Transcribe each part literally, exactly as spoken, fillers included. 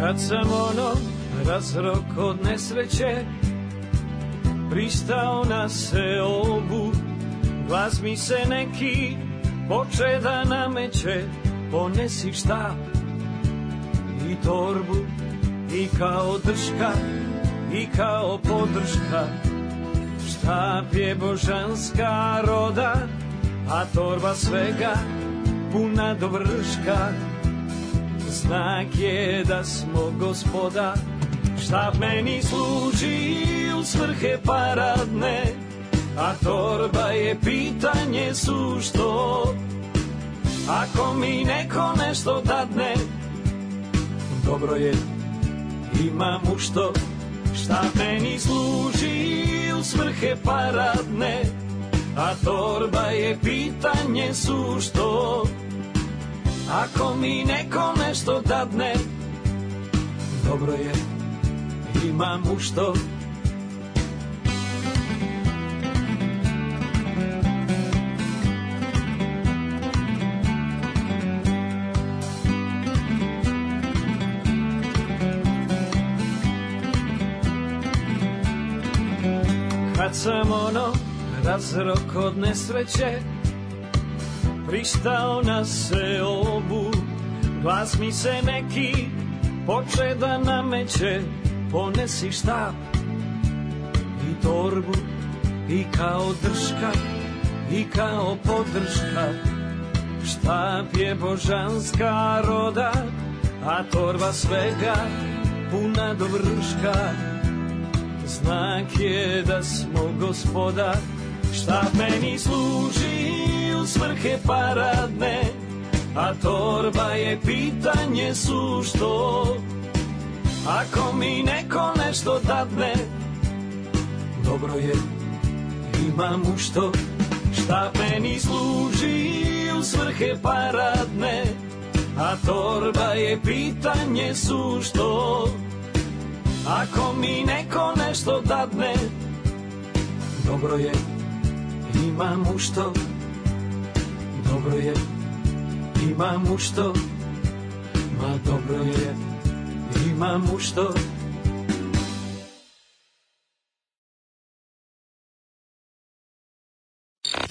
Kad sam ono razrok od nesreće pristao na seobu, glas mi se neki poče da nameće, ponesi štap i torbu i kao drška i kao podrška. Štap je božanska roda, a torba svega puna do vrška. Znak je da smo gospoda, štap meni služi u svrhe paradne, a torba je pitanje sušto. Ako mi neko nešto dadne, dobro je, imam u što. Štap meni služi u svrhe paradne, a torba je pitanje sušto. Ako mi neko nešto dadne, dobro je, imam u što. Kad sam ono razrok od nesreće pristao na seobu, glas mi se neki poče da nameće, ponesi štap i torbu i kao drška i kao podrška. Štap je božanska roda, a torba svega puna do vrška. Znak je da smo gospoda, štap meni služi u svrhe paradne, a torba je pitanje sušto. Ako mi neko nešto dadne, dobro je, imam u što. Štap meni služi u svrhe paradne, a torba je pitanje sušto. Ako mi neko nešto dadne, dobro je, imam u što. Dobro je, imam u što. Ma dobro je, imam u što.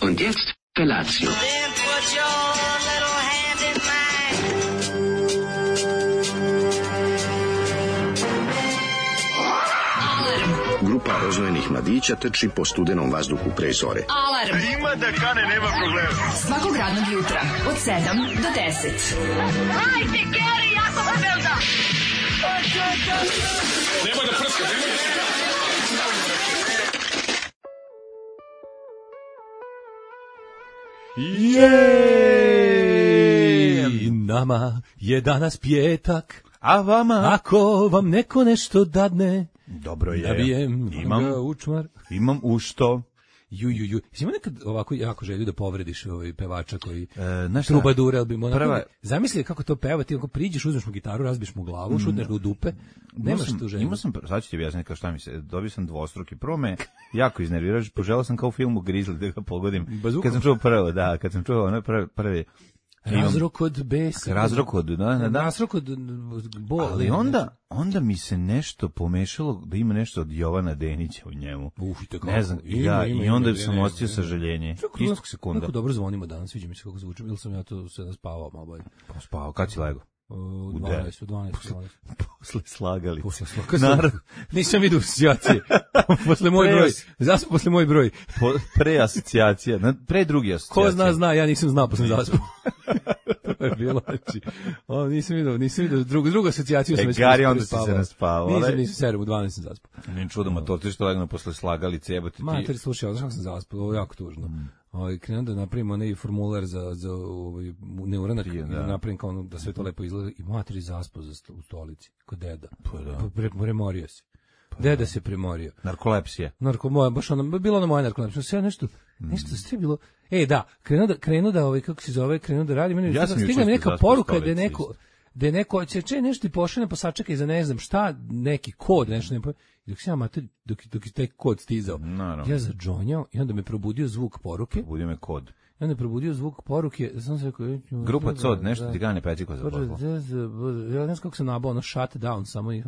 Und jetzt Felatio. Then put your little hand in mine. Grupa rozvojenih mladića trči po studenom vazduhu pre zore. Alarm. Ima da kane, nema problema. Svakog radnog jutra od sedam do deset. Hajde, Geri, jako se velda. Nemoj da prska, nemoj da prska. Jej! Nama je danas pjetak, a vama? Ako vam neko nešto dadne, dobro je. Nabijem imam učmar. Imam u što. Ju, ju, ju. Ima nekad ovako jako želju da povrediš ovaj pevača koji e, trubadura, ali bi mu prva... zamisli kako to peva, ti ako priđeš, uzmeš mu gitaru, razbiš mu glavu, šutneš ga u dupe, nemaš tu želju. Imao sam, sad ću ti objasniti kao šta mi se, dobio sam dvostruki, prvo me jako iznerviraš, poželao sam kao u filmu Grizzly da ga pogodim. Bazukom. Kad sam čuo prvo, da, kad sam čuo ono prvi, prvi razrok od besa. Razrok od, da, da, da. Razrok od bola. Ali onda, onda mi se nešto pomešalo da ima nešto od Jovana Denića u njemu. Uf, tako. Ne znam, ima, ja, ima, i onda ima, sam osjetio sažaljenje. Istog sekunda. Kako dobro zvonimo danas, sviđa mi se kako zvučim, ili sam ja to sada spavao malo bolje. Pa spavao, kad si lego? U dvanaest, u dvanaest. Posle slagali. Posle slagali. Nisam vidio asocijacije. Posle moj broj. Zaspo posle moj broj. Po, pre asocijacija, pre drugi asocijacije. Ko zna, zna, ja nisam znao posle zaspo. To je bilo, znači, o, nisam vidio, nisam vidio, drugu, drugu asocijaciju sam e, već Gari, onda si se naspavao. Nisam, nisam, sedam, u dvanaest sam zaspao. Nije čudo, mator, ti što legno posle slagali, cebati ti. Mater, slušaj, odnosno sam zaspao, ovo je jako tužno. Mm. Ovaj krenuo da napravimo onaj formular za za ovaj neuranak, da napravim kao ono, da sve to lepo izgleda i materi zaspo za sto, u stolici kod deda. Pa da. Pre, premorio se. Pa deda da. se premorio. Narkolepsija. Narkomoja, baš ono bilo ono moja narkolepsija. Sve nešto nešto mm. sve bilo. E da, krenuo da krenuo da ovaj kako se zove, krenuo da radi, meni ja stigla neka poruka da je neko da je neko će če nešto ti pošalje pa sačekaj za ne znam šta, neki kod, nešto ne. I dok se ja mater, dok, dok je taj kod stizao, Naravno. ja zadžonjao i onda me probudio zvuk poruke. Probudio me kod. I onda je probudio zvuk poruke, sam se rekao... Grupa C O D, nešto ti gane peciko za pozvao. Ja ne znam kako sam nabao, ono shut down, samo i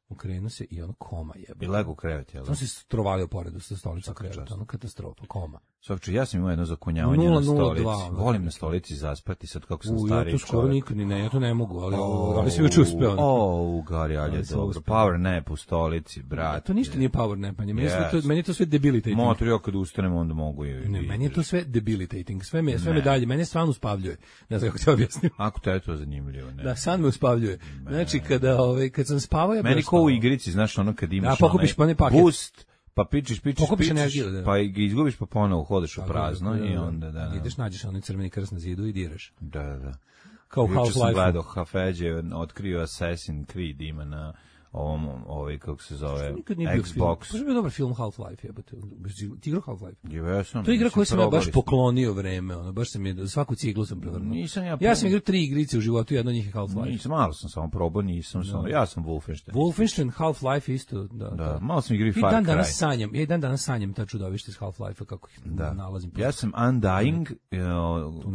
ukrenuo se i ono koma jebe. I lego u krevet, jel? Sam se strovalio poredu sa stolicom kreveta, ono katastrofa, koma. Svakče, ja sam imao jedno zakunjavanje na stolici. Volim na stolici zaspati, sad kako sam U, stariji čovjek. Ja to skoro čovjek. Nikad ni ne, ja to ne mogu, ali, oh, ali si već uspeo. O, Gari, ali je dobro. Power nap u stolici, brat. To ništa nije power napanje, meni, yes. to, meni je to sve debilitating. Motor, ja kad ustanem, onda mogu i... Ne, meni je to sve debilitating, sve me, sve me dalje, mene stvarno uspavljuje. Ne znam kako te objasnim. Ako te je to zanimljivo, ne. Da, san me uspavljuje. Znači, kada, ove, kad sam spavao, ja meni ko u igrici, znaš, ono kad imaš da, pokupiš onaj paket. Boost, pa pičiš, pičiš, pokupiš pičiš, energiju, da. Pa ga izgubiš, pa ponovo hodeš u prazno da, da, da, i onda, da. Ideš, nađeš onaj crveni krst na zidu i diraš. Da, da, da. Kao Half-Life. Juče sam gledao, Hafeđe otkrio Assassin's Creed, ima na ovom, ovaj, kako se zove, Xbox. To je bio dobar film Half-Life, jebate. Ti igrao Half-Life? Ja sam. To je igra koju sam ja baš poklonio vreme, ono, baš sam je, svaku ciglu sam prevrnuo. Nisam ja. Ja sam igrao tri igrice u životu, jedna od njih je Half-Life. Nisam, malo sam samo probao, nisam samo, ja sam Wolfenstein. Wolfenstein, Half-Life isto, da. Da, malo sam igrao i Far Cry. I dan danas sanjam, ja i dan danas sanjam ta čudovište iz Half-Life-a, kako ih nalazim. Ja sam Undying,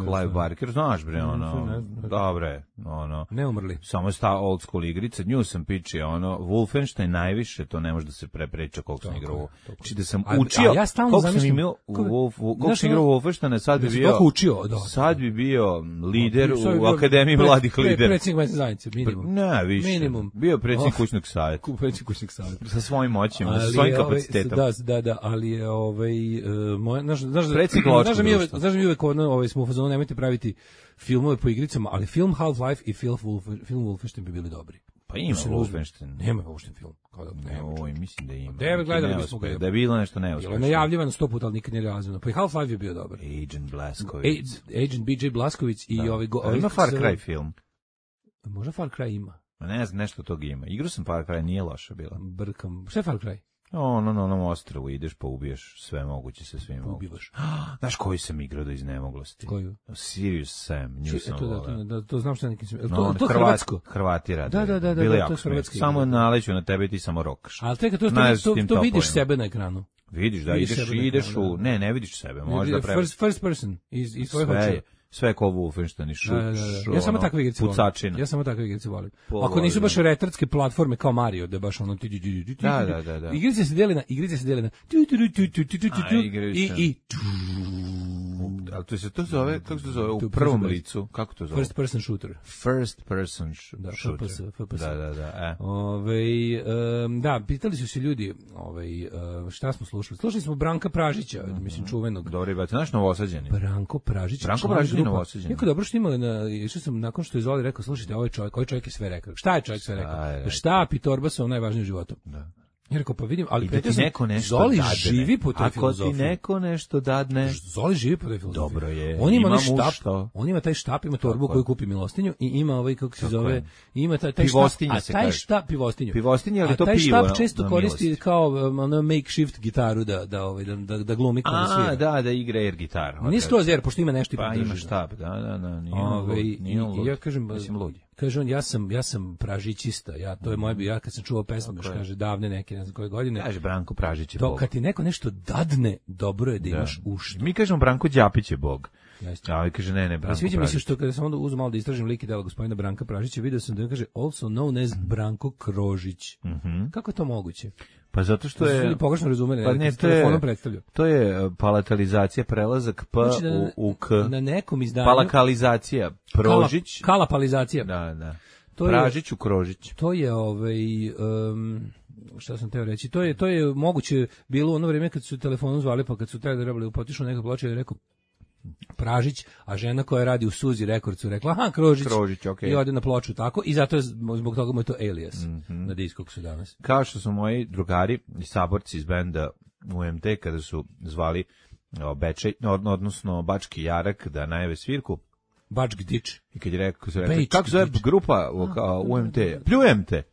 Clive Barker, znaš bre, ono, dobre, ono. Ne umrli. Samo sta old school igrica, nju sam pičio, ono, Wolfenstein najviše, to ne može da se prepriča koliko sam igrao. Znači da sam učio, a ja stalno zamislim, koliko sam igrao Wolfensteina, sad bi bio, sad bi bio lider u Akademiji mladih lidera. Predsjednik mesne zajednice, minimum. Ne, više. Minimum. Bio predsjednik kućnog savjeta. Predsjednik kućnog savjeta. Sa svojim moćima, sa svojim kapacitetom. Da, da, da, ali je ovaj, znaš, znaš, predsjednik lovačkog društva. Znaš da mi uvek ovaj, smo u fazonu, nemojte praviti filmove po igricama, ali film Half-Life i film Wolfenstein bi bili dobri. Pa ima Wolfenstein. Nema Wolfenstein film. Kao da nema. Oj, mislim da ima. Devet gledali bismo ga. Da je bilo nešto neuspešno. Bilo je najavljivano sto puta, ali nikad nije realizovano. Pa i Half-Life je bio dobar. Agent Blasković. Agent B J Blasković i ovaj... Ima Far Cry film. Možda Far Cry ima. Ne znam, nešto tog ima. Igrao sam Far Cry, nije loša bila. Brkam. Šta je Far Cry? Ono, na onom ostrvu ideš pa ubiješ sve moguće sa svim moguće. Ubivaš. Znaš koji sam igrao do iznemoglosti? Koju? Sirius Sam, nju sam to, volao. Da, da, to znam šta nekim sam... No, to, to Hrvat, hrvatsko? Hrvati rade. Da, da, da, Bili da, to je hrvatski. Samo naleću na tebe i ti samo rokaš. Ali teka, to, to, to, to, to vidiš sebe na ekranu. Vidiš, da, ideš, ideš u... Ne, ne vidiš sebe, možda pre... First, first person, iz, iz tvojih očeva. Sve kao Wolfenstein i šut, da, da, da. Ja samo takve igrice volim. Ja samo takve igrice volim. Ako nisu baš retardske platforme kao Mario, da baš ono... Da, da, da, da. Igrice se deli na... Igrice se deli na... I... i ali to se to zove, kako se zove, u prvom licu, kako to zove? First person shooter. First person da, shooter. F P S, F P S. Da, da, da. E. Ove, um, da, pitali su se ljudi, ove, uh, šta smo slušali? Slušali smo Branka Pražića, mm-hmm. mislim, čuvenog. Dobro, i znaš Novosađeni? Branko Pražić. Branko Pražić je Novosađeni. Jako dobro što imali, na, išao sam, nakon što je Zoli rekao, slušajte, ovaj čovjek, ovaj čovjek je sve rekao. Šta je čovjek sve rekao? Štap i torba su najvažniji u životu. Da. Ja rekao, pa vidim, ali pretio sam, neko nešto Zoli dadne. živi po toj Ako filozofiji. Ako ti neko nešto dadne... Zoli živi po toj filozofiji. Dobro je, on ima, ima štap, što. On ima taj štap, ima torbu koju kupi Milostinju i ima ovaj, kako se Tako zove, je. ima taj, taj štap, a taj štap, pivostinju. Pivostinju, ali a to taj pivo. A taj štap često koristi kao ono makeshift gitaru da, da, ovaj, da, da, da glumi kao da svira. A, da, da igra air gitar. Nije skroz air, pošto ima nešto i pa ima štap, da, da, da, nije on lud. Ja kažem, mislim lud. Kaže on, ja sam, ja sam pražićista, ja, to je moje, ja kad sam čuo pesmu, još kaže, davne neke, ne znam koje godine. Kaže Branko Pražić je to, Bog. Kad ti neko nešto dadne, dobro je da, da. imaš ušta. Mi kažemo Branko Đapić je Bog. A ovaj kaže, ne, ne, Branko Pražić. Mi se što kada sam onda uzeo malo da istražim lik i delo gospodina Branka Pražića, vidio sam da on kaže, also known as Branko Krožić. Mm-hmm. Kako je to moguće? Pa zato što je... Ljudi pogrešno razumeli, pa ne, to je, to je palatalizacija, prelazak P znači da, u, u K. Na nekom izdanju... Palakalizacija, Prožić. Kala, kalapalizacija. Da, da. To Pražić u Krožić. To je ovaj... Um, šta sam teo reći, to je, to je moguće bilo u ono vrijeme kad su telefonom zvali, pa kad su trebali upotišu neka ploča i rekao Pražić, a žena koja radi u Suzi Rekordcu rekla, aha, Krožić, Krožić okay. I ode na ploču tako, i zato je, zbog toga mu je to alias mm-hmm. na disku su danas. Kao što su moji drugari i saborci iz benda U M T kada su zvali o, Bečej, odnosno Bački Jarak da najave svirku, Bačk Dič. I kad je rekao, su rekli, kako zove grupa U M T? Pljujem te.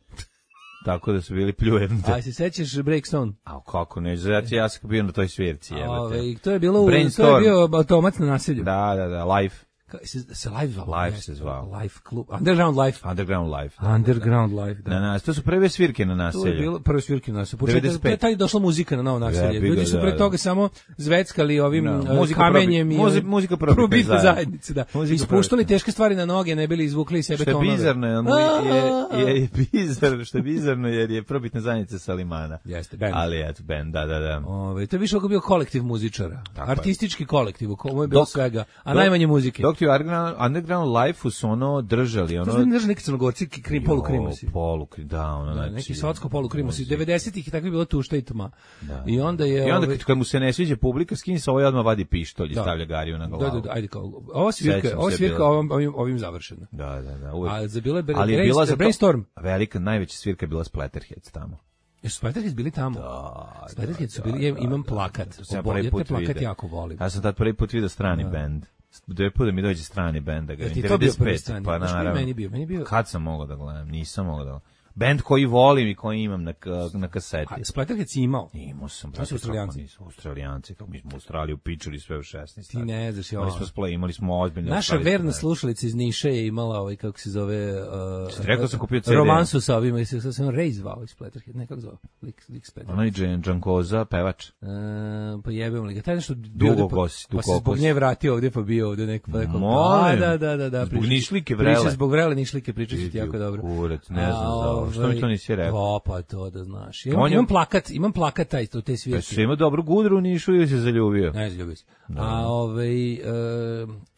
Tako da su bili pljujem te. A se sećaš Breakstone? A kako ne, znači ja sam bio na toj svirci, jebote. Ove, to je bilo u, to je bio automat na naselju. Da, da, da, live. Ka- se, se live zvao? Live se zvao. Live klub. Underground Live. Underground Live. Underground Live, da. Na nas, to su prve svirke na To je naselju. bilo prve svirke na naselju. Početak, devedeset to je pet. taj došla muzika na novo naselje. Jebi ga, Ljudi su pre da, toga da. samo zveckali ovim Da, uh, muzika kamenjem probi- i muzi- ovim- muzika probitne probitne zajednice. zajednice, da. Muzika Ispuštali probitne. teške stvari na noge, ne bili izvukli iz sebe Što je tonove. bizarno, je, je, je, je bizarno, što je bizarno jer je probitna zajednica Salimana. Jeste, band. Ali eto, band, da, da, da. Ove, to je više oko bio kolektiv muzičara. Tako je. Artistički kolektiv, u kojem je bilo Dok- svega, a dok- najmanje muzike. Dok ti u Underground, underground Life-u su ono držali, ono... To su držali neki crnogorci, krim, polukrimasi. Polukrim, da, ono, Da, znači... neki socko polukrimasi. muzika. devedesetih i tako je bilo tušta i tma. Da. I onda je... I onda ovaj, kad, kad mu se ne sviđa publika, skini se ovaj odmah vadi pištolj i Da. stavlja Gariju na glavu. Da, da, da, ajde kao. Ova svirka, Sećam ova se svirka bila. ovim, ovim, ovim završena. Da, da, da, uvek. A za bile bre, Ali je brain- bila za to- Brainstorm. Velika, najveća svirka je bila Splatterheads tamo. Jesu Splatterheads bili tamo? Da, Splatterheads su da, bili, ja da, imam da, plakat. da, to sam ja Obolje, prvi put te plakat vidio. jako volim. Ja sam tad prvi put vidio strani bend. Dve put da mi dođe strani bend da ga Jel ti vidim. to bio devedeset pet, prvi strani? pa Znaš koji je naravno. meni bio? Meni bio- Kad sam mogao da gledam? Nisam mogao da gledam. Bend koji volim i koji imam na, ka- na kaseti. A Splatterheads si imao? Imao sam. To su Australijanci. Nisu Australijanci, kako mi smo u Australiju pičuli sve u šesnaest. Ti ne znaš, ja. Imali smo splay, imali smo ozbiljno. Naša australijske verna bende. slušalica iz Niša je imala ovaj, kako se zove... Uh, Rekao sam kupio C D. romansu sa ovima, i se sad se on Ray zvao iz Splatterhead, ne, kako zvao? Lik, lik Splatterhead. Onaj Džan Džankoza, pevač. Uh, pa jebemo li ga, taj nešto bio Dugo ovde, pa, kosi, pa se dugo zbog kosi. nje vratio ovde, pa bio ovde neko, pa rekao, Molim. da, da, da, da, Zbog priča- nišlike priča vrele. Zbog vrele nišlike pričat ću ti jako dobro. Kurac, ne znam A, za ovo. Što mi to nisi rekao? O, pa to da znaš. Imam, On je- imam plakat, imam plakat taj, to te Pa svirke. si imao dobru gudru u Nišu ili se zaljubio? Ne, zaljubio se. A ovaj, e,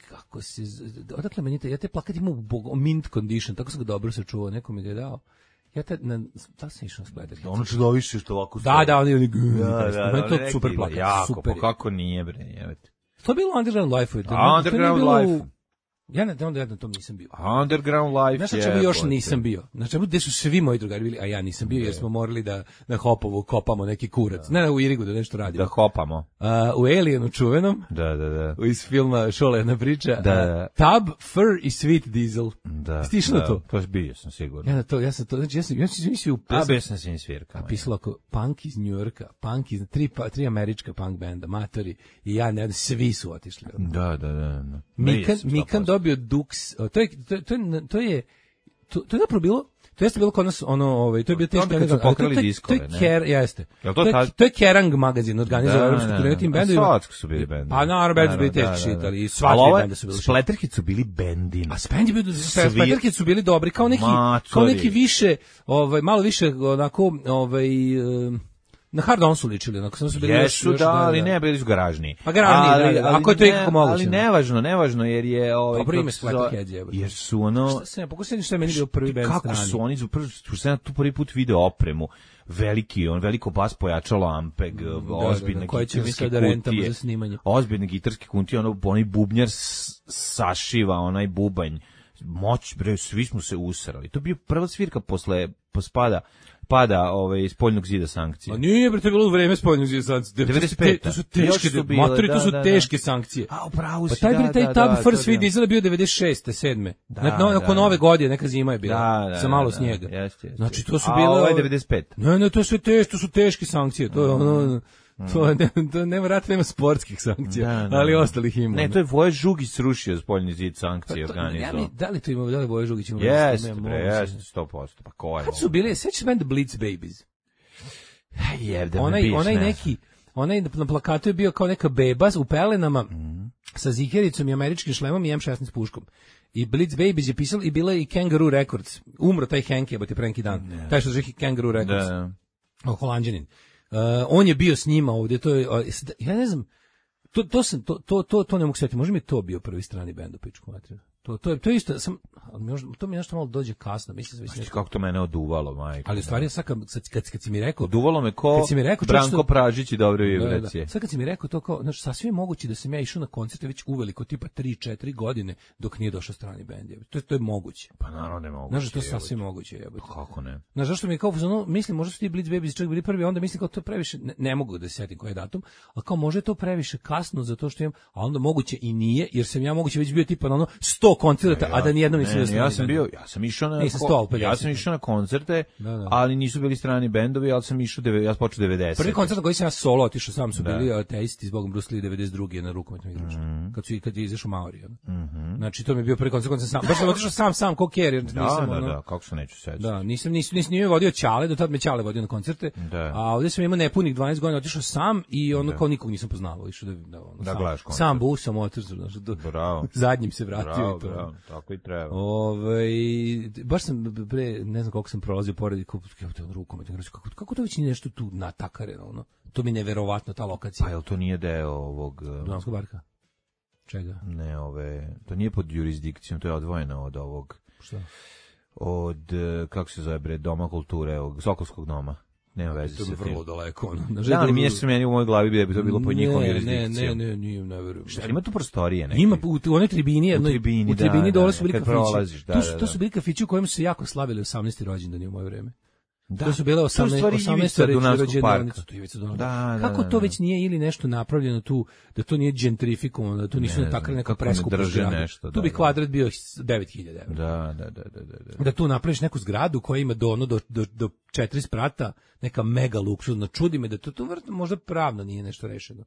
kako se, z- odakle meni te, ja te plakat imam u bog- mint condition, tako sam ga dobro sačuvao, neko mi ga je dao. Ja te, na, da li sam išao na Splatterhead? Ono čudoviše što ovako Da, da, oni, oni, Da, da, meni to neki super bilo plakat, jako, super. pa je. kako nije, bre, jebate. To je bilo Underground Life. To, A, to nije Underground bilo u- Life. Ja ne, onda ja na tom nisam bio. Underground Life Znaš na je... čemu još nisam bio? Na čemu gde su svi moji drugari bili, a ja nisam bio jer smo morali da na Hopovu kopamo neki kurac. Ne, ne, u Irigu da nešto radimo. Da hopamo. A, u Alienu čuvenom, Da, da, da. iz filma Šola jedna priča, Da, a, da. Tab, Fur i Sweet Diesel. Da. Jesi išao na da, to? To je bio sam sigurno. Ja na to, ja sam to, znači ja sam, ja sam mislio u A pesmu, bio sam svim svirkama. a pisalo ako punk iz Njujorka, punk iz, tri, pa, tri američka punk benda, matori, i ja, ne, svi su otišli. Da, da, da. da. Mikan, Jesam, Mikan sto posto. dobio Dux, o, to je, to, je- to, je, to je, to, to je zapravo bilo, to jeste bilo kod nas, ono, ovaj, to je bio teško. Onda kad su pokrali to, je- diskove, to je ne? Ker, jeste. Jel to to, je, tad- to je Kerrang magazin, organizovao evropsku turneju tim bendovima. Svatsko su bili bendovi. Pa naravno, bendovi su bili Naravno, teški da, shit, da. ali Ali sva tri ovo je- benda su bili shit. Splatterhead su bili bendini. A Spend je bio, Svi- Splatterhead su bili dobri, kao neki, kao Matori. neki više, ovaj, malo više, onako, ovaj, em, na Hard On su ličili, onako, samo su bili još, Jesu, još, da, ali ne, bili su garažni. Pa garažni, Ali- da, da, ali ako je to ne- ikako moguće. Ali nevažno, nevažno, jer je... Ovaj, Dobro ime kako se zove- Splatterheads, jebote. Jer su ono... Šta se, pokušaj što je meni bio prvi band Kako strani. su oni, prvo što sam ja tu prvi put video opremu, veliki, on veliko bas pojačalo Ampeg, ozbiljne da, koje će mi gitarske sad da rentamo kutije, za snimanje. ozbiljne gitarske kutije, ono, onaj bubnjar s- sašiva, onaj bubanj, moć, bre, svi smo se usrali. To je bio prva svirka posle pospada pada ovaj spoljnog zida sankcije. A nije, bre, to je bilo u vreme spoljnog zida sankcije. devedeset peta. To su Još teške, su bile, matori, to da, su da, da. teške sankcije. A, upravo Pa si, taj, da, bre, taj da, Tab da, First to Sweet da. Diesel je bio devedeset šeste, sedme Da, Nakon da, nakon da. nove godine, neka zima je bila, Da, da, sa malo da, snijega. jeste, jeste. Znači, to su A bile... ovo je devedeset pet. Ne, ne, to su teške, to su teške sankcije, to je ono... To, je- ne, to nema rata, nema sportskih sankcija, Da, da, ali da. ostalih ima. Ne, to je Voje Žugić srušio spoljni zid sankcije Pa to- ja organizovao. mi, da li to ima, da li Voje Žugić ima? Jeste, Nema, bre, moguće. jeste, sto posto. Pa ko je Kad su ovo? bili, sećaš se benda Blitz Babies? Jebde me onaj, biš, onaj ne neki, onaj na plakatu je bio kao neka beba u pelenama sa zihericom i američkim šlemom i em šesnaest puškom. I Blitz Babies je pisalo i bila je i Kangaroo Records. Umro taj Hank, jebote, pre neki dan. Taj što zove Kangaroo Records. Da, O, Holanđanin. Uh, on je bio s njima ovdje, to je, uh, ja ne znam, to, to, sam, to, to, to, to ne mogu sjetiti, možda mi je to bio prvi strani bend u pičku materinu. To, to, je, to je isto, sam, ali možda, to mi nešto malo dođe kasno, mislim da Znaš kako to mene oduvalo, majko. ali u stvari, sad kad, kad, kad, kad si mi rekao, Oduvalo me ko Kad si mi rekao, Branko čovječe, Pražić i dobre Da, da, da. vibracije. Sad kad si mi rekao to kao, znači sasvim je moguće da sam ja išao na koncerte već uveliko tipa tri četiri godine dok nije došao strani bend. jebote. To je to je moguće. Pa naravno ne mogu. Znaš da to sasvim moguće, jebote. Kako ne? Znaš zašto mi je kao ono, mislim možda su ti Blitz Babies čak bili prvi, onda mislim kao to je previše, ne, ne mogu da se setim koji je datum, ali kao može je to previše kasno zato što imam, a onda moguće i nije, jer sam ja moguće već bio tipa na ono sto koncerata, a da nijednom nisam nisam Ne, bio ne, ja strani sam bend. bio, ja sam išao na Nisam ko- sto pedeset. ja sam išao na koncerte, Da, da. ali nisu bili strani bendovi, ali sam išao deve- ja sam počeo devedeset. Prvi koncert na koji sam ja solo otišao, sam su Da. bili ateisti zbog Bruce Lee devedeset druge na rukometnom igraču. Kad su i kad je izašao Maori. ono. Znači to mi je bio prvi koncert, koncert sam. Baš sam otišao sam sam ko carrier, jer Da, nisam da, ono. da, kako se neću sećati. Da, nisam nisam nisam nije vodio Ćale, do tad me Ćale vodio na koncerte. Da. A ovdje sam imao nepunih dvanaest godina, otišao sam i ono kao nikog nisam poznavao, išao da da ono. Da sam, gledaš koncert. sam busom otišao, znači do Bravo. zadnjim se vratio Bravo, i to. bravo, tako i treba. Ovaj baš sam pre ne znam koliko sam prolazio pored kako kako rukom kako kako to već nije nešto tu natakareno ono. To mi je neverovatno ta lokacija. Pa jel to nije deo ovog... uh, Dunavskog barka. Čega? Ne, ove... To nije pod jurisdikcijom, to je odvojeno od ovog... Šta? Od, uh, kako se zove, bre, Doma kulture, ovog Sokolskog doma. Nema veze To sa je tim. vrlo daleko ono. Na Da, ali mi je se meni u mojoj glavi bi da bi to bilo pod njihovom Ne, jurisdikcijom. ne, ne, nije, ne verujem. Šta, ima tu prostorije neke? Ima u, u onoj tribini, jednoj, tribini, u tribini da, dole da, su bili kad kafići. prolaziš, da, to, su, da, to da. su bili kafići u kojima su se jako slavili osamnaesti rođendani u moje vreme. Da. To su bile To je u osamnaeste stvari osamnaeste Ivica Dunavskog rođendanice. parka. To je Ivica Dunavskog. Da, da, Kako da, to da. već nije ili nešto napravljeno tu, da to nije gentrifikovano, da to nisu Ne ne, takve znam, neka kako ne preskupa drže zgrada. nešto, Tu da, bi da. kvadrat bio devet hiljada evra. Da, da, da, da, da, da. Da tu napraviš neku zgradu koja ima do ono do do do četiri sprata, neka mega luksuzna. Čudi me da to to vrlo- možda pravno nije nešto rešeno.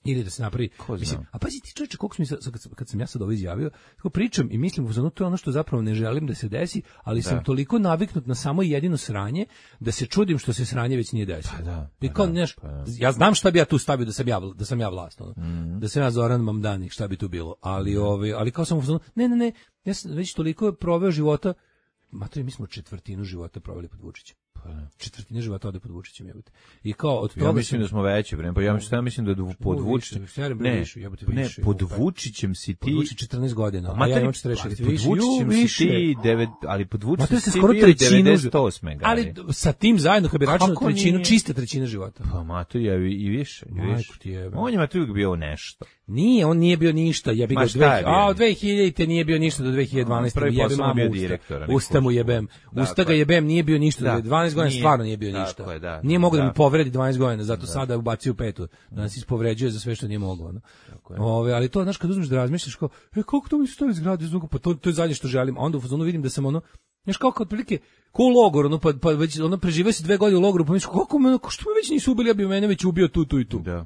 Ili da se napravi, Ko zna? mislim, a pazi ti čoveče, koliko sam, mi sad, kad, sam, kad sam ja sad ovo izjavio, tako pričam i mislim, uzmano, to je ono što zapravo ne želim da se desi, ali sam toliko naviknut na samo jedino sranje, da se čudim što se sranje već nije desilo. Pa da, I pa kao, da, znaš, pa da. ja znam šta bi ja tu stavio da sam ja, da sam ja vlast, ono. Mhm. Da sam ja Zoran Mamdani, šta bi tu bilo, ali, ovaj, ali kao sam, uzmano, ne, ne, ne, ja sam već toliko proveo života, mater, mi smo četvrtinu života proveli pod Vučićem. Četvrtina života ode pod Vučićem, jebote. I kao od toga Ja mislim sam- da smo veći, bre, pa ja mislim, ja mislim da je pod Ovo Vučićem. više, stvarno, bre, Ne, više, jebote, ne, više, pod jebote. Vučićem si Pod ti. Vučićem četrnaest godina, a ja Materi, imam četrdeset šest. ali pod Vučićem si ti, devet, ali pod Ma Vučićem to se si skoro bio trećinu, devedeset osme. ali sa tim zajedno kad bi računao Kako trećinu, nije? čista trećina života. Pa Mato je i više, i Majku više. ti jebe. On je Mato uvijek bio nešto. Nije, on nije bio ništa, jebi Ma ga, šta je dve- bio? a od dve hiljadite nije bio ništa do dve hiljade dvanaeste. Prvi jebe posao mamu bio usta. direktor, a ne Usta mu kuću. jebem. Usta Dakle. ga jebem, nije bio ništa, Da. do dvanaest godina Nije. stvarno nije bio Tako ništa. je, da. Nije mogao da Da. mi povredi dvanaest godina, zato sada ubacio petu, da nas ispovređuje za sve što nije mogao. No. je. Ove, ali to, znaš, kad uzmeš da razmišljaš, kao, e, koliko to mi stoji zgrade, zvuka, pa to, to je zadnje što želim, a onda u fazonu vidim da sam ono, znaš, kao kad prilike, ko u logor, ono, pa, pa već, ono, preživio si dve godine u logoru, pa misliš, kako me, ko što me već nisu ubili, ja bi mene već ubio tu, tu i tu. Da.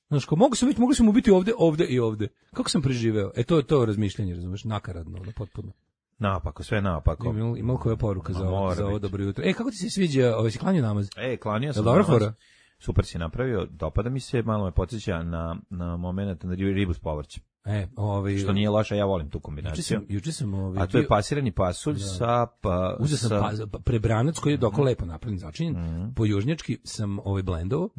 Znaš, kao, mogu sam već, mogli sam ubiti ovde, ovde i ovde. Kako sam preživeo? E, to je to razmišljanje, razumeš, nakaradno, ono, potpuno. Napako, sve napako. Ima, ima koja poruka Ma, za, ovo- mora za ovo biti. dobro jutro. E, kako ti se sviđa, ovaj, si klanio namaz? E, klanio sam. Jel dobra namaz. fora? Super si napravio, dopada mi se, malo me podsjeća na, na moment na ribu s povrćem. E, ovaj, Što nije loše, ja volim tu juče kombinaciju. sam, juče sam, ovaj, A to je bio- pasirani pasulj sa... Pa, Uzeo sam sa, pa, pa- prebranac koji je doko lepo napravljen, začinjen. Po južnjački sam ovaj blendovao,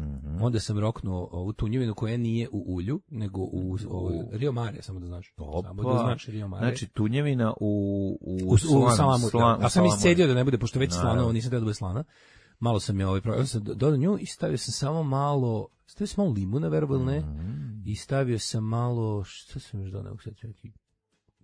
onda sam roknuo ovu tunjevinu koja nije u ulju, nego u, u Rio Mare, samo da znaš. Samo da znaš Rio Mare. Znači, tunjevina u, u, u, u slan- salamu. slan- Da. A sam salamu. iscedio da ne bude, pošto već Naravno. slana, ovo nisam teo da bude slana. Malo sam je ovaj proveo, sam dodao nju i stavio sam samo malo, stavio sam malo limuna, verovatno ne, i stavio sam malo, šta sam još dodao, sad neki,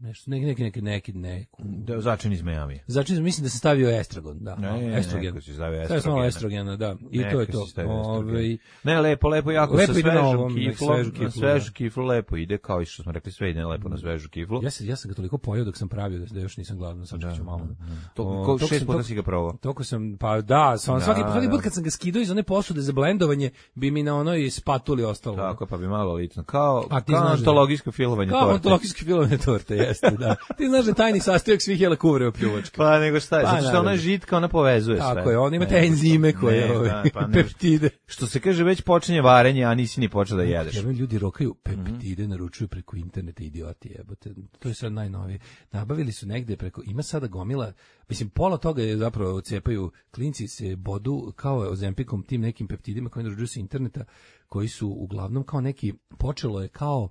nešto, neki, neki, neki, neki, neku. Da, začin iz Miami. Znači, mislim da sam stavio estragon, da, Ne, malo, ne, estrogen. neko si stavio Stavio sam malo estrogena. estrogena, da, i Neka to je si to. stavio estrogen. Ovaj, Ne, lepo, lepo, jako Lepo sa ide na svežom ovom, na kiflom, svežu na kiflu, svežu da. kiflu lepo ide, kao i što smo rekli, sve ide lepo na svežu kiflu. ja, sam, ja sam ga toliko pojeo dok sam pravio da, da još nisam gladan, sad ću malo. To, O, ko, toliko šest sam- puta toliko- si ga probao. Toliko sam, pa da, sam, Da, svaki, svaki da. put kad sam ga skidao iz one posude za blendovanje, bi mi na onoj spatuli ostalo. Tako, pa bi malo lično. Kao, A ti kao znaš da- antologijsko filovanje Kao torte. antologijski filovne torte, jeste, da. Ti znaš da je tajni sastojak svih jela kuvreva pljuvačka. Pa nego šta je, Pa, zato što ona naravno. je žitka, ona povezuje sve. Tako je, on ima te Ne, enzime ne, koje, da, ovaj, pa ne- peptide. Što se kaže, već počinje varenje, a nisi ni počeo da jedeš. Jebem, ljudi rokaju Mhm. peptide, naručuju preko interneta, idioti, jebote. To je sad najnovije. Nabavili su negde preko, ima sada gomila, mislim, pola toga je zapravo cepaju, klinci se bodu kao ozempikom tim nekim peptidima koji naručuju sa interneta, koji su uglavnom kao neki, počelo je kao,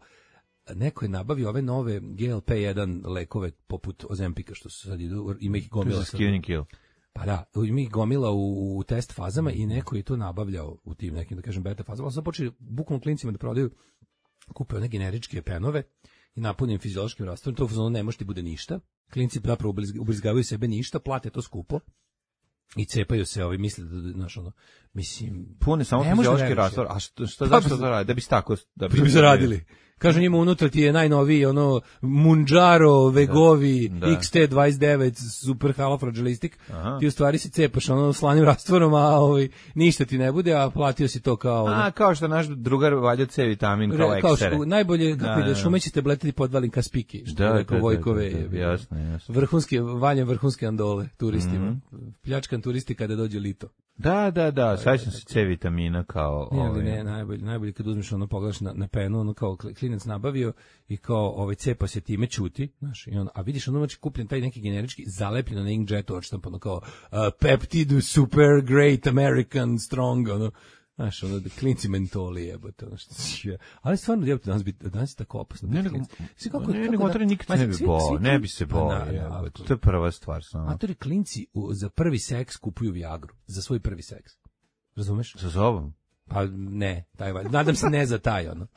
neko je nabavio ove nove G L P jedan lekove poput Ozempika, što su sad idu, ima ih To je gomila. za sad. skinning kill. Pa da, ima ih gomila u, u test fazama i neko je to nabavljao u tim nekim, da kažem, beta fazama. Ali sad počeli bukvalno klincima da prodaju, kupe one generičke penove i napunim fiziološkim rastvorom, to u fazonu ne može ti bude ništa. Klinci zapravo ubrizg- ubrizgavaju sebe ništa, plate to skupo i cepaju se, ovi misle da, znaš, ono, mislim... Pune samo Ne može da fiziološki veruješ, rastvor. A što, što, Pa, zašto to radi? Da bi tako... Da Da bi zaradili. Kažu njima unutra ti je najnoviji ono Munjaro, Vegovi, Da. X T dvadeset devet, super halofragilistik. Aha. Ti u stvari si cepaš ono slanim rastvorom, a ovaj, ništa ti ne bude, a platio si to kao... ono, A, kao što naš drugar valjao C vitamin kao Re- kao ekstere. što, najbolje, kako Da, ide, da. šume ćete bletiti podvalim ka spiki, što Da, je da, rekao da, Vojkove. da, da, jebi. jasno, jasno. Vrhunski, valja vrhunske andole turistima. Mhm. Pljačkan turisti kada dođe lito. Da, da, da, sećam se C vitamina kao... Ne, ali ovaj, ne, najbolje, najbolje kad uzmeš ono, pogledaš na, na penu, ono kao kli- klinac nabavio i kao ovaj cepa se time ćuti, znaš, i on, a vidiš ono znači kupljen taj neki generički zalepljeno na inkjetu odštampano kao uh, Peptid super great American strong, ono, znaš, ono, da klinci mentoli jebote, ono što je. Ali stvarno, jebote, danas, bi, danas je tako opasno. Ne, biti nego, klinac. Svi kako- ne, kako nego da- to nikad Ma, ne bi svi- bo, svi ne klin- bi se Pa bo, na- jebote. na- To je prva stvar samo. Matori klinci u, za prvi seks kupuju Viagru, za svoj prvi seks. Razumeš? Sa sobom? Pa ne, taj valj. Nadam se ne za taj, ono.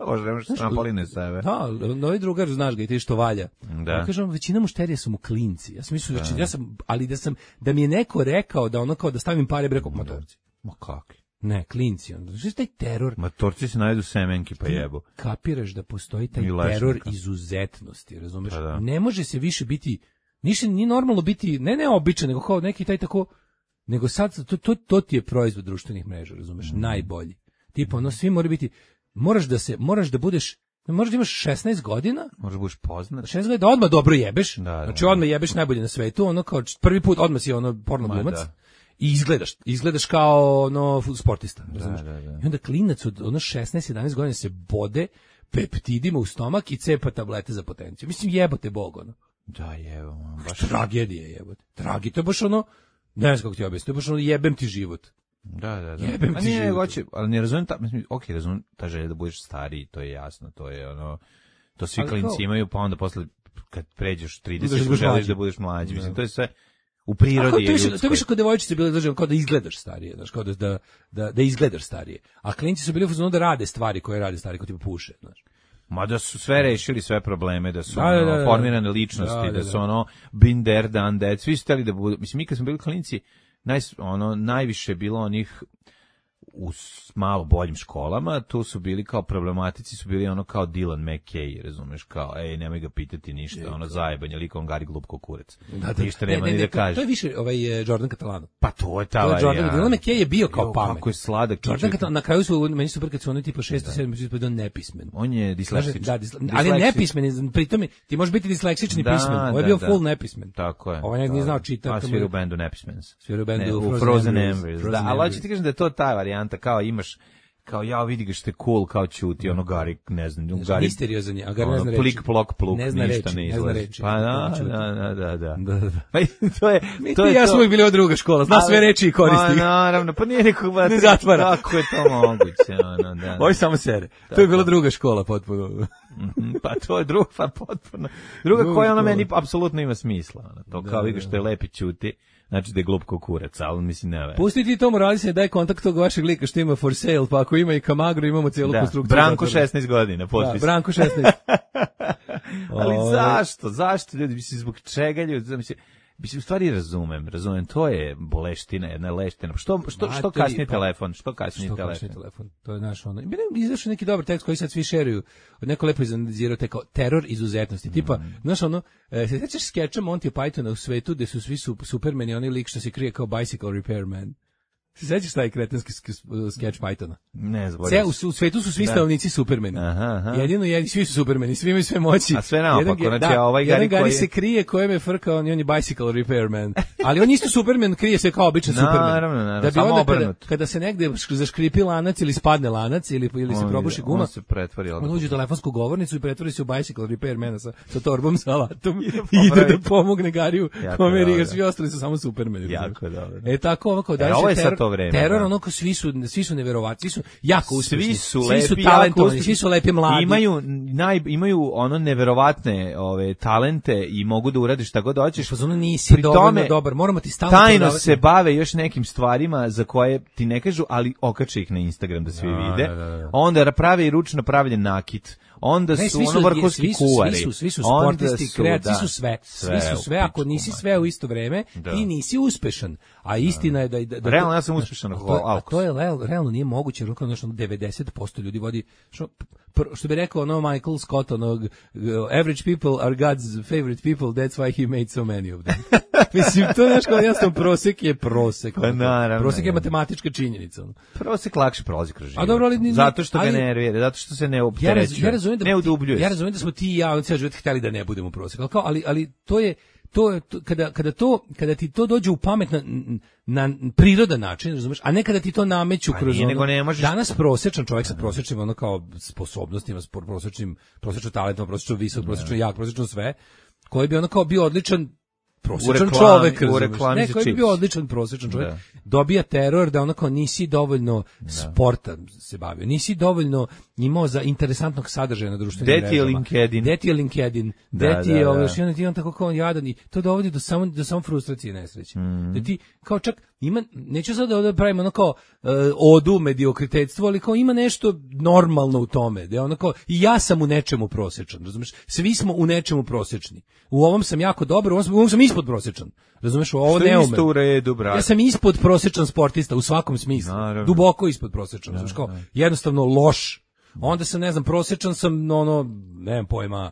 Možda nemaš trampoline sebe. Da, novi drugar, znaš ga i ti što valja. Da. Ja kažem, većina mušterija su mu klinci. Ja sam mislio, da. ja sam, ali da sam, da mi je neko rekao da ono kao da stavim pare, bi rekao, matorci. Ma kakvi? Ne, klinci. Ono. Što je taj teror? Matorci se najdu semenki pa jebu. Kapiraš da postoji taj I lešnika. teror izuzetnosti, razumeš? Pa da. Ne može se više biti, ništa nije normalno biti, ne ne običan, nego kao neki taj tako, nego sad, to, to, to ti je proizvod društvenih mreža, razumeš? Mm. Najbolji. Tipa, ono, svi mora biti, moraš da se, moraš da budeš, moraš da imaš šesnaest godina, Možda budeš poznat. šesnaest godina da odmah dobro jebeš, Da, da, znači da. odmah jebeš najbolje na svetu, ono kao č- prvi put odmah si ono porno Ma, glumac da. i izgledaš, izgledaš kao ono sportista, razumeš? da, da. I onda klinac od ono šesnaest jedanaest godina se bode peptidima u stomak i cepa tablete za potenciju. Mislim jebote bog ono. Da, jevo, man, baš... Tragedije jebote. Tragi, to je baš ono, ne znam kako ti objasnim, to je baš ono jebem ti život. Da, da, da. Jebem A ti nije, život. hoće, ali ne razumijem, ta, mislim, ok, razumijem ta želja da budeš stariji, to je jasno, to je ono, to svi Ali klinci kao- imaju, pa onda posle, kad pređeš Da trideset, budeš želiš mlađi. da budeš mlađi, mislim, Da. to je sve u A prirodi kao, je to je više, to je ljudskoj. više kod devojčice bilo da kao da izgledaš starije, znaš, kao da, da, da, da izgledaš starije. A klinci su bili u fazonu da rade stvari koje rade stariji, kao tipa puše, znaš. Ma da su sve rešili sve probleme, da su Da, da, ono, da, da. formirane ličnosti, Da, da, da, su da. ono been there, done that, svi su hteli da budu, mislim, mi kad smo bili klinci, naj, ono, najviše je bilo onih u s- malo boljim školama, tu su bili kao problematici, su bili ono kao Dylan McKay, razumeš, kao, ej, nemoj ga pitati ništa, ono zajebanje, likom gari glup ko kurac. Ništa nema Ne, ni ne, da to- kaže. To je više ovaj eh, Jordan Catalano. Pa to je ta To je Jordan, varijanta. Dylan McKay je bio kao Jo, pamet. kako je sladak. Jordan čovjek. Catalano, na kraju su, meni su kad su oni tipa šest sedam bio nepismen. On je Kaže, disleksičan. da, disle, ali nepismen, je, pritom je- ti možeš biti disleksični Da, pismen. Ovo je da, bio da. full nepismen. Tako je. Ovaj nije Da. znao čitati. A svira u bendu Nepismens. Svira u bendu Ne, u Frozen Frozen Embers. Embers. Frozen Da, ali Embers. hoću ti kažem da je to ta varijanta, kao imaš, kao ja vidi ga što je cool, kao ćuti, ono Gari, ne znam, Gari, Misteriozan je, a Gari ne ono, zna reći. plik, plok, pluk, Ne zna ništa reči, ne ne zna izlazi. reči. Pa da, Ćuti. da, da, da, da. Da, da. Pa i to je, Mi to ti je i ja to. smo uvijek bili od druga škola, zna sve reči i koristi. Pa naravno, pa nije nekog Ne zatvara. Kako je to moguće, ono, da. Ovo je samo sere. To je bila druga škola potpuno. Mhm, pa to je druga, pa potpuno. Druga Druga koja ono škola. meni apsolutno ima smisla. Ono, to Da, kao da, vidiš što je lepi ćuti, znači da je glup ko kurac, ali mislim ne ve. Pusti ti to moralisanje, daj kontakt tog vašeg lika što ima for sale, pa ako ima i Kamagru, imamo cijelu Da, konstrukciju. Branko zatvora. šesnaest godina, Da, potpis. Branko šesnaest. Ali Ovaj. zašto? Zašto ljudi, mislim, zbog čega ljudi, mislim, mislim, u stvari razumem, razumem, to je boleština, jedna leština. Što, što, što Matori, kasnije pa- telefon, što kasnije Što telefon? kašnji telefon? To je naš ono. I meni je izašao neki dobar tekst koji sad svi šeruju. Od neko lepo izanalizirao te kao teror izuzetnosti. Tipa, Mm. znaš ono, e, se sećaš skeča Monty Pythona u svetu gde su svi su, supermeni, onaj lik što se krije kao bicycle repairman. Se sećaš taj kretenski sk- skeč Pythona? Ne, zbog. Sve, u, u svetu su svi Da. stanovnici supermeni. Aha, aha. Jedino jedni, svi su supermeni, svi imaju sve moći. A sve naopako, Jedan ge- znači, a ovaj jedan Gari Gari koji je- se krije kojem je frka, on, on je bicycle repairman. Ali on isto superman, krije se kao običan superman. Naravno, naravno, Da bi samo onda kada, obrnut. kada se negde šk- zaškripi lanac ili spadne lanac ili, ili se On- probuši on guma, se pretvori, on uđe u telefonsku govornicu i pretvori se u bicycle repairmana sa, sa torbom, sa alatom i ide popravi. da pomogne Gariju Jako kome dobro. jer svi ostali su samo supermeni. Jako dobro. E tako ovo kao da E, ovo je sad to vreme, teror da. ono kao svi su svi su neverovatni, svi su jako uspešni, Svi su svi su lepi, jako talentovani, uspešni. svi su lepi mladi. Imaju naj imaju ono neverovatne ove talente i mogu da urade šta god hoćeš. Pa zonu nisi Pri dovoljno tome, dobar, moramo ti stalno tajno prodavati. se bave još nekim stvarima za koje ti ne kažu, ali okače ih na Instagram da svi Da, vide. da, da, da. Onda prave i ručno pravljen nakit. onda Ne, su svi ono vrhunski svi su, kuvari. Svi su, svi su onda sportisti, su, kreativci, da, svi su sve. sve Svi su u sve, ako pičku nisi mater. sve u isto vreme, Da. ti nisi uspešan. A istina je da... da, da Realno, ja sam uspešan a ako to, je- a Alkos. to je real- realno nije moguće, jer ono što devedeset posto ljudi vodi, što, pr- što bi rekao ono Michael Scott, onog, uh, average people are God's favorite people, that's why he made so many of them. Mislim, to je nešto jasno, prosek je prosek. Pa naravno, prosek je je. matematička činjenica. ono. Prosek lakše prolazi kroz život. A dobro, ali ni- zato što ali- ga nervira, zato što se ne Ja, raz, opterećuje. ja razumem da ne udubljuje. Ja razumem da smo ti i ja on cijeli život hteli da ne budemo prosek. Ali kao ali ali to je to je to, kada kada to kada ti to dođe u pamet na, na prirodan način, razumeš, a ne kada ti to nameću Pa kroz nije, ono. nego ne možeš- Danas prosječan čovjek sa prosječnim ono kao sposobnostima, s prosječnim prosječnim talentom, prosječno visok, prosječno jak, prosječno sve, koji bi ono kao bio odličan prosječan reklami- čovjek, u razumeš? reklami Ne, za koji bi čips. bio odličan prosječan čovjek, Da. dobija teror da onako nisi dovoljno sporta se bavio, nisi dovoljno imao za interesantnog sadržaja na društvenim Gde ti je mrežama. LinkedIn? Gde ti je LinkedIn? Da, Gde ti da, je da. ovo, još jedan ti je on tako kao on jadan i to dovodi do samo, do samo frustracije i nesreće. Mhm. Da ti kao čak ima, neću sad da ovdje pravimo ono kao uh, odu mediokritetstvo, ali kao ima nešto normalno u tome. Da je ono kao, i ja sam u nečemu prosječan, razumeš? Svi smo u nečemu prosječni. U ovom sam jako dobar, u ovom sam, u ovom sam ispod prosječan. Razumeš, u ovo Što ne je umem. isto u redu, brate. Ja sam ispod prosječan sportista u svakom smislu. Naravno. Duboko ispod prosječan. Znaš, kao, jednostavno loš. Onda sam, ne znam, prosječan sam, ono, nemam pojma,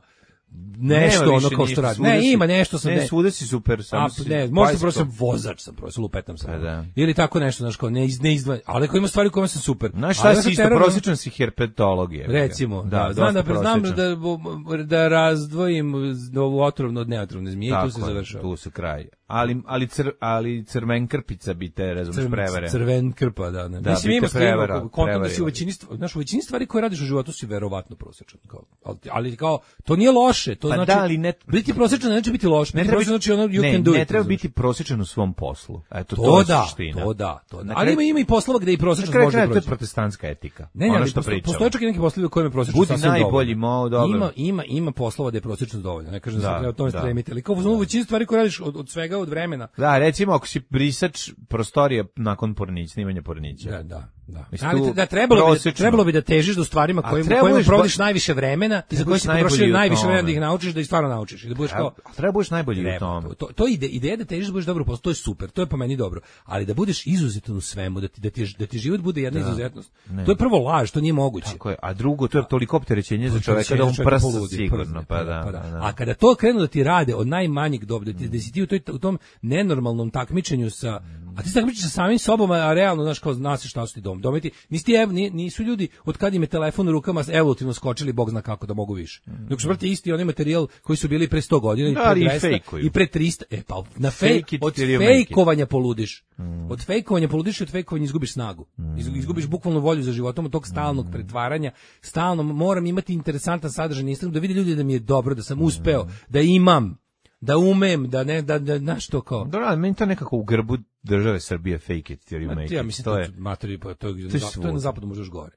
nešto Nema ono više kao ništa, što radi. svuda Ne, si- ima nešto sam. Ne, svuda si super, samo A, si ne, možda bajsko. prosječan vozač sam, prosječan lupetam sam. Pa da. Ili tako nešto, znaš, kao ne, iz, ne izdva, ali ako ima stvari u kojima sam super. Znaš Ali šta si ja isto, teror- prosječan si herpetolog je. Recimo, da, da, znam da, dosta znam prosječan. da, da razdvojim ovu otrovnu od neotrovne zmije i tu se Tako je, završava. Tu se kraj. Ali, ali, cr, ali crvenkrpica bi te, razumiješ, Crven- prevere. Crven krpa, da, ne. Da, Mislim, bi ima te stvarno, prevara- kontam da si u prevarila. većini, stvari, znaš, u većini stvari koje radiš u životu si verovatno prosječan. Kao, ali, ali kao, to nije loše, to Pa znači, da, ali ne- biti prosječan ne znači biti loš, Ne biti treba prosječan znači ono, you ne, can do ne it. treba razumeš. biti prosječan u svom poslu. Eto, to, To je da, suština. to da, to da. Na Ali kraju- ima, ima i poslova gde i Na prosječan kraju može kraja, da to je prođe. protestantska etika. Ne, ne, ono ali što postoje, pričamo. postoje čak i neki poslovi u kojima je prosječno Budi sasvim najbolji, dovoljno. mo, dobro. Ima, ima, ima poslova gde je prosječno dovoljno. Ne kažem da, Da, se treba o tome da. stremiti, ali kao u većini stvari koje radiš od, od svega, od vremena. Da, recimo, ako si brisač prostorije nakon pornića, snimanja pornića. Da, da, da. Mislim, Ali tu da trebalo bi, prosječno. trebalo bi da težiš do stvarima A kojima, treba kojima budeš provodiš ba- najviše vremena i za treba koje budeš si najbolji potrošio u najviše tome. vremena da ih naučiš, da ih stvarno naučiš i da budeš kao A treba budeš najbolji u treba. tome. To, to, to ide, ideja da težiš da budeš dobro u poslu, to je super, to je po meni dobro, ali da budeš izuzetan u svemu, da ti, da ti, da ti život bude jedna izuzetnost. To je prvo laž, to nije moguće. Tako je. A drugo, to je toliko opterećenje za čoveka da on Čovjek prsa poludi, sigurno. przne, Pa da, pa da. A kada to krenu da ti rade od najmanjeg doba, da, ti, da si ti u, toj, u tom nenormalnom takmičenju sa, a ti se takmičiš sa samim sobom, a realno, znaš, kao znaš šta su ti dom. Dometi, nisi ti, ev, ni- nisu ljudi, od kad im je telefon u rukama, evolutivno skočili, Bog zna kako da mogu više. Dok su vrti isti onaj materijal koji su bili pre sto godina i Da, pre ali i dvesta fejkuju. i pre trista. E pa, na Fake fake, it od till you make it. fejkovanja poludiš. Od fejkovanja poludiš i od fejkovanja izgubiš snagu. Iz- Izgubiš bukvalno volju za životom, od tog stalnog pretvaranja. Stalno moram imati interesantan sadržaj na Instagramu, da vide ljudi da mi je dobro, da sam uspeo, da imam, da umem, da ne, da, da, znaš to kao. Dobro, ali meni to nekako u grbu države Srbije fake it till you Ma, make ja it. mislim To to je. je materi, pa to je, To je to je na svuda. zapadu možda još gore.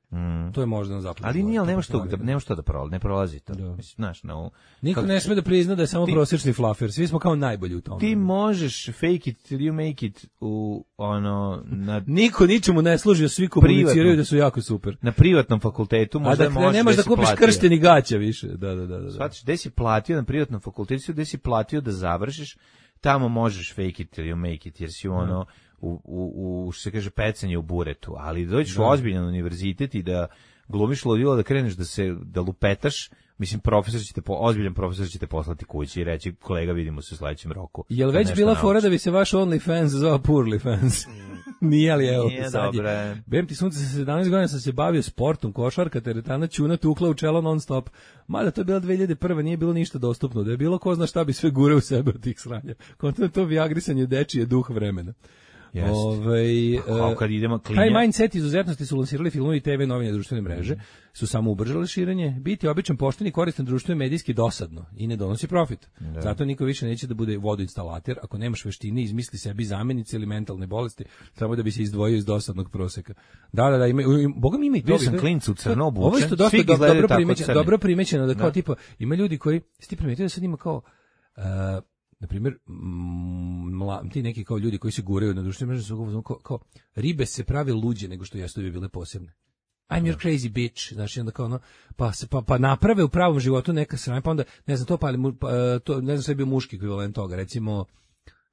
To je možda na zapadu. Ali još nije, gore, ali to nema što, ponavljam. da, nema što da prolazi, ne prolazi to. Da. Mislim, znaš, no, Niko kako- ne sme da prizna da je samo Ti- prosječni flafer. Svi smo kao najbolji u tome. ti možeš fake it till you make it u, ono, na, Niko ničemu ne služi, a svi komuniciraju Privatno. da su jako super. na privatnom fakultetu, A možda da možeš, ne nemaš da si kupiš platio. kršten i gaća više. Da, da, da, da. Shvatiš, gde si platio na privatnom fakultetu, gde si platio da završiš, tamo možeš fake it till you make it, jer si ono, u, u, u što se kaže, pecanje u buretu, ali dođeš u ozbiljan univerzitet i da glumiš ludilo, da kreneš da se, da lupetaš, mislim, profesor će te, po, ozbiljan profesor će te poslati kući i reći, kolega, vidimo se u sledećem roku. Jel Kad već nešto bila naučiš. fora da bi se vaš OnlyFans zvao Poorly Fans? Nije li, evo, Nije, sad dobro je. je. Bem ti sunce, sa sedamnaest godina sam se bavio sportom, košarka, teretana, ćuna, tukla u čelo non stop. Mada to je bila dve hiljade prva, nije bilo ništa dostupno. Da je bilo ko zna šta bi sve gure u sebe od tih sranja. Konto je to viagrisanje dečije duh vremena. Jeste. Ovaj, Pa kao kad idemo taj klinja. mindset izuzetnosti su lansirali filmovi i te ve novine, društvene mreže, su samo ubrzali širenje. Biti običan, pošten i koristan društveno medijski dosadno i ne donosi profit. Zato niko više neće da bude vodoinstalater ako nemaš veštine, izmisli sebi zamenice ili mentalne bolesti, samo da bi se izdvojio iz dosadnog proseka. Da, da, da, ima, ima, boga mi ima i to. Bio sam klincu u crno obučen, Ovo je isto dosta svi do- izgledaju dobro tako primećeno, crni. dobro primećeno da kao Da. tipa ima ljudi koji sti primetio da sad ima kao uh, na primjer, mla, ti neki kao ljudi koji se guraju na društvenim mrežama su kao, kao, kao ribe se prave luđe nego što jesu da bi bile posebne. I'm your crazy bitch, znači onda kao ono, pa, se, pa, pa naprave u pravom životu neka sranja, pa onda, ne znam, to, pa, pa to, ne znam, sve je bio muški ekvivalent toga, recimo,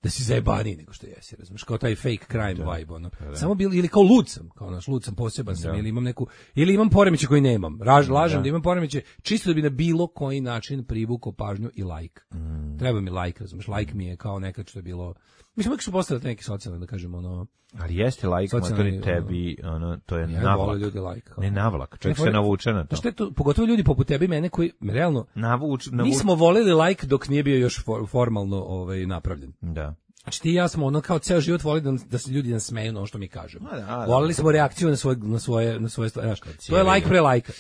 da si zajebaniji nego što jesi, razumiješ, kao taj fake crime da, vibe, ono. Da. Samo bil, ili kao lud sam, kao naš, lud sam, poseban sam, da. ili imam neku, ili imam poremeće koji nemam, Raž, lažem da. da imam poremeće, čisto da bi na bilo koji način privukao pažnju i like. Mm. Treba mi like, razumiješ, like mi je kao nekad što je bilo, mislim, uvijek su postavljati neki socijalni, da kažemo, ono, ali jeste like, motori tebi, ono, to je ja navlak. Ljudi like, ne navlak, čovjek se navuče na to. Što je to, pogotovo ljudi poput tebi i mene koji, realno, navuč, navuč. nismo voleli like dok nije bio još for, formalno ovaj, napravljen. Da. Znači ti i ja smo ono kao ceo život volili da, da se ljudi nasmeju na ono što mi kažemo. Da, da, volili smo reakciju na svoje, na svoje, na svoje stvari. To je like pre like.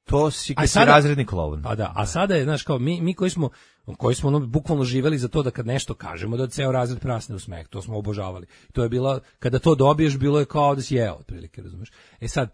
To si kad si razredni klovn. Pa da, a sada je, znaš, kao mi, mi koji smo, koji smo ono, bukvalno živeli za to da kad nešto kažemo, da ceo razred prasne u smeh, to smo obožavali. To je bila, kada to dobiješ, bilo je kao da si jeo, otprilike, razumeš. E sad,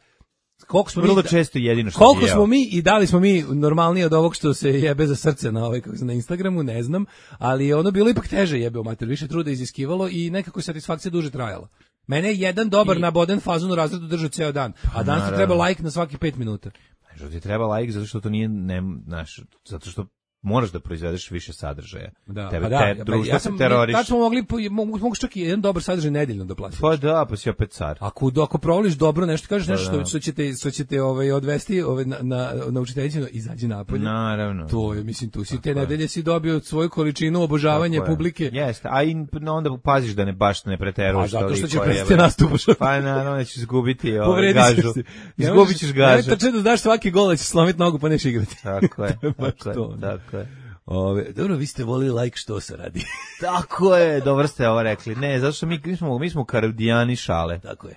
koliko smo vrlo mi, često jedino što koliko smo mi i da li smo mi normalniji od ovog što se jebe za srce na ovaj kako se na Instagramu, ne znam, ali je ono bilo ipak teže jebeo mater, više truda iziskivalo i nekako satisfakcija duže trajala. Mene je jedan dobar I... naboden fazon u razredu držao ceo dan, a danas ti treba like na svaki pet minuta. Što ti treba like zato što to nije, ne, znaš, zato što moraš da proizvedeš više sadržaja. Da, Tebe, pa da, te, društvo ja se teroriš. Tad smo mogli, mogu, mogu čak i jedan dobar sadržaj nedeljno da platiš. Pa da, pa si opet car. Ako, ako provoliš dobro nešto, kažeš nešto što, što ćete, što ćete ovaj, odvesti ovaj, na, na, na učiteljicu, izađi napolje. Naravno. To je, mislim, tu si te nedelje si dobio svoju količinu obožavanja publike. Jeste, a i onda paziš da ne baš ne preteruješ. A zato što ćeš prestati nastupaš. Pa naravno da ćeš izgubiti ovaj, gažu. Izgubit ćeš gažu. Ne, tačno da znaš svaki gol da ćeš slomiti nogu pa neš igrati. Tako je, tako je, tako je. Ove, dobro, vi ste volili like što se radi. Tako je, dobro ste ovo rekli. Ne, zato što mi, mi smo, mi smo karodijani šale. Tako je.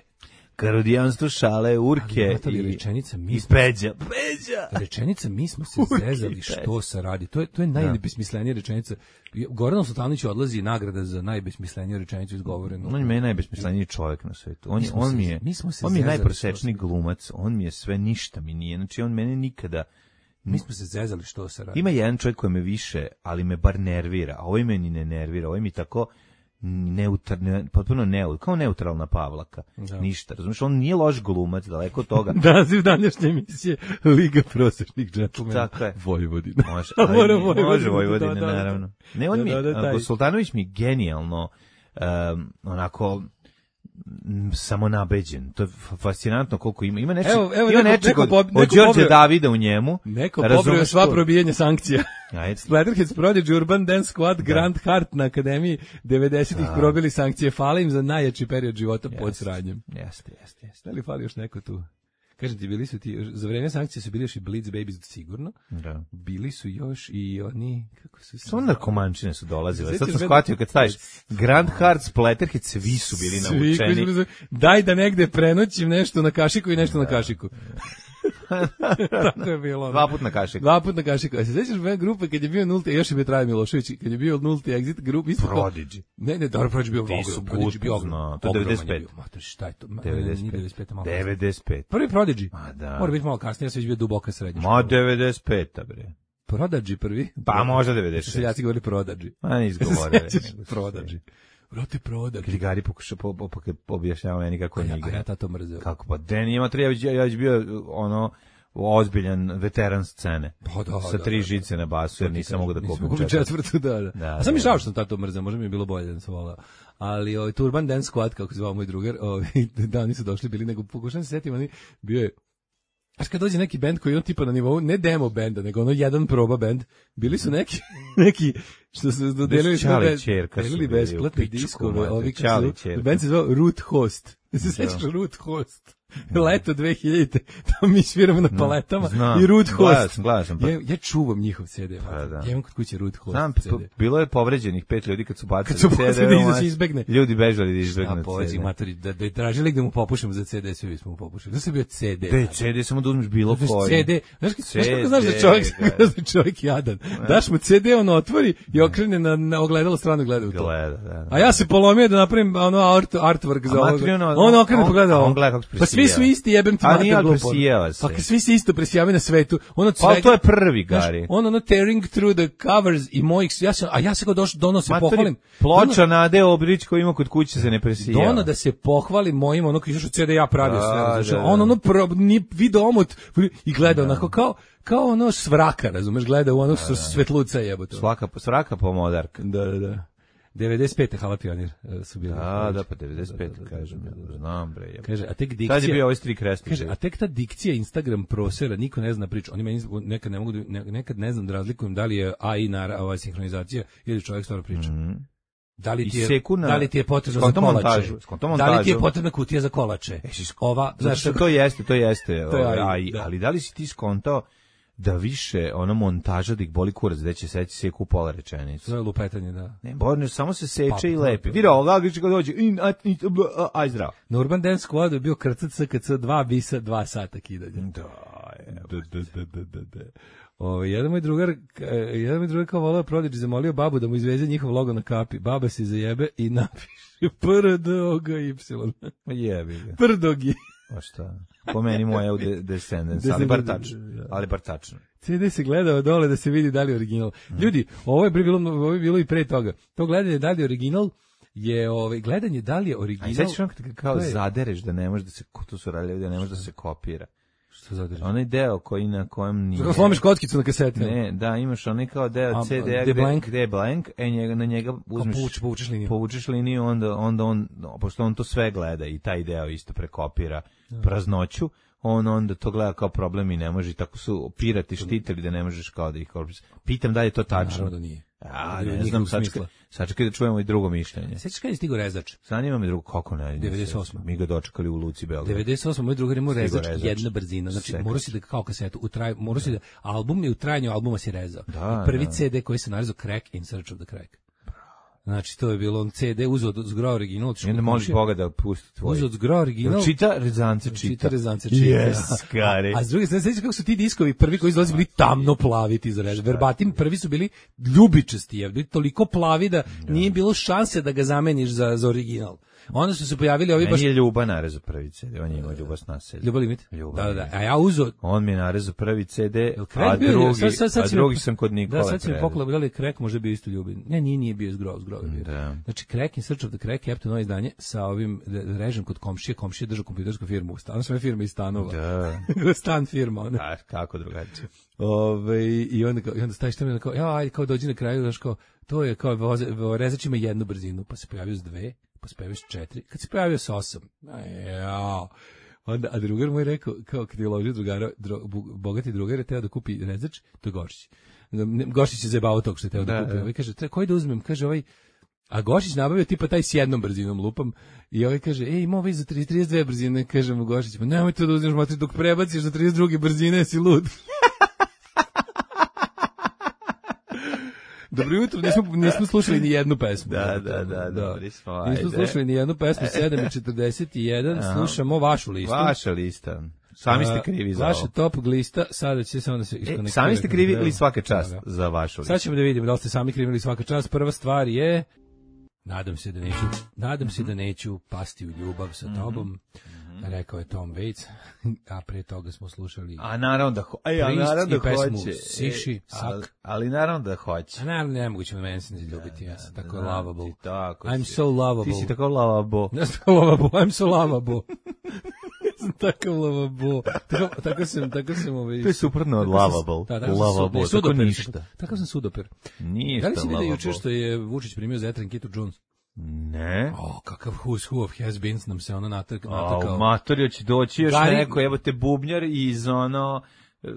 Karodijanstvo šale, urke i, rečenica, mi i peđa. Peđa! Rečenica, mi smo se urke zezali što se radi. To je, to je najbesmislenija rečenica. Goran Sultanović odlazi nagrada za najbesmisleniju rečenicu izgovorenu. On je meni najbesmisleniji čovjek na svetu. On, on mi je, on mi je najprosečniji glumac. On mi je sve, ništa mi nije. Znači, on mene nikada... Mi smo se zezali što se radi. Ima jedan čovjek koji me više, ali me bar nervira, a ovaj me ni ne nervira, ovaj mi tako neutar, ne, potpuno neut, kao neutralna Pavlaka. Da. Ništa, razumiješ, on nije loš glumac, daleko od toga. Naziv današnje emisije Liga prosječnih džentlmena. Tako je. Vojvodina. Može, ali Vojvodina, može Vojvodina, da, da, naravno. Ne, on da, mi, da, da, da, Sultanović mi genijalno, um, onako, samo nabeđen. To je fascinantno koliko ima. Ima nešto, evo, evo, ima neko, nečeg od, od Đorđe Davida u njemu. Neko pobrojao sva probijanja sankcija. Splatterheads, Prodigy, Urban Dance Squad, da. Grand Heart na Akademiji devedesetih probili sankcije. Fale im za najjači period života jest, pod sranjem. Jeste, jeste, jeste. Da li fali još neko tu? Kažem ti, bili su ti, za vreme sankcije su bili još i Blitz Babies sigurno. Da. Bili su još i oni, kako su se... Samo narkomančine su dolazile. Sad sam shvatio kad staviš Grand Heart, Splatterhead, svi su bili navučeni. Svi, daj da negde prenoćim nešto na kašiku i nešto da. na kašiku. Tako je bilo. Dva put na kašiku. Dva put na kašiku. A se sećaš moje grupe kad je bio nulti, još je bio Trajan Milošević, kad je bio nulti exit grup, isto Prodigy. Ne, ne, dobro, Prodigy bio ogrom. Prodigy bio ogrom. To je devedeset pet. Mater, šta je to? devedeset pet. devedeset pet. Prvi Prodigy. Ma da. Mora biti malo kasnije, ja sam već bio duboka srednja. Ma devedeset pet, bre. Prodigy prvi? Pa možda devedeset šest. Seljaci govorili Prodigy. A ne izgovorili. Prodigy. Vrati Prodigy. Krigari pokuša po, po, po, objašnjava meni kako je igra. A ja tato mrzeo. Kako pa, den ima tri, ja već, ja već bio ono, ozbiljan veteran scene. Pa da, sa tri da, žice da, na basu, jer nisam mogu da kupim četvrtu. četvrtu da, da. da, A sam mi žao što sam tato mrzeo, možda mi je bilo bolje da sam volao. Ali ovaj Urban Dance Squad, kako se zvao moj drugar, ovaj, da, oni su došli bili, nego pokušam se setim, oni bio je, znaš kad dođe neki bend koji je on tipa na nivou, ne demo benda, nego ono jedan proba bend, bili su neki, neki, što su dodelili delili besplatne diskove, ovi kad su, bend se zvao Root Host. Se sećaš Root Host? Leto dve hiljadite tamo mi sviramo na paletama no, i Root Host. Glasam, pa. ja, ja čuvam njihov C D. Pa, da. Ja imam kod kuće Root Host Znam, C D. Bilo je povređenih pet ljudi kad su bacili C D. Kad su bacili da se izbegne. Ljudi bežali da izbegne C D. Matori, da, da tražili da mu popušemo za C D, svi bismo mu popušili. Da se bio C D. Be, C D samo da uzmeš bilo koji. C D. Znaš kako znaš da čovjek, da čovjek jadan. Daš mu C D, on otvori i okrene na, na ogledalo stranu gleda u to. Gleda, da, da. A ja se polomio da napravim ono art, artwork za ovo. On okrene on- pogleda a on ovo. gleda kako se Pa svi su presijeva. isti, jebem ti A mater nije, ali glupo. presijeva se. Pa kad svi se isto presijavaju na svetu. Ono Pa svega- to je prvi, Znaš, Gari. on ono tearing through the covers i mojih, ja sam, a ja se kao došao, dono se Matori, pohvalim. ploča Nade Obrić koji ima kod kuće se ne presijeva. Dono da se pohvalim mojim, ono koji izašao C D ja pravio Da, sve, razumeš, da, da. on ono pro, nije video omot i gleda onako kao, kao ono svraka, razumeš, gleda u ono da, svetluca jebote. Svaka, svaka pomodarka. Da, da, da. devedeset pete Hala Pionir e, su bili. Da, da, pa devedeset pet, kažem, ja, znam bre. jebote. Kaže, a tek Sad dikcija... je bio ovaj Stri Kresni. Kaže, a tek ta dikcija Instagram prosera, niko ne zna priču. Oni meni nekad ne mogu da, ne- nekad ne znam da razlikujem da li je A I na ova sinhronizacija ili čovjek stvarno priča. Da li ti je, I seku na- da li ti je potrebno za skonto kolače? montažu, skonto Da li ti je montažu. potrebna kutija za kolače? Ova, Zato znaš, što to jeste, to jeste, To je ovaj, A I, A I, da. ali da li si ti skontao da više ono montaža da ih boli kurac, da će seći seku pola rečenicu? to je lupetanje, da. Ne, Borne, samo se seče Pa, i to- lepi. to- Vidi ovo, Laglić kad dođe, in, a, in, a, aj zdravo. Na Urban Dance Squadu je bio krcat S K C dva bisa, dva sata kidanja. Da, Da, da, da, da, da, da. O, jedan moj drugar, e, jedan moj drugar kao volao Prodigy zamolio babu da mu izveze njihov logo na kapi. Baba se zajebe i napiše P R D O G Y. jebi ga. Prdogi. Pa šta? Po meni moja u de, Descendants, ali bar tačno. Ali bar tačno. C D se gledao dole da se vidi da li je original. Ljudi, ovo je bilo, ovo je bilo i pre toga. To gledanje da li je original je ovaj gledanje da li je A original. i sad ćeš ono kad kao To je- zadereš da ne može da se, to su radili, da ne može da se kopira. Što zadrži? Onaj deo koji na kojem nije... Kako slomiš kockicu na kaseti. Ne, da, imaš onaj kao deo A, C D-a gde gde, blank? gde je blank, e njega, na njega uzmeš... povučeš- povučeš liniju. Povučeš liniju, onda, onda on, no, pošto on to sve gleda i taj deo isto prekopira praznoću, on onda to gleda kao problem i ne može, i tako su pirati štitili da ne možeš kao da ih korpiš. Pitam da li je to tačno. Naravno da nije. A, Nije ne nikakvog znam, sačekaj, smisla. sačekaj da čujemo i drugo mišljenje. Sećaš kad je stigo rezač? Zanima me drugo, kako ne? devedeset osma. Mi ga dočekali u Luci Beograd. devedeset osam moj drugar imao Stigo rezač, rezač. jedna brzina. Znači, Sekač. morao si da kao kasetu, u traj, morao si da, album je u trajanju albuma si rezao. Da, I prvi da. C D koji se narezao, Crack in Search of the Crack. Znači, to je bilo on C D, uzeo od zgro original. I onda moliš Boga da pusti tvoj. Uzeo od zgro original. Čita rezance, čita. Čita rezance, čita. Yes, Kari. A, a s druge strane, sećaš kako su ti diskovi prvi koji izlazi bili tamno plavi ti za režim. Verbatim, prvi su bili ljubičasti, je, bili toliko plavi da nije bilo šanse da ga zameniš za, za original. Onda su se pojavili ovi baš... Meni je Ljuba narezao prvi C D, on je imao Ljuba s naselja. Ljubav limit? Ljubav Da, da, da. limit. A ja uzeo... On mi je narezao prvi C D, Crack a bio je- drugi, sad- sad- sad a si me- drugi sam kod Nikole. Da, sad si mi prerezao. poklao da li Crack može bio isto ljubim. Ne, nije, nije bio zgrov, zgrov je bio. Da. Znači, Crack in Search of the Crack je apto novo izdanje sa ovim re- režim kod komšije, komšije držao kompjutersku firmu u stanu, sve firme iz stanova. Da. Stan firma, ona. A, kako drugačije. Ove, i onda kao, i onda staviš tamo kao, ja, ajde, kao dođi na kraju, znaš, kao, to je kao, voze, rezač ima jednu brzinu, pa se pojavio s dve, pa se pojavio s četiri, kad se pojavio s osam, ja, onda, a drugar moj rekao, kao kad je uložio drugara, dro, bu- bogati drugar je teo da kupi rezač, to je Gošić. Ne, Gošić je zajebao tog što je teo da, Da, kupi, da. ovaj kaže, tre, koji da uzmem, kaže ovaj, a Gošić nabavio tipa taj s jednom brzinom lupam i ovaj kaže, ej, ima ovaj za trideset, trideset dve brzine, kaže mu Gošić, pa nemoj to da uzmeš, matri, dok prebaciš za trideset druge brzine, si lud. Dobro jutro, nismo, nismo slušali ni jednu pesmu. Da, da, da, dobri smo, ajde. Nismo slušali ni jednu pesmu, sedam i četrdeset jedan, slušamo vašu listu. Vaša lista. Sami ste krivi za Vaša ovo. top lista, sada će se onda se E, iskonektira. sami ste krivi ili svaka Da, čast da. za vašu listu? Sad ćemo da vidimo da li ste sami krivi ili svaka čast. Prva stvar je, nadam se da neću, nadam se da neću pasti u ljubav sa tobom, rekao je Tom Waits, a pre toga smo slušali... A naravno da, ho Aj, a Priest naravno i da pesmu hoće. Siši, E, ali, Sak. ali naravno da hoće. A naravno nemoguće me meni se ne ljubiti, ja sam tako lovable. Ti tako I'm si. so lovable. Ti si tako lovable. Ja sam lovable, I'm so lovable. Ja sam tako lovable. Tako, tako sam, tako sam ovaj... To je suprotno od tako sam- lovable. Da, tako sam Lovable, su- ne, tako sudoper, ništa. Tako sam sudoper. Ništa Da li si vidio juče lovable. što je Vučić primio za Etrenkitu Jones? Ne. O, kakav who's who of has-beens nam se ono natak, A, natakao. matori će doći još Gari- neko, evo te bubnjar iz ono, e,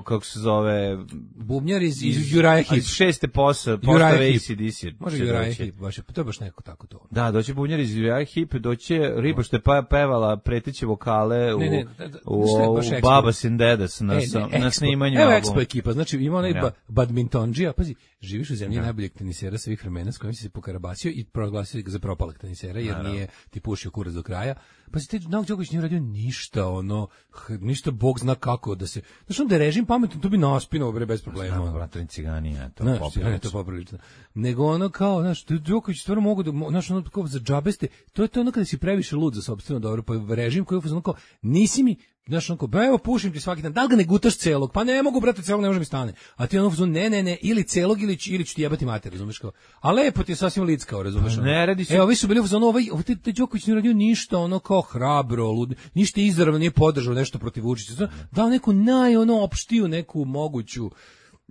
kako se zove, Bubnjar iz, iz Uriah iz Heep. šeste posa, Uriah postave Heep. A C D C. Može će Uriah doći. Heep, baš je, to je baš neko tako to. Da, doći bubnjar iz Uriah Heep, doći riba što je pa pevala preteće vokale u, Ne, ne, da, da, u, šta je u baš Expo? Babas and Dedas na, E, sa- ne, na Expo. snimanju Evo albuma. Expo ekipa, znači ima onaj Ja. ba, badmintonđija, pazi, živiš u zemlji najboljeg tenisera svih vremena s kojim si se pokarabasio i proglasio ga za propalog tenisera, jer nije ti pušio kurac do kraja. Pazi, te Novak Đoković nije uradio ništa, ono, h- ništa Bog zna kako da se... Znaš, onda je režim pametan, to bi naspinuo, bre, bez problema. Znamo, ono. Bratovin Ciganija, to Znaš, poprilično. ne, to je poprilično. Nego ono kao, znaš, Đoković stvarno mogu da, znaš, ono kao za džabeste, to je to ono kada si previše lud za sopstveno dobro, pa režim koji je ono kao, nisi mi, znaš, ono kao, ba evo pušim ti svaki dan, da li ga ne gutaš celog, pa ne mogu, brate, celog ne može mi stane. A ti ono, ne, ne, ne, ili celog, ili, ili ću ti jebati mater, razumeš kao. A lepo ti je sasvim lickao, razumeš. Pa ne, radi se- Evo, ovi su bili u fazonu, ovaj, ovaj, taj Đoković nije radio ništa, ono kao hrabro, lud, ništa izravno nije podržao nešto protiv Vučića. Dao neku naj, ono, opštiju, neku moguću,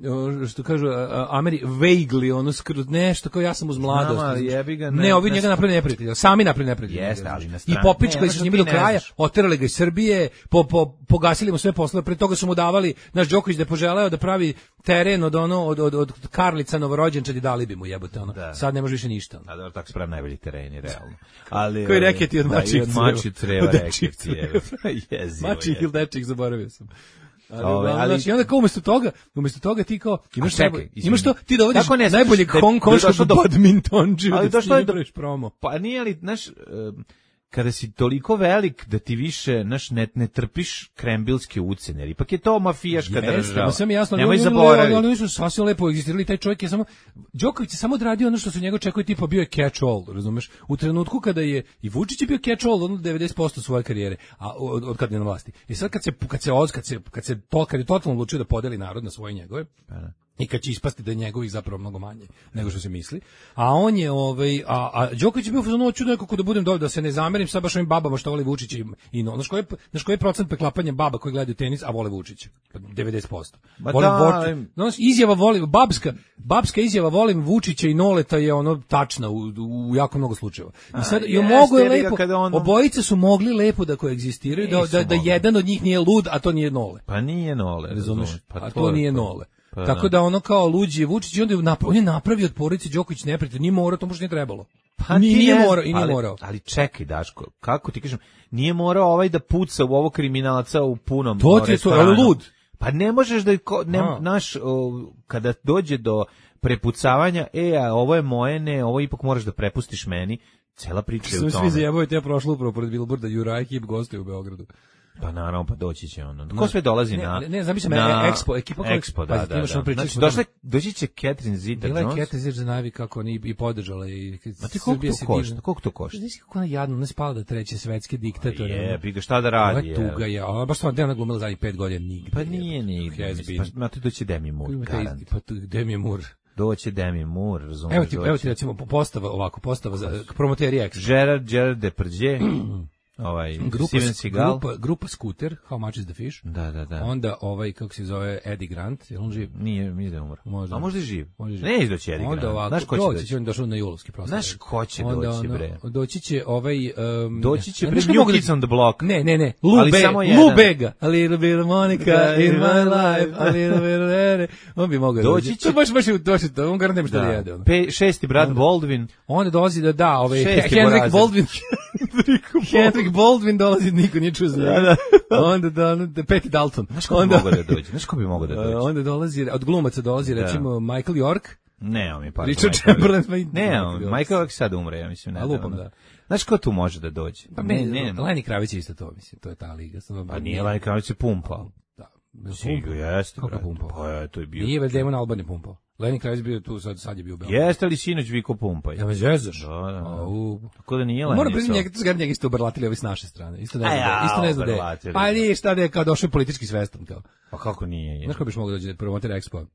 o, što kažu a, a, Ameri vaguely ono skroz nešto kao ja sam uz mladost. Znam, ali jebi ga, ne- ne, ovi ne- njega napravili neprijatelja, sami napravili neprijatelja. Jeste, ali na I strani- popičkali ne, su ono s njim što do ti ne kraja, znaš. oterali ga iz Srbije, po, po, pogasili mu sve poslove, pre toga su mu davali, naš Đoković da je poželeo da pravi teren od ono od od od Karlica novorođenčadi, dali bi mu jebote ono. Da. Sad ne može više ništa. Ono. A dobro, tako spravi najbolji tereni, realno. Ali, Koji ovaj, reketi od da, mačijih i od mačijih creva. creva Od dečijih reketi, je. Jezivo Mačih je. ili dečih, zaboravio sam. Ali, Ove, uglavnom, ali- znaš, i onda kao umjesto toga, umjesto toga ti kao imaš A čekaj, najbolje- izvini. imaš to, ti dovodiš Kako ne znaš najboljeg da je- Hong da je došlo Kongskog do- badmintonđiju Ali da došlo je ti do- napraviš promo. Pa nije li, znaš, em, kada si toliko velik da ti više, znaš, ne, ne trpiš krembilske ucene, jer ipak je to mafijaška Jeste, država. ma sam jasno, Nemoj ali oni- zaboraviti. ali oni su sasvim lepo egzistirali, taj čovjek je samo Đoković je samo odradio ono što su njega očekuje, tipa bio je catch all, razumeš? U trenutku kada je i Vučić je bio catch all ono devedeset posto svoje karijere, a od, od kad je na vlasti. I sad kad se kad se oz, kad se kad se to kad je totalno odlučio da podeli narod na svoje i njegove. I kad će ispasti da je njegovih zapravo mnogo manje nego što se misli. A on je ovaj a a Đoković je bio fazon hoću nekako da budem dobar, da se ne zamerim sa baš ovim babama što vole Vučića i, i no, znaš koji je znaš koji je procent preklapanja baba koji gledaju tenis a vole Vučića? Pa devedeset posto. Ma Volim da, Vučića. ali- No, izjava volim babska babska izjava volim Vučića i Noleta je ono tačna u, u jako mnogo slučajeva. I sad i jeste, mogu je jebi ga, lepo kada on- obojice su mogli lepo da koegzistiraju da, Nisu da, da mogli. jedan od njih nije lud a to nije Nole. Pa nije Nole, Razumeš? razumeš? Pa a to je nije Nole. Pa Tako da ono kao luđi je Vučić i onda je napra- on je napravio od porodice Đoković neprijatelj, nije morao, to možda nije trebalo. Pa nije, ti nije ne- morao i nije ali, morao. Ali čekaj, Daško, kako ti kažem, nije morao ovaj da puca u ovo kriminalca u punom To ti je to, restoranu. ali lud. Pa ne možeš da, ko, ne, A. naš, o, kada dođe do prepucavanja, e, a ovo je moje, ne, ovo ipak moraš da prepustiš meni, cela priča je Sam u svi tome. zajebavaju, ja prošlo upravo pored Bilborda, Juraj Kip gostuje u Beogradu. Pa naravno, pa doći će ono. Ko sve dolazi Ne, na... ne, ne, zamislim, na e, Expo, ekipa koja- Expo, da, pazi, ti da, imaš da. ono pričali Znači, smo o došle, doći će Catherine Zeta-Jones. Bila je Kete Zir za najavi kako oni i podržala i Ma ti koliko to košta? Koliko to košta? Znaš kako ona jadno, ona spala da treće svetske diktatore. Je, ono. bi ga šta da Ova radi? je je. tuga je, ona baš stvarno ona glumila zadnjih pet godina nigde. Pa nije nigde. Has mislim, been. Pa, ma tu doći Demi Moore, Ima taj garant. isti- Pa tu Demi Moore. Doće Demi Moore, razumiješ? Evo ti, evo ti recimo postava ovako, postava za promoteri Expo. Gerard, Gerard Depardieu, ovaj, Grupa, Steven Seagal. grupa, grupa Scooter, How Much is the Fish? Da, da, da. Onda ovaj, kako se zove, Eddie Grant, je li on živ? Nije, nije da je umro. Možda. A možda je živ. Možda je živ. Ne izdoći Eddie Onda Grant. ovako, Znaš ko će doći doći? će, on došao na julovski proslav. Znaš ko će Onda doći, ono, bre? Doći će ovaj... Um, Doći će, ne, bre, znaš ko New mogu da- Kids on the Block. Ne, ne, ne, Lou, Ali Be, samo Lou jedan. Bega, a little bit of Monica in my life, a little bit of Ere. On bi mogao Doći doći. će- To baš, baš, baš, to, on garant nema šta da Da. jede. Ono. Pe, šesti brat Baldwin. Onda dolazi da da, ovaj, Šesti Henrik Borazer. Baldwin, Henrik Baldwin dolazi, niko nije čuo za njega. Onda da, onda Peti Dalton. Znaš ko bi Onda, mogao da dođe? Znaš ko bi mogao da dođe? onda dolazi, od glumaca dolazi, Da. recimo, Michael York, Ne, on mi pa. Richard Chamberlain, pa i- Ne, on, Michael York sad umre, ja mislim. Ne, A lupam, ono. da. Znaš ko tu može da dođe? Pa ne, ne, ne. Lenny Kravić je isto to, mislim, to je ta liga. Samo- Pa nije Lenny Kravitz je pumpao. Da. Sigur, jeste, Kako brate. pumpao? Pa je, to je bio. Nije već Damon Albarn je pumpao. Lenny Kravitz bio tu, sad, sad je bio u Beogradu. Jeste li sinoć Viko pumpaj? Ja me zezaš. Da, da, da. Au. Tako da nije Lenny. Moram priznati, so- njega, to njega isto obrlatili ovi s naše strane. Isto ne A znam, ja, da, isto ne znam da je. obrlatili. Pa nije šta da je kao došao je politički svestan. Kao. Pa kako nije? Je? Znaš ko biš mogao dođe da promoter Expo?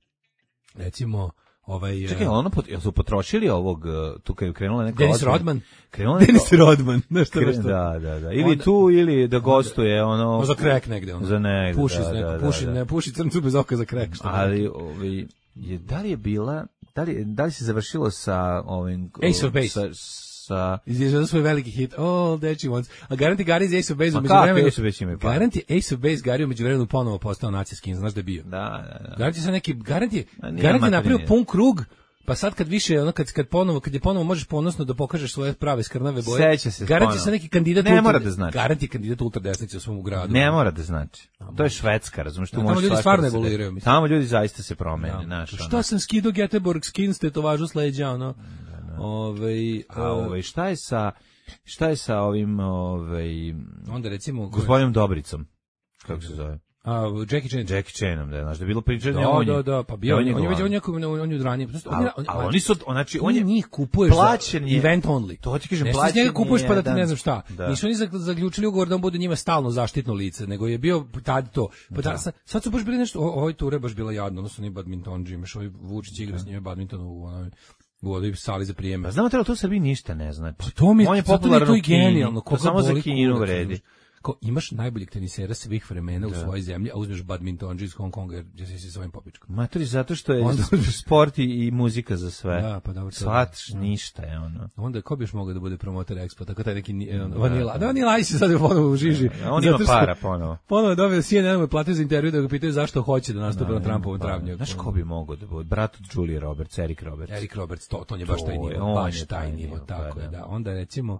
Recimo, ovaj... Čekaj, eh, ono pot, jel su potrošili ovog, uh, tu kad je krenula neka Dennis ozbiljna- Rodman. Krenula Denis neka- Rodman. Nešto, Kre- nešto. Da, da, da. Ili Onda- tu, ili da gostuje, ono... No, za krek negde. Ono. Za negde, puši, da, neko, da, puši, da, da. Ne, puši crncu bez oka za krek. Što Ali, ovaj, je, da li je bila, da li, da li se završilo sa ovim... Ace of Base. Sa, sa Izježao svoj veliki hit, All That She Wants. A garanti Gary iz Ace of Base Ma umeđu kako vremenu... Ace of Base imaju para? Garanti Ace of Base Gary umeđu vremenu ponovo postao nacijski, znaš da je bio. da, da, da. Garanti sa neki, garanti, A nije garanti je napravio materijalni. pun krug, pa sad kad više, ono, kad, kad ponovo, kad je ponovo možeš ponosno da pokažeš svoje prave skrnave boje. Seća se Garanti ponovo. sa neki kandidat Ne ultra- mora da znači. Garanti kandidat ultradesnice u svom gradu. Ne mora da znači. To je Švedska, razumiješ, tu Da, tamo možeš ljudi svašta stvarno da se evoluiraju, desi. mislim. Tamo ljudi zaista se promene, Da. znaš. ono. Šta sam skido Göteborg skins tetovažu s leđa, ono. Ovaj, A e, ovaj, šta je sa, šta je sa ovim, ovaj, onda recimo... gospodinom Dobricom? Kako se zove? A, Jackie Chan. Jackie Chanom, da, znaš, da je bilo priča Da, da on je. da, da, pa bio, da on, on je već, glavni. on je, on je, on je od ranije. Ali, ali oni su, znači, on Ti je njih kupuješ plaćen za je- event only. To ti kažem, Nešto plaćen iz njega kupuješ pa da ti jedan- ne znam šta. Da. Nisu oni zag- zaključili ugovor da on bude njima stalno zaštitno lice, nego je bio tad to. Pa da, sad, sad su baš bili nešto, o- ovoj ture baš bila jadno, odnosno ni badminton, imaš ovaj Vučić igra s njime badminton u onoj u ovoj sali za prijeme. Pa znamo, to Srbiji ništa ne znači. Pa to mi je, on je zato mi je popularan to u i Kini. genijalno. To Koga samo za boli Kinu kurac, vredi. razumeš? Kao, imaš najboljeg tenisera svih vremena u svojoj zemlji, a uzmeš badmintonđi iz Hong Konga, jer će se s ovim popičkom. Matori, zato što je Onda- sport i, i muzika za sve. Da, pa dobro, to- Shvataš, da. ništa je ono. Onda ko bi još mogao da bude promotor Expo, tako taj neki ni- on, Vanila. Da, Vanila Ice sad je ponovo u žiži. A on ima Zato što para ponovo. Ponovo je dobio C N N mu je platio za intervju da ga pitaju zašto hoće da nastupi na Trumpovom Pa, travnju. Znaš ko bi mogao da bude? Brat od Julie Roberts, Eric Roberts. Eric Roberts, to, to on je baš To taj je, nivo, on baš je taj taj nivo, nivo, tako pa je, da. da. Onda recimo,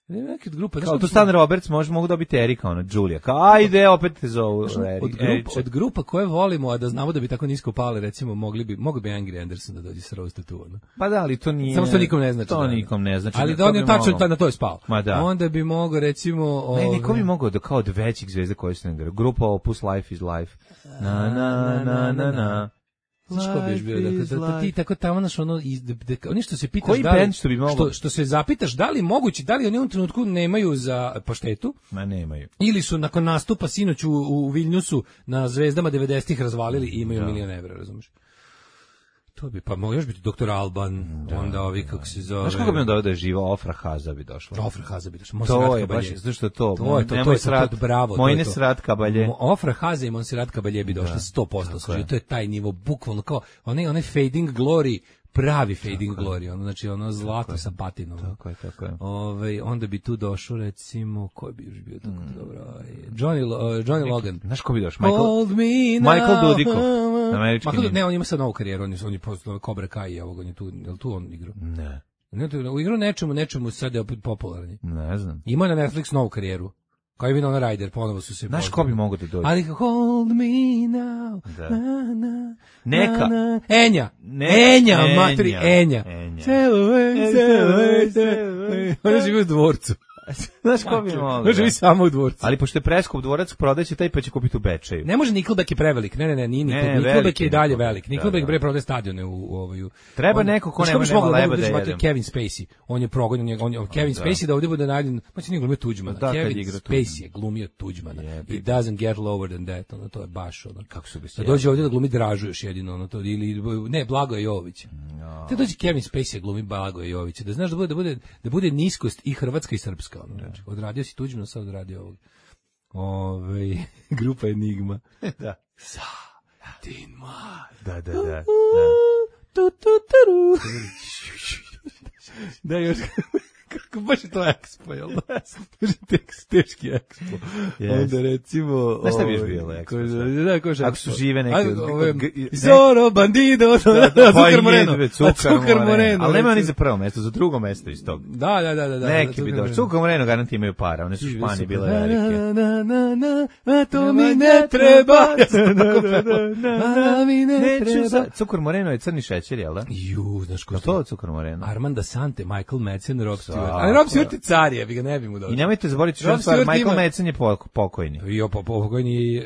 neke grupe, znaš Kao kako tu Stan Roberts može mogu dobiti Erika, ono, Julia. Kao, ajde, opet te zovu. Znaš, Erik, od, grupa, Eriče. od grupa koje volimo, a da znamo da bi tako nisko pale, recimo, mogli bi, mogli bi Angry Anderson da dođe sa Roasta tu, ono. Pa da, ali to nije... Samo što nikom ne znači. To da, da. nikom ne znači. Ali to da on je bi tačno mogao. ta- na to je spao. Ma da. Onda bi mogao, recimo... Ne, ove- niko bi mogao da kao od većih zvezda koji su ne grupa Opus Life is Life. Na, na, na, na, na. Znaš ko bi još bio, Life dakle, is da, da ti life. tako tamo, znaš, ono, iz, da, da, oni što se pitaš Koji da li, bend što bi mogao? što, što se zapitaš da li je moguće, da li oni u ovom trenutku nemaju za paštetu, Ma nemaju. ili su nakon nastupa sinoć u, u Viljnusu na Zvezdama devedesetih razvalili i imaju milion evra, razumiješ? To bi, pa mogu još biti doktor Alban, onda ovi, kako se zove... Znaš kako bi on doveo da je živa? Ofra Haza bi došla. Ofra Haza bi došla, To Monserrat je baš, Caballé. zato što je to. To je to, to nemoj je to, srat, to, bravo. Moj to je ne to. srat Kabalje. Mo- Ofra Haza i Monserrat Caballé bi došla sto posto, služi, to je taj nivo, bukvalno kao, onaj, onaj fading glory, pravi fading glory, ono, znači ono zlato sa patinom. Tako je, tako je. Ove, onda bi tu došao, recimo, ko bi još bio tako dobro, ovaj, Johnny, Lo- uh, Johnny Logan. Znaš ko bi došao? Michael, Hold me now. Michael Dudikoff, američki Michael, nin. ne, on ima sad novu karijeru, on je, on je postao Cobra Kai, i ovog, on je tu, je li tu on igrao? Ne, Ne, tu- u igru nečemu, nečemu sad je opet popularni. ne znam. Ima na Netflix novu karijeru. Kao i Winona Ryder, ponovo su se... Znaš ko bi mogao da dođe? Ali hold me now. Da. Na, na, Neka. na, na. Enja. Ne- Enja, Enja. matri, Enja. Enja. Sail away, sail away, sail away. Ona živi u dvorcu. Znaš ko bi mogao? Ona živi samo u dvorcu. Ali pošto je preskup dvorac, prodaće taj pa će kupiti u Bečeju. Ne može Nickelback je prevelik. Ne, ne, ne, nije Ne, Nickelback. veliki Nickelback je i dalje Nickelback. velik. Da, Nickelback da. bre prodaje stadione u u ovaj. Treba on- neko ko Znaš nema- bi nema mogao leba da da uzmete jedem. Kevin Spacey. On je progonjen, njega- on je Kevin da. Spacey da ovdje bude nađen. Pa će nije glumio Tuđmana. Da, kad Kevin igra Spacey je glumio Tuđmana. Jebi. It doesn't get lower than that. Ono, to je baš ono. Kako su bi se Da dođe ovdje da glumi Dražu još jedino, ono to, ili, ne, Blagoje Jović. Te dođe Kevin Spacey da glumi Blagoje Jović, da znaš da bude, da bude, da bude niskost i hrvatska i srpska. Ono, znači, odradio si Tuđmana, sad odradio ovog. Ove, grupa Enigma. Da. Sa, tin ma. Da, da, da. da. Tu, tu, turu. Da, još, kako baš je to ekspo, jel da? Baš je teks, teški ekspo. Yes. Onda recimo... Znaš šta bi još ovaj, bilo ekspo, ko- šta? Da, ko je Ako su žive neke- Ajde, ove, g- g- Zoro, Bandido, Cukar Moreno. Cukar Moreno. Ali nema ni recimo. za prvo mesto, za drugo mesto iz tog. Da, da, da, da. da Neki Cukar bi došli. Moreno. Cukar Moreno garant imaju para, one su Živi Španije su. bile Na, velike. na, na, na, na, a to mi ne treba. Ja sam tako pevao. A mi ne Neću treba. za... Cukar Moreno je crni šećer, jel da? Ju, znaš ko Je je to Cukar Moreno? Armand Sante, Michael Madsen, Rob Stewart. Svako. Ali Rob Stewart je car, je, bi ga ne bi mu dao. I nemojte zaboraviti Rob što stvar, Stewart Michael ima- Madsen je pok- pokojni. Jo, pa pokojni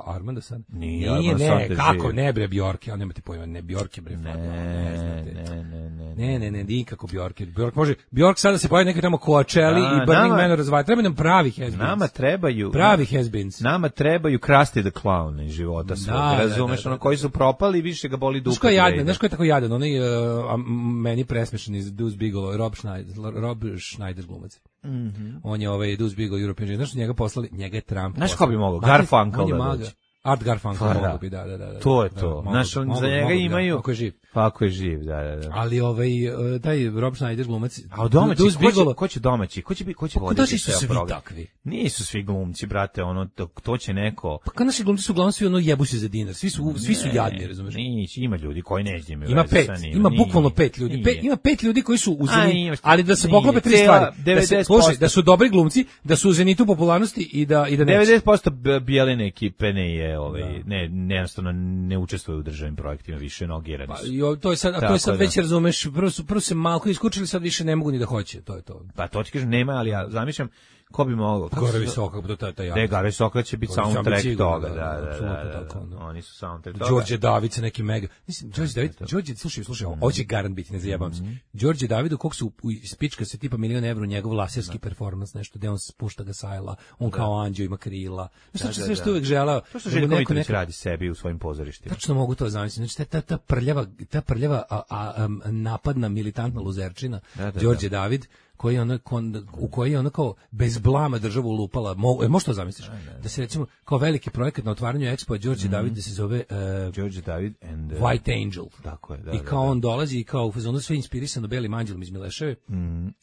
Armand Sante. Nije, Nije, Armand ne, Sante kako živ. ne bre Bjork, ja nemate pojma, ne Bjork je bre. Ne, fakt, ne, znate. ne, ne, ne. Ne, ne, ne, nikako Bjork. Bjork može, Bjork sada se pojavi neki tamo Coachella Da, i Burning nama- Man razvaja. Treba nam pravi has-beens. Nama trebaju... pravi has-beens. Nama trebaju Krusty the Clown iz života svog, Da, da, razumeš, da, da, ono da. koji su propali, više ga boli dupe. Znaš ko je jadan, gde znaš ide. ko je tako jadan, onaj uh, a, m- meni presmešan iz Deuce Bigelow, Rob Schneider, Rob Schneider glumac. Mhm. On je ovaj Deuce Bigelow European Jam, znaš što njega poslali, njega je Trump Znaš poslao. ko bi mogao? Ma, Garfunkel on je da maga. dođe. Art Garfunkel Pa da. mogu bi, da, da, da, da. To je da, to. mogu- Znaš, on- mogu- za njega mogu bi, da, imaju... ako je živ. Pa ako je živ, da, da, da. Ali ovaj, uh, taj Rob Schneider glumac, A od domaći, Deuce ko će, Bigelow, ko će domaći? Ko će, bi- ko će pa voditi došli su ceo svi program? takvi. Nisu svi glumci, brate, ono, to, to će neko... Pa kao naši glumci su uglavnom svi ono jebu se za dinar, svi su, svi su jadni, razumeš? Nić, ima ljudi koji neće imaju Ima veze pet, sa njim. ima Nije, bukvalno pet ljudi. nije. Pet, ima pet ljudi koji su u A, Zenitu, imaš- ali da se nije. poklope tri Cijela stvari. Da se, devedeset posto slušaj, da su dobri glumci, da su u Zenitu popularnosti i da i da neće. devedeset posto b- bijeline ekipe ne je, ovaj, ne, ne, jednostavno ne učestvuje u državnim projektima, više nogirani Pa, su. i o- to je sad, a to Tako je sad da. već razumeš, prvo su prvo se malko iskučili, sad više ne mogu ni da hoće, to je to. Pa to ti kažem, nema, ali ja zamišljam Ko bi mogao? Kako Gore se- visoka, to ta ta ja. Ne, Gare Visoka će biti To sam soundtrack siguran, toga, da, da, da, da, da, apsolutno da, tako, da. da. Oni su soundtrack toga. Đorđe David sa neki mega. Mislim, Đorđe David, Đorđe, slušaj, slušaj, ovo će garant biti, ne zajebam se. Đorđe Davidu, kog su u spička se tipa milion evra u njegov laserski performans, nešto gde on spušta ga sajla, on kao anđeo ima krila. Znaš što sve što uvek želeo. To što da mu Željko neko Mitrović neka- radi sebi u svojim pozorištima. Tačno mogu to zamisliti. Znači, ta, ta, ta prljava, ta prljava a, a, am, napadna militantna luzerčina, Da, da, Đorđe David, koji je ono, kon, u koji je ono kao bez blama državu lupala. Mo, e, možeš to zamisliš? Da se recimo kao veliki projekat na otvaranju Expo Đorđe David da se zove uh, Đorđe David and uh, White Angel. Tako je, da. I da, kao da. on dolazi i kao u fazonu sve inspirisano belim anđelom iz Mileševe,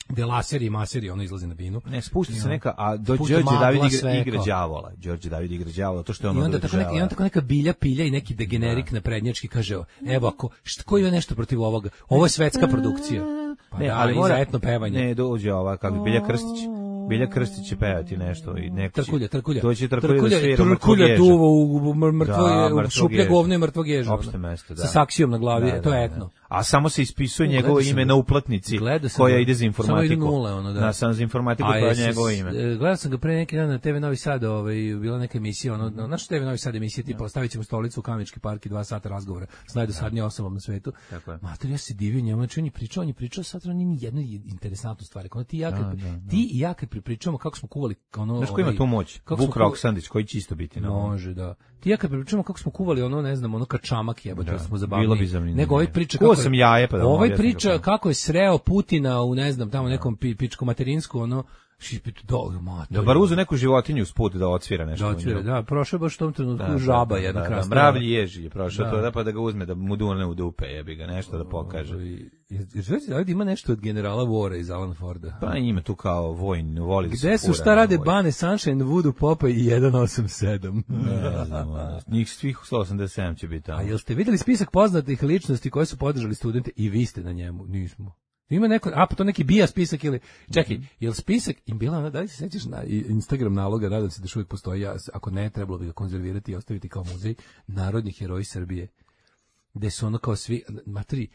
gde laseri i maseri ono izlazi na binu. Ne, spusti se neka, a do Spušta Đorđe magla, David igra, sve igra kao. đavola. Đorđe David igra đavola, to što je I ono onda tako neka, i onda tako neka bilja pilja i neki degenerik naprednjački kaže, evo ako, šta, ko ima nešto protiv ovoga? Ovo je svetska produkcija. Pa Ne, da, ali i mora za etno pevanje. Ne, dođe ova kako Bilja Krstić. Bilja Krstić će pevati nešto i neko će- Trkulja, trkulja. Doći trkulja, da svira mrtvog trkulja ježa. duva u, u mrtvo, Da, je, u mrtvog šuplje ježa. govno i mrtvog ježa. Opšte ono. mesto, da. Sa saksijom na glavi, Da, to da, je da. etno. A samo se ispisuje U, njegovo gledao sam ime ga. na uplatnici Gledao sam koja ga. ide za informatiku. Samo idu nule, ono, da. Na, sam za informatiku A koja je jesi- njegovo ime. e, Gledao sam ga pre neki dan na te ve Novi Sad, ovaj, bila neka emisija, ono, na naš te ve Novi Sad emisija, tipa, ostavit ćemo stolicu u Kamenički park i dva sata razgovora s najdosadnijom osobom na svetu. Tako je. Mater, ja se divio njemu, znači on je pričao, on je pričao, sad on nije ni jednu interesantnu stvar. Ono, ti, i ja kad, Da, da, da. ti i ja kad pripričamo kako smo kuvali, ono, Znaš ko ima ovaj, tu moć? kako smo Vuk kuvali- Roksandić, koji će isto biti na ovom. Može, da. Ti i ja kad pripričamo kako smo kuvali ono, ne znam, ono kačamak jebote, Da, da, smo zabavni. bilo bi zanimljivo. Nego ovaj priča Kuvao kako je- sam jaje, pa da vam Ovaj objasnim priča kako. kako je sreo Putina u, ne znam, tamo nekom pi, pičko materinsku, ono, šipit, do, mater. Da bar uzu neku životinju usput da odsvira nešto. Da, u otvira, nju. da, prošao je baš u tom trenutku Da, žaba da, jedna da, krasna. Da, mravlji ježi je prošao Da. to, da pa da ga uzme, da mu dune u dupe, jebi ga, nešto da pokaže. I- Jer Željko David ima nešto od generala Vora iz Alan Forda. Pa ima tu kao vojn, voli da se Gde su, fura šta na rade vojn. Bane, Sunshine, Voodoo, Popa i jedan osam sedam? Ne znam, ono, njih svih sto osamdeset sedam će biti tamo. A jel ste vidjeli spisak poznatih ličnosti koje su podržali studente i vi ste na njemu? Nismo. Ima neko, a pa to neki bija spisak ili, čekaj, jel spisak, im bila ona, da li se sećaš na Instagram naloga, nadam se da još uvijek postoji, ja, ako ne, trebalo bi ga konzervirati i ostaviti kao muzej, narodni heroji Srbije, gde su ono kao svi, materi,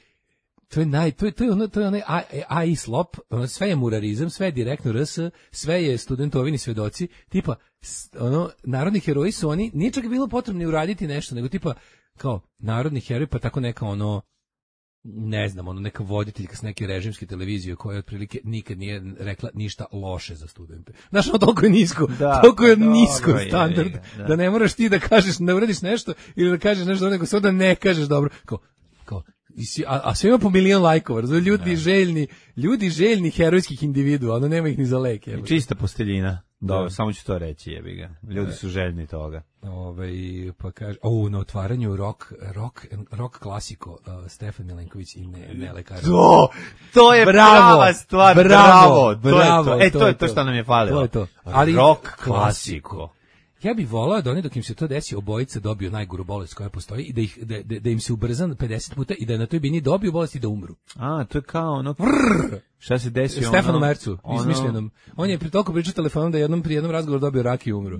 to je naj, to je, to je ono, to je onaj A- A I slop, ono, sve je murarizam, sve je direktno R S, sve je studentovini svedoci, tipa, s- ono, narodni heroji su oni, nije čak bilo potrebno ni uraditi nešto, nego tipa, kao, narodni heroj, pa tako neka ono, ne znam, ono neka voditeljka s neke režimske televizije koja otprilike nikad nije rekla ništa loše za studente. Znaš, ono toliko je nisko, Da, toliko je pa dobro nisko je, standard, je, da. da ne moraš ti da kažeš, ne uradiš nešto ili da kažeš nešto dobro, nego samo da ne kažeš dobro. Kao, kao, i si- a, a sve ima po milion lajkova, razumiješ, ljudi željni, ljudi željni herojskih individua, ono nema ih ni za lek. jebote. Čista posteljina. Dobro, Da. samo ću to reći, jebi ga. Ljudi su željni toga. Ovaj pa kaže, o, na otvaranju rock rock rock klasiko uh, Stefan Milenković i ne ne lekar. To, to je Bravo, prava stvar, bravo, bravo, to je bravo, to. E, to to je je to to. što nam je falilo. To je to. Ali Rock klasiko. klasiko. Ja bih volao da oni dok im se to desi obojica dobiju najgoru bolest koja postoji i da ih da, da, da im se ubrza pedeset puta i da na toj bini dobiju bolest i da umru. A, to je kao ono... Šta se desi ono... Stefanu Mercu, ono- izmišljenom. On je pri toliko pričao telefonom da je jednom pri jednom razgovoru dobio rak i umro.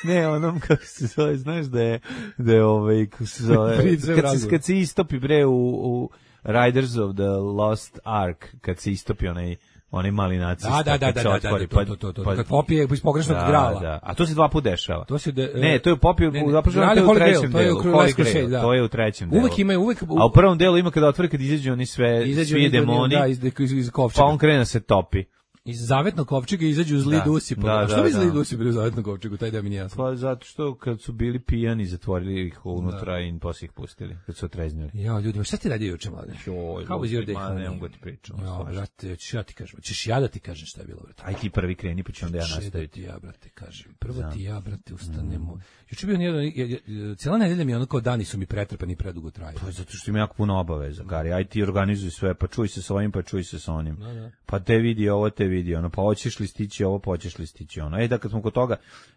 Ne, onom kako se zove, znaš da je, da je ovaj, kako se zove, Priđe u kad se, razgovor. kad se istopi bre u, u Riders of the Lost Ark, kad se istopi onaj, onaj mali nacista. Da, da, da, kad da, se da, otvori, da, to, to, to, to. Kad popije iz pogrešnog da, grala. Da, a to se dva puta dešava. To se de, Ne, to je popio, ne, ne, zapravo Grali to je u Holy Grail, trećem to je u delu. Krulevskoj Holy Grail, šelji, da. to je u trećem delu. Uvek imaju, uvek... A u prvom delu ima kada otvori, kad izađu oni sve, izađu svi oni- demoni, da, iz, iz, iz kovčega. pa on krene da se topi. Iz zavetnog kovčega izađu zli Da. dusi. Pa, Da, a što da, bi zli da. dusi bili u zavetnom kovčegu? Taj da mi nije jasno. Pa zato što kad su bili pijani, zatvorili ih unutra i posle ih pustili, kad su otreznili. Ja, ljudi, šta ti radi juče, mlade? Joj, How was your day? ma, ne honey? mogu ti pričam. Ja, svašta. brate, ćeš ja ti kažem. Ćeš ja da ti kažem šta je bilo, brate. Aj ti prvi kreni, pa ću onda ja Če da nastaviti. ti ja, brate, kažem. Prvo ti ja, brate, ustanemo. Juče bio jedan, je- je- cijela nedelja mi je ono kao dani su mi pretrpani i predugo traju. Pa zato što ima jako puno obaveza, Gari. Aj ti organizuj sve, pa čuj se sa ovim, pa čuj se sa onim. Da, da. Pa te vidi ovo, te vidi ono, pa hoćeš li stići ovo, pa hoćeš li stići ono. Ej, da kad smo kod toga,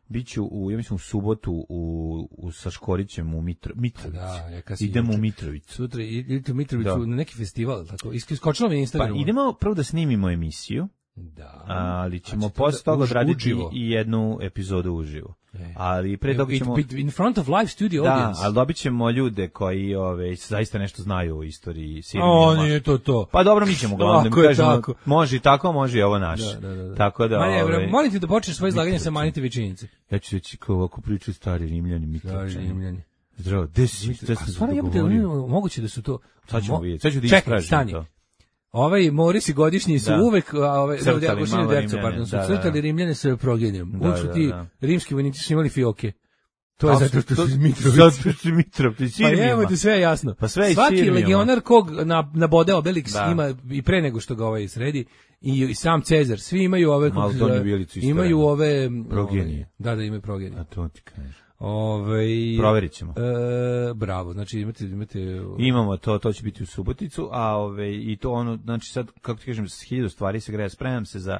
biću u, ja mislim u subotu u, u sa Škorićem u Mitro, Mitrovici. Da, ja kad si Idemo u juče- Mitrovicu. Sutra idete u Mitrovicu Da. na neki festival, tako. Isk- Iskočilo mi na Pa Instagramu. idemo prvo da snimimo emisiju, Da. ali ćemo A ćete posle da toga už- odraditi uživo? i jednu epizodu uživo. Ali pre toga ćemo... It, in front of live studio da, audience. ali dobit ćemo ljude koji ove, zaista nešto znaju o istoriji Sirije. O, nije to to. Pa dobro, mi ćemo glavno Tako da je, kažemo, tako. može i tako, može i ovo naše. Da, da, da, da. Tako da... Manje, ove, molim ti da počneš svoje izlaganje sa manite većinice. Ja ću reći kao ovako priču stari Rimljani, Mitrovčani. Stari Rimljani. Zdravo, gde si? Gde A se stvarno jebote, dogovorio? moguće da su to... Sad ćemo Mo- vidjeti, sad ću da Čekaj, istražim stani. to. Ovaj Morisi godišnji su Da. uvek, a ove, Crtali da, da, malo dercu, Rimljane, pardon, su da, da, crtali da. Rimljane sa progenijem. Da, Uvek su da, ti da. rimski vojnici su imali fioke. To je A, zato što to- su iz Mitrovice. Zato što su iz Mitrovice, Pa Sirmijama. evo ti sve je jasno. Pa sve iz Svaki Sirmijama. legionar kog na, nabode Obelix Da. ima i pre nego što ga ovaj sredi i, i sam Cezar, svi imaju ove kako Malo se donju zove, vilicu isto imaju vreme. ove Progenije. ove, da, da imaju progenije. A to ti kažeš. Ovaj Proverit ćemo. E, bravo, znači imate imate Imamo to, to će biti u Suboticu, a ove, i to ono, znači sad, kako ti kažem, s hiljadu stvari se greje, spremam se za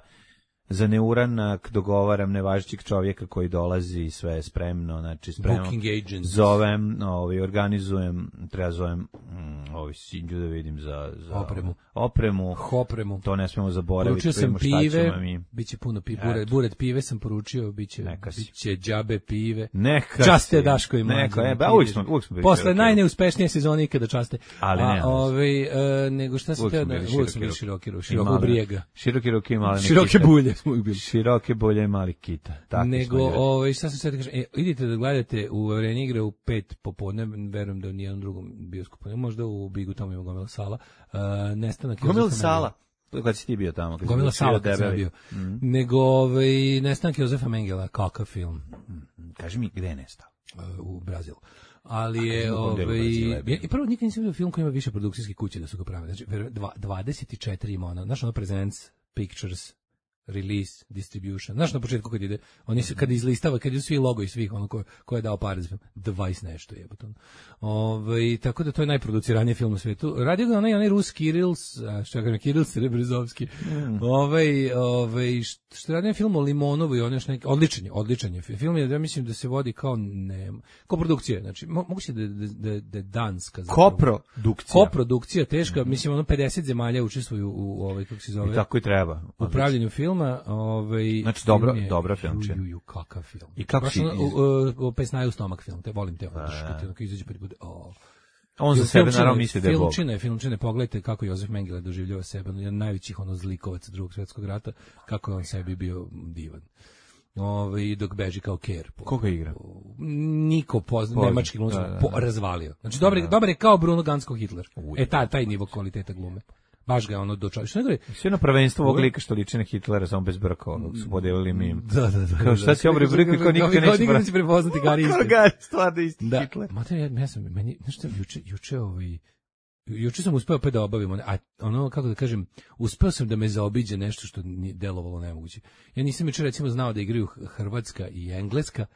za neuranak, dogovaram nevažećeg čovjeka koji dolazi i sve je spremno, znači spremno. booking agent. Zovem, ovaj, organizujem, treba zovem mm, ovaj Sinđu da vidim za, za Opremu. Opremu. Hopremu. To ne smemo zaboraviti. Poručio sam vidimo šta pive, ćemo mi. biće puno pive, Eto. buret, buret pive sam poručio, biće, Neka si. biće džabe pive. Neka Časte si. Daško i Mlađa. Neka, e, ba, uvijek smo, uvijek smo bili Posle široki najneuspešnije sezone ikada časte. Ali A, nema veze. ovaj, e, nego šta sam Uvijek teo smo da... bili Uvijek smo bili široki široki, ruke. široki, I male- brijega. Široki ruke i male Široke Nikite. bulje smo uvijek bili. Široke bulje i mali kita. Takvi Nego, smo ljudi. ovaj, šta sam sve da kažem, e, idite da gledate u Areni igre u pet popodne, verujem da u nijednom drugom bioskopu, ne, možda u Bigu tamo ima gomila sala, uh, nestanak Gomila Jozefa sala. Kad si ti bio tamo? Kad si Gomila bio sala kad sam ja debeli? bio. Nego, ovaj, nestanak Jozefa Mengela, kakav film Kaži mi, gde je nestao? uh, u Brazilu. Ali je, u kom delu ovaj, Brazila je bio? ja, i prvo nikad nisam vidio film koji ima više produkcijske kuće da su ga pravili. Znači, verujem, dva- dvadeset četiri ima ono, znaš ono Presents, Pictures, Release, Distribution. Znaš na početku kad ide, oni se, kad izlistava, kad idu svi logo i svih, ono ko, ko je dao pare za film, dvadeset nešto je. Ove, tako da to je najproduciraniji film u svijetu. Radio ga onaj, onaj Rus Kirils, a što ja kažem, Kiril Srebrizovski. Mm. Ovaj, ovaj, što je radio film o Limonovu i on još neki, odličan je, odličan je. Film je, ja mislim da se vodi kao, ne, kao produkcija, znači, mo, moguće da, da, da, da je danska. zapravo. Koprodukcija. Koprodukcija, teška, mislim, ono pedeset zemalja učestvuju u, u ovaj, kako se zove, I tako i treba. u pravljenju filma. Ovaj, Znači, dobro- film je- dobra filmčina. Ju, ju, ju, kakav film. I kako Baš si ono, iz- u, u, u pesnaju stomak film, te volim te, ono, Da, kad da. ti onako izađe pa ti bude, o. On za Film- sebe filmčina naravno misli da je Bog. Filmčina je, filmčina je, pogledajte kako Jozef Mengele doživljava sebe, on je jedan od najvećih ono zlikovaca drugog svjetskog rata, kako je on sebi bio divan. Ove, dok beži kao Ker. Po, Koga igra? Niko pozna, Pozna. nemački glumac, Da, da, da. po- razvalio. Znači, dobar, je- dobar je kao Bruno Gansko Hitler. E, ta, taj nivo kvaliteta glume. Baš ga je ono dočao. Što ne govori? Sve na prvenstvo ovog lika što liči na Hitlera, samo bez brka, onog su podelili mi im. Da, da, da. Kao šta si obre brkli, kao nikad neće Nikad bra- neće prepoznati Gari isto. Koga je stvarno isti Da, Hitler? mater, ja, ja sam, meni, znaš šta, juče, juče, ovaj, juče sam uspeo opet da obavim, ono, a ono, kako da kažem, uspeo sam da me zaobiđe nešto što nije delovalo nemoguće. Ja nisam juče recimo znao da igraju Hrvatska i Engleska,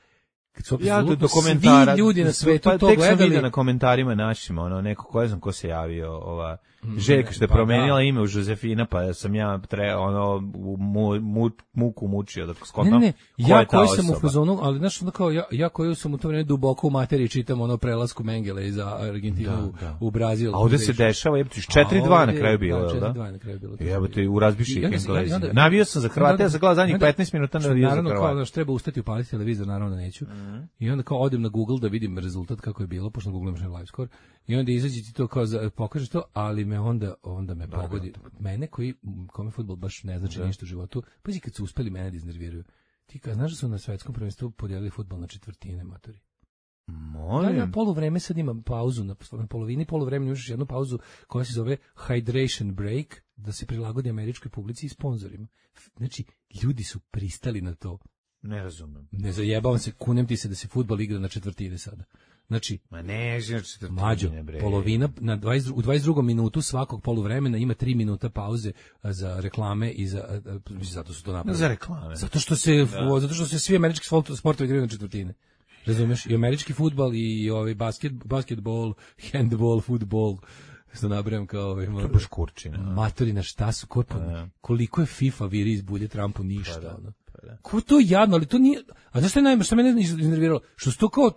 kad su Ja do apsolutno komentara. svi ljudi na svetu pa, to tek sam gledali. vidio na komentarima našim, ono, neko, ko ne znam ko se javio, ova, Željka što je pa promenila da. ime u Žozefina, pa sam ja tre, ono, u mu, mu, muku mučio da Ne, skontam ne, ko ja je ta koji sam u osoba. fazonu, ali znaš, onda kao, ja, ja koji sam u to vreme duboko u materiji čitam ono prelasku Mengele iz Argentinu Da, u- da. u Brazil. A ovde se dešava, jebate, četiri dva na ovde- kraju bilo, da, jel da? četiri dva na kraju bilo. Jebote, u razbiši I onda se- i Englezima. onda- Navio sam za Hrvate, ja sam gledao zadnjih onda- petnaest minuta što navio za naravno kao Hrvate. znaš, treba ustati upaliti televizor, naravno da neću. I onda kao odem na Google da vidim rezultat kako je bilo, pošto na Google imaš na live score. I onda izađe ti to kao za, pokaže to, ali me onda onda me pogodi. Mene koji kome fudbal baš ne znači ništa u životu. Pazi kad su uspeli mene da iznerviraju. Ti kao znaš da su na svetskom prvenstvu podijelili fudbal na četvrtine, matori. Da, Molim. na poluvreme sad ima pauzu, na, na polovini poluvremena imaš jednu pauzu koja se zove hydration break, da se prilagodi američkoj publici i sponzorima. Znači, ljudi su pristali na to. Ne razumem. Ne zajebavam se, kunem ti se da se fudbal igra na četvrtine sada. Znači, Ma ne, znači mlađo, polovina, na dvadeset, u dvadeset drugom minutu svakog poluvremena ima tri minuta pauze a, za reklame i za, a, a, zato su to napravili. Za reklame. Zato što se, da. zato što se svi američki sport- sportovi igraju na četvrtine. Razumeš? I američki fudbal i ovaj basket, basketbol, handball, fudbal, što nabrajam kao ovaj, To je baš kurčina. matorina, šta su, ko, pa, Da. koliko je FIFA viri iz bulje Trumpu, ništa. Pa da, ono. pa da. Ko to jadno, ali to nije, a znaš što je najme, što mene iznerviralo? Što su to kao,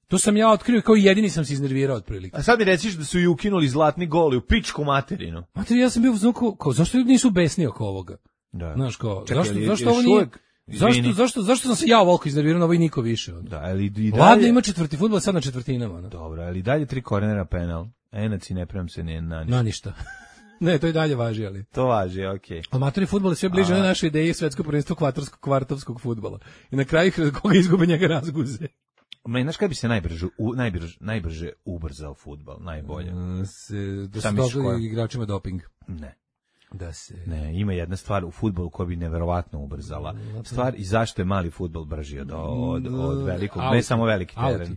to sam ja otkrio, kao jedini sam se iznervirao otprilike. A sad mi reciš da su i ukinuli zlatni gol i u pičku materinu. Mater, ja sam bio u zvuku, kao, zašto ljudi nisu besni oko ovoga? Da. Znaš, kao, Čekaj, zašto, je- zašto još ovo nije, uvek- Zašto, zašto, zašto sam se ja ovoliko iznervirao, ovo i niko više? Onda. Da, ali i dalje... Ladno ima četvrti fudbal, sad na četvrtinama. Ono. Dobro, ali dalje tri kornera penal. Enac i ne prem se ni na ništa. Na ništa. Ne, to i dalje važi, ali. To važi, okej. Okay. Amatori fudbal je sve bliže na naše ideje svetsko prvenstvo kvartovskog kvartovskog fudbala. I na kraju koga izgube njega razguze. Ma, znaš kada bi se najbrže, u, najbrže, najbrže ubrzao fudbal, najbolje? Se, da se dogodi igračima doping. Ne. Da se... Ne, ima jedna stvar u fudbalu koja bi neverovatno ubrzala. Stvar i zašto je mali fudbal brži od, od, od velikog, auti. Ne samo veliki teren. Auti.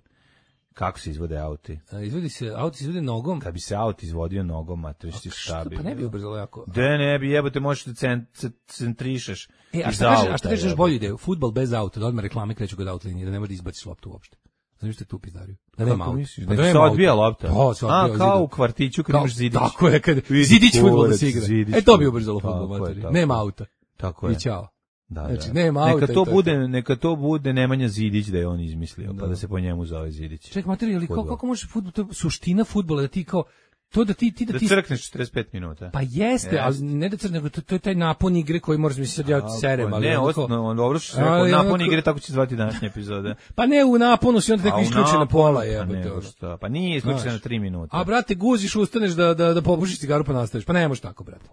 Kako se izvode auti? A, izvodi se, auti se izvode nogom. Kad bi se aut izvodio nogom, a to što šta bi... Pa ne bi ubrzalo jako. Da ne bi, jebote, možeš da cent, centrišeš e, a iz šta auta. Kažeš, a šta kažeš bolju ideju? Fudbal bez auta, da odmah reklame kreću kod outlinije, da ne može da izbaciš loptu uopšte. Znaš što je tu pizdariju? Da nema auta. Pa da se odbija lopta. O, se odbija, a, kao u kvartiću kad imaš zidić. Tako je, kad zidić fudbal da se igra. E, to bi ubrzalo fudbal, materi. Nema auta. Tako je. I ćao. Da, znači, da. nema auta. Neka to, to bude, to. neka to bude Nemanja Zidić da je on izmislio, da. Pa da se po njemu zove Zidić. Ček, materi, ali kako, kako može fudbal, to je suština fudbala, da ti kao, to da ti, ti da, da ti... Da crkneš četrdeset pet minuta. Pa jeste, jeste. Ali ne da crkneš, nego to, to je taj napon igre koji moraš mi se sad ja serem, ali... Ne, osnovno, on dobro što se rekao, napon igre, tako će zvati današnje epizode. Pa ne, u naponu si onda tako isključena pola, jebote. Pa, pa nije isključena na tri minuta. A, brate, guziš, ustaneš da, da, da popušiš cigaru pa nastaviš. Pa ne možeš tako, brate.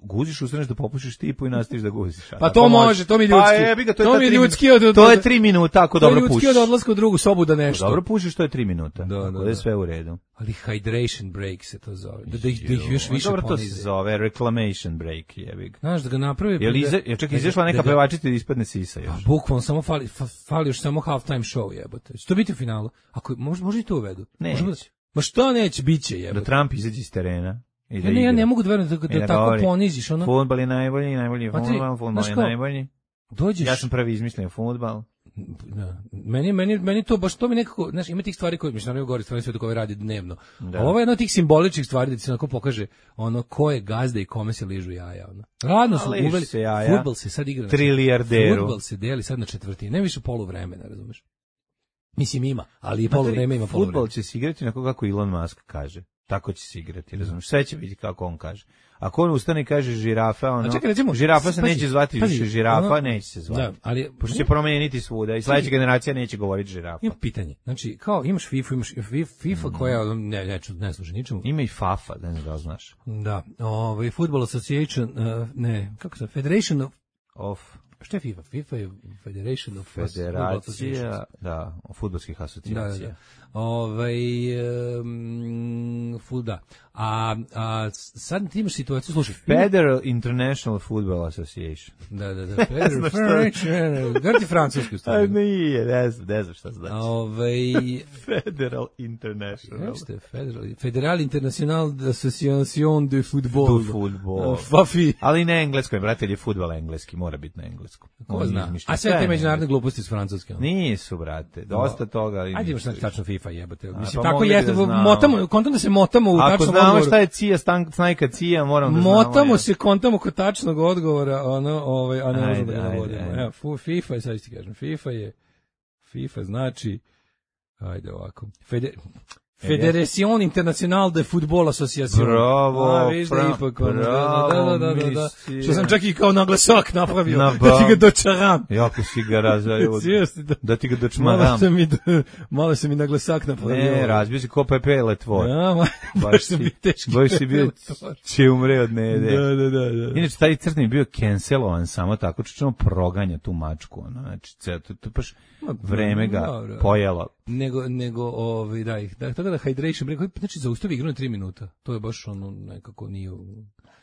Guziš, ustaneš da popušiš tipu i nastaviš da guziš. Pa to može, to mi ljudski. Pa jebi ga, to, to je mi ljudski od... To je tri minuta, ako dobro pušiš. To je ljudski od odlaska u drugu sobu da nešto. Dobro pušiš, to je tri minuta. Da, da, da je sve u redu. Ali hydration break se to zove. Da, da, ih, da ih još više dobro ponize. To se zove reclamation break, jebig. Znaš, da ga napravi... Jel iza, ja čak izašla neka pevačica da ispadne sisa još. Pa, bukvalno, samo fali, fali još samo halftime show, jebote. Će to biti u finalu? Ako, može, može i to uvedu? Neće. Da, ma što neće, bit će, jebote. Da Trump izađe iz terena. I da ja, ne, ja ne mogu da verujem da, da, da tako poniziš. Ono... Fudbal je najbolji, najbolji fudbal, fudbal je najbolji. Dođeš... Ja sam prvi izmislio fudbal. Da. Meni, meni, meni to baš to mi nekako, znaš, ima tih stvari koje, mislim, naravno govori stvari sve koje radi dnevno. Da. A ovo je jedna od tih simboličnih stvari da ti se onako pokaže ono ko je gazda i kome se ližu jaja. Ono. Radno su uveli, fudbal se sad igra na trilijarderu. Fudbal se deli sad na četvrtini, ne više poluvremena, razumeš? Mislim ima, ali i poluvreme ima poluvreme. Fudbal će se igrati onako kako Elon Musk kaže. Tako će se igrati, razumeš? Sve će biti kako on kaže. Ako on ustane i kaže žirafa, ono, čekaj, recimo, žirafa se pazi, neće zvati pazi, više žirafa, ono, neće se zvati. Da, ali pošto će promeniti svuda i sledeća generacija neće govoriti žirafa. Ima pitanje. Znači, kao imaš FIFA, imaš FIFA mm. koja ne ne ne služi ničemu. Ima i FAFA, da ne da znaš. Da, ovaj Football Association, uh, ne, kako se Federation of of Šta je FIFA? FIFA je Federation of Federacija, da, fudbalskih asocijacija. Da, da, da. Ovaj um, fuda. A, a sad ti imaš situaciju, slušaj. Federal International Football Association. Da, da, da. Federal Federation. Gdje ti francuski stavio? Nije, ne znam, ne znam šta znači. Ovaj Federal International. Jeste, Federal. Federal International Association de Football. De Football. Fafi. Ali na engleskom, brate, je fudbal engleski, mora biti na engleskom. Ko zna? A sve te međunarodne gluposti s francuske. Nisu, brate, dosta toga. Ajde imaš tačno FIFA jebote. Mislim, tako jeste, motamo, kontam da se motamo u tačnom odgovoru. Ako znamo šta je cija, snajka cija, moram da znamo. Motamo se, kontamo kod tačnog odgovora, ono, ovaj, a ne možemo da ga navodimo. Evo, FIFA je, sad ti kažem, FIFA je, FIFA znači, ajde ovako, Fede... Federación Internacional de Fútbol Asociación. Bravo, a, viš da pra, ipak, bravo, da, da, da, da. Što sam čak i kao naglasak napravio, na da ti ga dočaram. Jako si ga razvaju, da, da ti ga dočmaram. Malo sam mi, malo sam mi naglasak napravio. Ne, razbio si ko pepele tvoj. Ja, ma, baš sam bio teški. Baš si bio, će umre od nede. Da, da, da, da. Inače, taj crtni je bio cancelovan samo tako, čučemo proganja tu mačku. Ono, znači, to, to baš vreme ga no, pojelo. Nego, nego, ovaj, da ih, da, tako da hydration break, znači zaustavi igru na tri minuta, to je baš ono, nekako nije...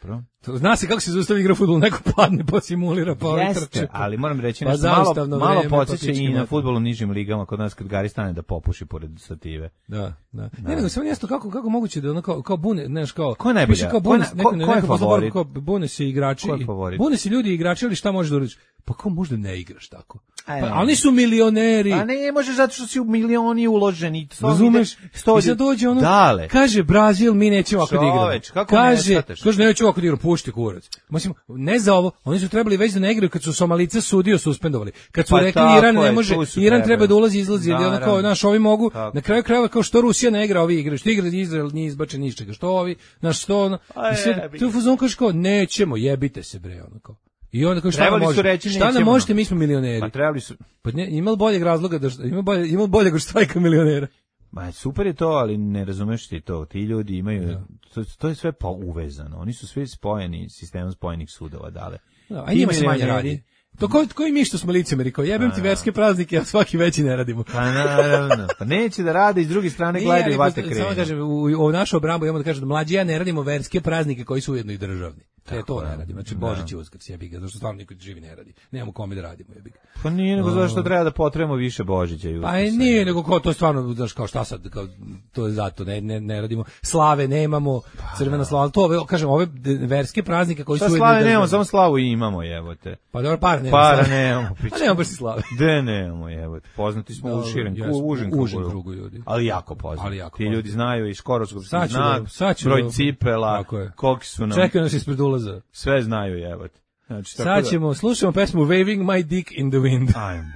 Pro? To, zna se kako se zaustavi igra fudbal, neko padne pa simulira, pa ovaj trče. Ali moram reći nešto, pa malo, malo podsjeća i na fudbal u nižim ligama, kod nas kad Gari stane da popuši pored stative. Da, da. da. Ne, nego samo jasno kako, kako moguće da ono kao, kao bune, znaš, kao... Ko je najbolja? Kao bune, ko, neko, ko, neko, ko je favorit? Kao bune se igrači. Ko je favorit? Bune se ljudi igrači, ali šta možeš da uradiš? Pa kao možda ne igraš tako? Pa, a oni su milioneri. A ne možeš zato što si u milioni uloženi. Razumeš? I sad dođe ono, dale. kaže Brazil, mi nećemo ovako da igramo. Kako kaže, ne kaže, nećemo ovako da igramo, pušti kurac. Mislim, ne za ovo, oni su trebali već da ne igraju kad su Somalice sudio suspendovali. Kad su pa rekli Iran ne može, Iran treba da ulazi, izlazi, ili ono kao, znaš, ovi mogu, tako. Na kraju krajeva kao što Rusija ne igra, ovi igraju, što igra Izrael nije izbačen ničega, što ovi, znaš, što ono, i sad, tu fuzon kaže kao, nećemo, jebite se bre, ono kao. I onda kao šta Trebali nam su možete? reći, Šta nam nećemo, možete, mi smo milioneri. Pa trebali su... Pa ne, ima li boljeg razloga da šta- ima bolje ima li boljeg od štrajka milionera? Ma super je to, ali ne razumeš ti to. Ti ljudi imaju, to, to je sve pa uvezano. Oni su svi spojeni, sistemom spojenih sudova dale. Da, a njima se manje radi. To ko, koji mi što smo licemeri, kao jebem ti verske praznike, a svaki veći ne radimo. Pa naravno, pa neće da rade, i s druge strane Nije, gledaju ali vate posto- krenu. Samo kažem, u, u našu obrambu imamo da kažem da mlađi ja ne radimo verske praznike koji su ujedno i državni. E, to ne radimo. Znači, Božić i Uskrs, jebi ga, zašto stvarno niko živi ne radi. Nemamo kome da radimo, jebi ga. Pa nije nego zašto treba da potrebujemo više Božića i Pa Uskrsa. i nije, nego ko to stvarno, znaš, kao šta sad, kao, to je zato, ne, ne, ne radimo. Slave nemamo, crvena slava, to, ove, kažem, ove de- verske praznike koji Šta su ujedno i slave državni. nemamo, samo slavu i imamo, jebote. Pa dobro, para nemamo. Para slave. nemamo, Pa piće. nemamo baš ni slave. De nemamo, jebote. Poznati smo u Dobro, širem, jesmo, u užem u užem krugu. krugu ljudi. Ali jako poznati. Ali jako Ti poznati. ljudi znaju i Škorovskog Sad ću znak, da- sad ću broj da- cipela, Tako je. koliki su nam, Čekaju nas ispred ulaza. sve znaju, jebote. Znači, tako Sad da- ćemo, slušamo pesmu Waving My Dick in the Wind. Ajmo.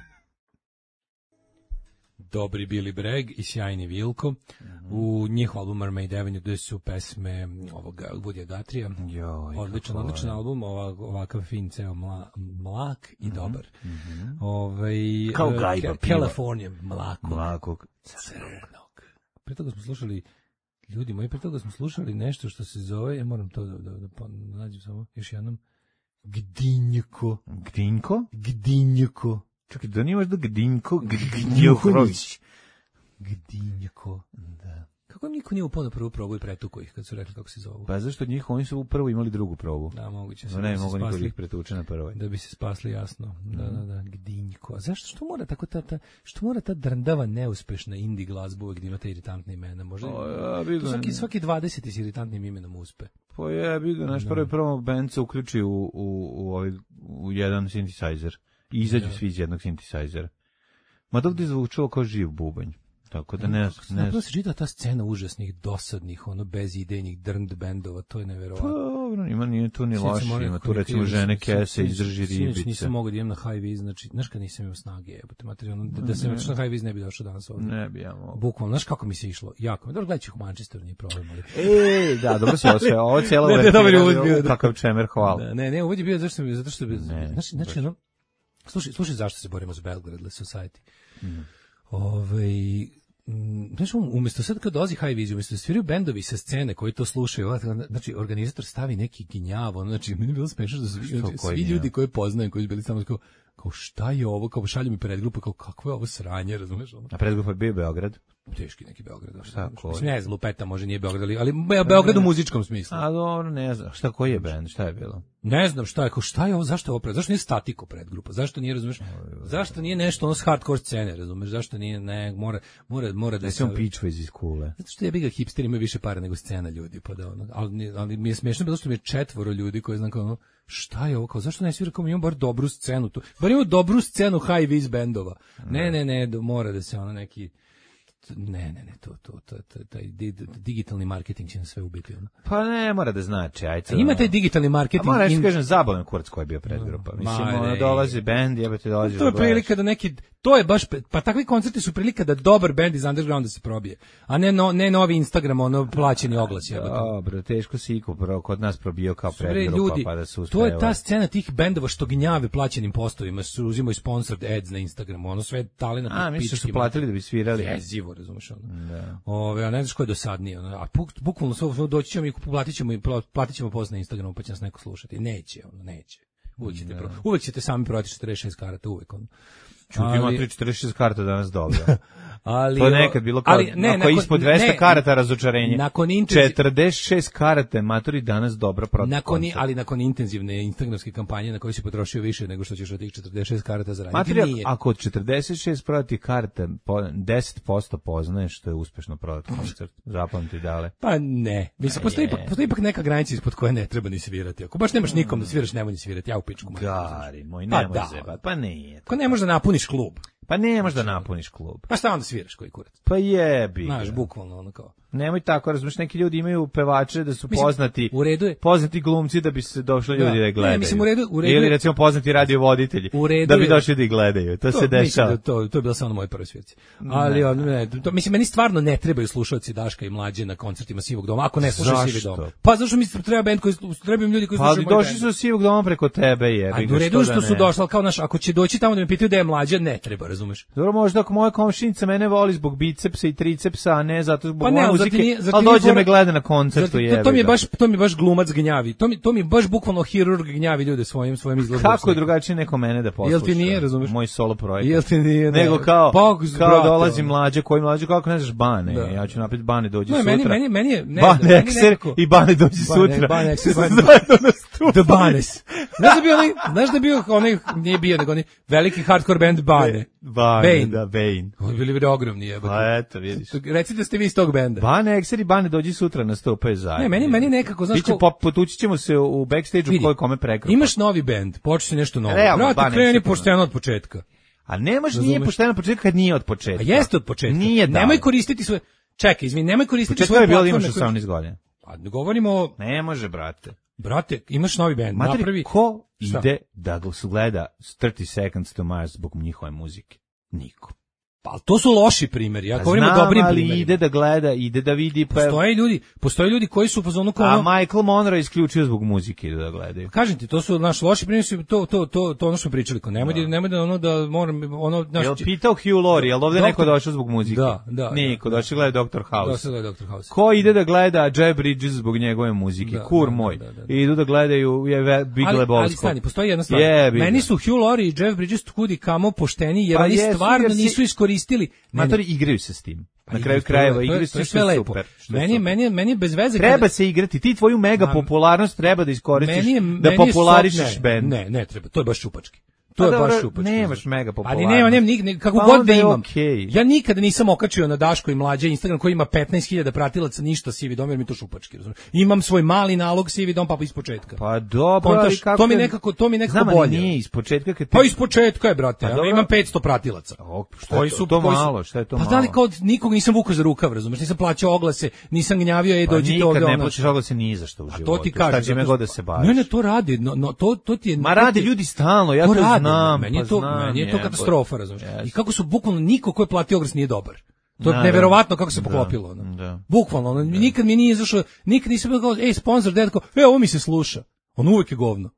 Dobri Billy Bragg i sjajni Vilko. U njihov album Mermaid Avenue gde su pesme ovoga Woodya Guthrieja. Joj, Odličan, kako odličan volim. album, ovak, ovakav fin, ceo mla, mlak i dobar. Ovaj, Kao eh, gajba Ca- piva. California, mlakog, Mlakog. crnog. Pre toga smo slušali, ljudi moji, pre toga smo slušali nešto što se zove, ja moram to da, da, da, pa nađem samo još jednom, Gdinjko, Gdinko? Gdinjko, Čekaj, da nije možda Gdinko, Gdinjohrović. Gdinjko. Da. Kako im niko nije upao na prvu probu i pretuko ih kad su rekli kako se zovu? Pa zašto njih, oni su prvo imali drugu probu. Da, moguće se No, da ne, bi se mogu niko spasli. ih pretuče na prvoj. Da bi se spasli jasno. Da, da, da, Gdinjko. A zašto, što mora tako ta, ta, što mora ta drndava, neuspešna indie glazba uvek da ima te iritantne imena? Možda, O, ja bi ga- svaki, svaki dvadeseti s iritantnim imenom uspe. Pa jebi ga, naš prvi prvo band se uključi u, u, u, ovaj, u jedan synthesizer. I izađu svi iz jednog synthesizera. Ma da ovdje zvučalo kao živ bubanj. Tako da ne, ne, Napravo se čita ta scena užasnih, dosadnih, ono, bezidejnih drnd bendova, to je pa neverovatno. dobro, ima, nije tu ni Sinoć loše, sam ima rekao, tu recimo sinoć- žene sinoć- kese, sinoć- izdrži Sinoć ribice. nisam mogao da idem na high vis, znači, znaš kad nisam imao snage, jebote materi, ono, da, da sam Ne. otišao na high vis ne bi došao danas ovdje. Ne bi ja mogao. Bukvalno, znaš kako mi se išlo? Jako. Dobro, gledaj ću u Manchesteru, nije problem, ali... E, da, dobro se osve, ovo je cijela Ne, ne, dobar je uvod bio, da. kakav čemer, hvala. Da, ne, ne, uvod je bio zašto sam, zato što bi, Ne, znači, znači, baš. ono, slušaj, slušaj zašto se borimo za Belgradless Society. Ovaj, mm, znaš, um, umjesto sad kad dolazi High Vision, umjesto da sviraju bendovi sa scene koji to slušaju, ovako, znači, organizator stavi neki ginjav, ono, znači, meni je bilo smešno da svi, Što, znači, koji svi ginjav? ljudi koji poznajem, koji su bili samo kao, kao šta je ovo, kao šalju mi predgrupe, kao kakvo je ovo sranje, razumeš, ono. A predgrupa je bio Beograd. Teški neki Beograd. Šta, ko je? Mislim, ne znam, Lupeta može nije Beograd, ali, ali Be- Beograd u muzičkom smislu. A dobro, ne znam, šta, koji je band, šta je bilo? Ne znam šta je, kao šta je ovo, zašto je ovo pred, zašto nije statiko predgrupa, zašto nije, razumeš, zašto nije nešto ono s hardcore scene, razumeš, zašto nije, ne, mora, mora, mora da Da se... se on pičva iz kule. Zato što je bi ga hipsteri imaju više para nego scena ljudi, pa da ono, ali, ni- ali mi je smiješno bilo što mi je četvoro ljudi koji znam kao ono, šta je ovo, kao zašto ne svira, kao mi imamo bar dobru scenu tu, bar imamo dobru scenu high vis bendova, ne, ne, ne, do- mora da se ono neki, ne, ne, ne, to, to, to, to, taj di- digitalni marketing će nas sve ubiti, ono. Pa ne mora da znači, ajde. Ima taj digitalni A marketing. moram nešto in- kažem, zabavan kurac koji je bio predgrupa. Mislim, Ma, ono, ne. dolazi bend, jebate, dolazi To je da gledaš. prilika da neki, to je baš, pa takvi koncerti su prilika da dobar bend iz undergrounda se probije, a ne, no, ne novi Instagram, ono plaćeni oglas. jebote. Dobro, teško si iko pro, kod nas probio kao Bre, predgrupa, ljudi, pa da se to je ta uspeva. scena tih bendova što gnjave plaćenim postovima, su uzimaju sponsored ads na Instagramu, ono sve talina A, misliš da su platili da bi svirali? Jezivo, razumeš ono. Da. Ove, a ne znaš ko je dosadnije, ono, a buk, bukvalno sve, sve doći ćemo i platit ćemo, i pla- platit ćemo post na Instagramu pa će nas neko slušati. Neće, ono, neće. Uvijek ćete, pro, uvijek ćete sami prodati četrdeset šest karata, uvijek ono. Čuti ima tri četrdeset šest karta danas dobro. ali, To je nekad bilo kao, ali, ne, ako je nakon- ispod dvesta ne, karata razočarenje. Nakon intenziv- četrdeset šest karate, matori danas dobro protiv Nakon, koncert. ali nakon intenzivne instagramske kampanje na kojoj si potrošio više nego što ćeš od tih četrdeset šest karata zaraditi. Materijal, Nije. ako od četrdeset šest prodati karte, po, deset posto poznaješ što je uspešno prodat koncert. Zapamti dale. Pa ne. Mislim, postoji, ipak, postoji ipak neka granica ispod koje ne treba ni svirati. Ako baš nemaš nikom da sviraš, nemoj ni svirati. Ja u pičku. mater, znaš. Gari moj, Pa nemoj da. zebat. Pa nije. Ako ne možeš da napuniš klub, Pa ne možeš da napuniš klub. pa šta onda sviraš koji kurac? Pa jebi. Znaš, ga. bukvalno ono kao. Nemoj tako, razumiješ, neki ljudi imaju pevače da su Mislim, poznati, u redu je. poznati glumci da bi se došli ljudi Da. da ih gledaju. Ne, mislim, u redu- u redu Ili je- recimo poznati radiovoditelji U redu da bi je- došli da ih gledaju. To, se mislim dešava. da to, to je bilo samo na mojoj prvoj svirci. Ali, ne. ne, to, mislim, meni stvarno ne trebaju slušalci Daška i Mlađe na koncertima Sivog doma, ako ne slušaju Sivi Zašto? dom. Pa zašto mi treba bend koji, trebaju mi ljudi koji Pa slušaju moj došli bend. su od Sivog doma preko tebe, jebi A ga, u redu je što da su ne? došli, ali kao naš, ako će doći tamo da me pitaju da je Mlađa, ne treba, razumeš? Dobro, možda ako moja komšinica mene voli zbog bicepsa i tricepsa, a ne zato zbog Pa ne, moje ali zar muzike, ti nije- zar ti ali nije dođe fora- me gleda na koncertu, Zato- jebi to, to mi je ga. baš to mi je baš glumac gnjavi. To mi to mi je baš bukvalno hirurg gnjavi ljude svojim svojim izgledom. Kako je drugačije neko mene da posluša? Jel ti nije, razumeš? Moj solo projekat. Jel ti nije, ne. Nego kao, Pa, kao brate, dolazi ono. Mlađe, koji Mlađe, kako ne znaš Bane, Da. ja ću napred Bane, dođi Ne, sutra. meni meni meni je ne, Bane meni Ekser nekako- i Bane dođi Bane- sutra. Bane Ekser, Bane- Zajedno nastupaju. The Banes. Znaš da bio onaj, znaš da bio onaj, nije bio, nego onaj veliki hardcore band Bane. Bane, Bane. da, Bane. Oni bili bili ogromni, jebote. Pa eto, vidiš. Recite da ste vi iz tog benda. Bane Ekser i Bane dođi sutra nastupaju zajedno. Ne, meni meni nekako, znaš Biće kao- pop, potući ćemo se u backstage-u Vidi, koji kome prekrpa. Imaš novi bend, počne nešto novo. Realno, Brate, Bane kreni Ekser, pošteno od početka. A ne može, nije Razumeš? pošteno početka kad nije od početka. A jeste od početka. Nije da. Nemoj koristiti svoje. Čekaj, izvini, nemoj koristiti Početka svoje je bilo platforme imaš koje- osamnaest godina. Pa ne govorimo o, Ne može, brate. brate, imaš novi bend, Materi, napravi. ko Šta? ide da ga gleda trideset seconds to Mars zbog njihove muzike? Niko. Pa to su loši primjeri. Ja Pa govorim o znam, dobrim ali primerima. ide da gleda, ide da vidi. Pa, Postoje ljudi, postoje ljudi koji su u fazonu kao a ono- Michael Monroe je isključio zbog muzike ide da gledaju. Kažem ti, to su naš loši primjeri, su to to to to ono što smo pričali, kao nemoj da nemoj da ono da moram ono naš Jel pitao Hugh Laurie, jel ovde Doktor- neko došao zbog muzike? Da, da, Niko, da. došao gleda doktor Da House. se gleda doktor House. Ko ide da gleda Jeff Bridges zbog njegove muzike? Da, Kur da, moj. da, da, da. I idu da gledaju je ve- Big Ali, ali Lebowski. stani, postoji jedna stvar. Jebi ga. Meni su Hugh Laurie i Jeff Bridges kudi kamo pošteni, jer Pa oni jesu, stvarno jer si- nisu iskoristili. Ne, ne, Matori igraju se s tim. pa Na igraju, kraju to je- krajeva to je- igraju to je se sve što je lepo. super. što je Meni je super. meni je meni je bez veze Treba kada- se igrati, ti tvoju mega Ma- popularnost treba da iskoristiš, meni je, da meni je popularišeš sok- bend. Ne, ne treba, to je baš šupački. To Pa je dobro, baš šupački. nemaš mega Ali popularnost. nema, nema, nik, nik, kako Pa god onda da je imam. okej. Ja nikada nisam okačio na Daško i Mlađe Instagram koji ima petnaest hiljada pratilaca, ništa Sivi dom, jer mi to šupački, razumiješ. Imam svoj mali nalog Sivi dom, pa iz početka. Pa dobro, Kontaš, ali kako... to mi je- nekako- to mi nekako Znam, ali bolje. nije iz početka kad ti... Pa iz početka je, brate, Pa ja dobro. imam petsto pratilaca. O, šta je Koji to? su To koji su- malo, šta je to Pa malo? da li kao nikog nisam vukao za rukav, razumeš, nisam plaćao oglase, nisam gnjavio, ej, Pa dođite nikad ovde. ne ono. plaćaš oglase ni za što u životu. To ti kažem. Šta će me zato god što- da se baviš? Ne, ne, to radi, no, no, to, to ti je... Ma to rade ti- ljudi stalno, ja to, rade, znam. Meni je pa to, znam, meni je to jebote. katastrofa, razumeš. Jeste. I kako su bukvalno niko ko je platio oglas nije dobar. To je Da, neverovatno kako se da. poklopilo. Ono. Da. Bukvalno, ono, nikad mi nije izašao, nikad nisam bio kao, ej, sponsor, da tako, e, ovo mi se sluša. On uvek je govno.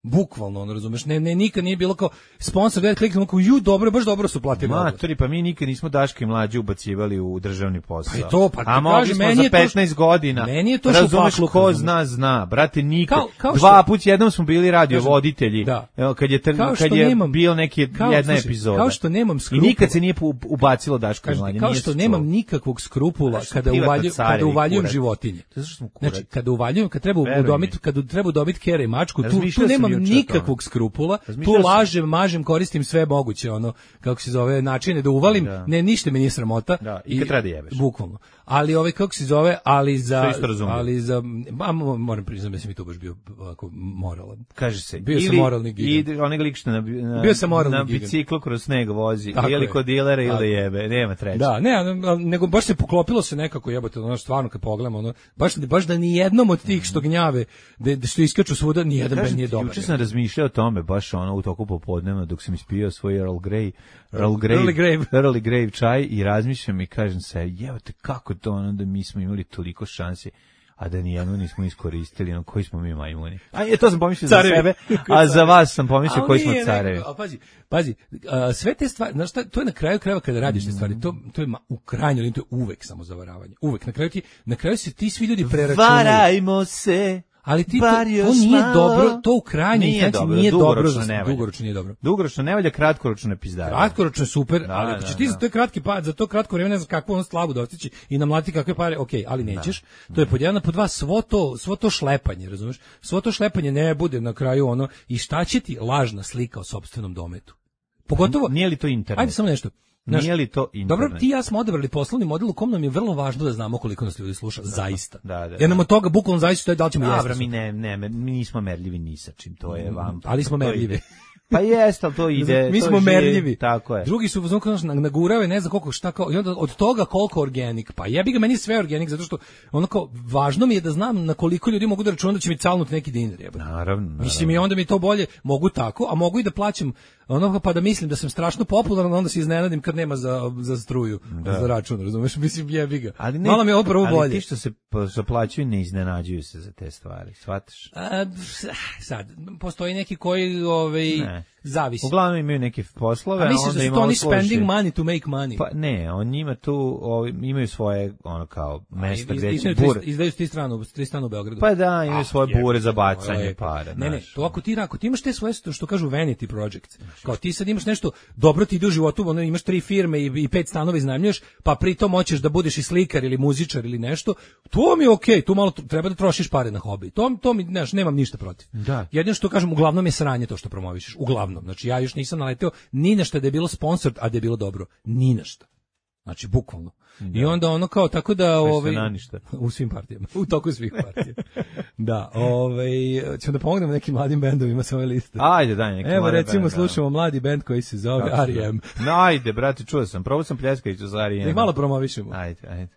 Bukvalno, ono, razumeš, ne, ne, nikad nije bilo kao sponsor, da kliknemo kao, ju, dobro, baš dobro su platili oglas. Matori, pa mi nikad nismo Daška i Mlađe ubacivali u državni posao. Pa i to, pa ti A mogli kažem, smo meni za je to- petnaest godina. meni je to Razumeš, šupakluk, ko razumeš. zna, zna. Brate, nikad. Kao- kao što- Dva put jednom smo bili radiovoditelji. Da. Evo, kad je, tr- Kao što kad je nemam- bio neki kao- jedna slušaj, epizoda. kao što nemam I skrupula. nikad se nije pu- ubacilo Daško i Kažete, Mlađe. kao nije što se nemam čulo. nikakvog skrupula Znaš, kada privatna uvaljujem kada carevi, uvaljujem kurac. životinje. Zato što smo kurac. Znači, kada uvaljujem, kad treba Veruj udomiti, mi. kada treba udomiti kere i mačku, tu, tu Razmišljao sam nemam juče o tome. nikakvog skrupula, tu Razmišljao sam. lažem, mažem, koristim sve moguće, ono, kako se zove, načine da uvalim, Da. ne, ništa mi nije sramota. Da, i kad treba da jebeš. Bukvalno. Ali ovaj, kako se zove, ali za, To isto razumljivo. ali za, ba, mo- moram priznati da sam i tu baš bio ovako moralan. Kaže se. Bio sam ili, moralni gigant. I onaj lik što na, na, Bio sam moralni na gigant. biciklu kroz sneg vozi. Tako ili je. kod dilera ili Tako da je. jebe. Nema treće. Da, ne, a- a- nego baš se poklopilo se nekako, jebote, ono stvarno kad pogledamo, ono baš baš da ni jednom od tih što gnjave, da, da što iskaču svuda, ni jedan Kažem bend nije ti, dobar. juče sam razmišljao o tome, baš ono u toku popodnevna, dok sam ispio svoj Earl Grey, Earl Grey, Early Grave. Early Grave čaj i razmišljam i kažem se, jebote, kako to ono da mi smo imali toliko šansi, a da nijedno nismo iskoristili, ono, koji smo mi majmuni. A je, to sam pomislio za Carevi. sebe, a za vas sam pomislio Ali koji smo nije carevi. nekako, a pazi, pazi, a, sve te stvari, znaš šta, to je na kraju krajeva kada radiš te stvari, to, to je ma, u krajnjoj liniji, to je uvek samo zavaravanje. Uvek, na kraju ti, na kraju se ti svi ljudi preračunaju. Varajmo se. Ali ti to, bar to još nije malo. dobro, to u krajnjoj Nije instanci dobro, nije dobro, dugoročno za- ne valja. dugoročno nije dobro. Dugoročno ne valja, kratkoročno ne pizdare. Kratkoročno je super, Da, ali ako da, ćeš ti da. za to je kratki pad, za to kratko vreme ne znam kakvu on slavu dostići i namlati kakve pare, okej, ali nećeš. To je pod jedan, a pod dva svo to, svo to šlepanje, razumeš? Svo to šlepanje ne bude na kraju ono i šta će ti lažna slika o sopstvenom dometu. Pogotovo, Nije li to internet? ajde samo nešto. Znaš, Nije li to internet? dobro, ti i ja smo odabrali poslovni model u kom nam je vrlo važno da znamo koliko nas ljudi sluša, zaista. da, da, Jer nam da. od toga bukvalno zaista je da li ćemo jesti. Dobro, mi ne, ne, mi nismo merljivi ni sa čim, to je vam. Ali smo to je- merljivi. Pa jeste, ali to ide. Mi to smo živi, merljivi. Tako je. Drugi su znači nagurave, ne znam koliko šta kao i onda od toga koliko organik. Pa jebi ga, meni sve organik zato što onako važno mi je da znam na koliko ljudi mogu da računam da će mi calnuti neki dinar, jebote. Naravno, naravno. Mislim i onda mi to bolje mogu tako, a mogu i da plaćam ono pa da mislim da sam strašno popularan, onda se iznenadim kad nema za za struju, da. Za račun, razumeš? Mislim jebi ga. Ali ne, malo mi je ovo prvo ali bolje. Ali ti što se zaplaćuju ne iznenađuju se za te stvari, shvataš? A, sad, postoji neki koji ovaj, ne. zavisi. Uglavnom imaju neke poslove, a misliš da su to oni spending money to make money? Pa ne, on njima tu o, imaju svoje ono kao mesta gde će bure. Izdaju ti stranu, tri stranu u Beogradu. Pa da, imaju ah, svoje je, bure za bacanje je, para. Ne, ne, to ako ti, ako ti imaš te svoje, što kažu vanity projects, kao ti sad imaš nešto, dobro ti ide u životu, ono, imaš tri firme i, i pet stanova iznajmljuješ, pa pritom hoćeš da budeš i slikar ili muzičar ili nešto, to mi je okej, okay, tu malo treba da trošiš pare na hobi. To, to mi, znaš, nemam ništa protiv. Da. Jedino što kažem, uglavnom je sranje to što promovišeš, uglavnom. Znači ja još nisam naleteo ni na šta da je bilo sponsor, a da je bilo dobro. Ni na šta. Znači, bukvalno. Da. I onda ono kao, tako da... Ovaj, u svim partijama. U toku svih partija. Da, ovaj, ćemo da pomognemo nekim mladim bendovima sa ove liste. Ajde, daj neki Evo, recimo, band, slušamo da. Mladi bend koji se zove R E M. No, ajde, brate, čuo sam. Probao sam Pljeskaviću za R E M. Da malo promovišemo. Ajde, ajde.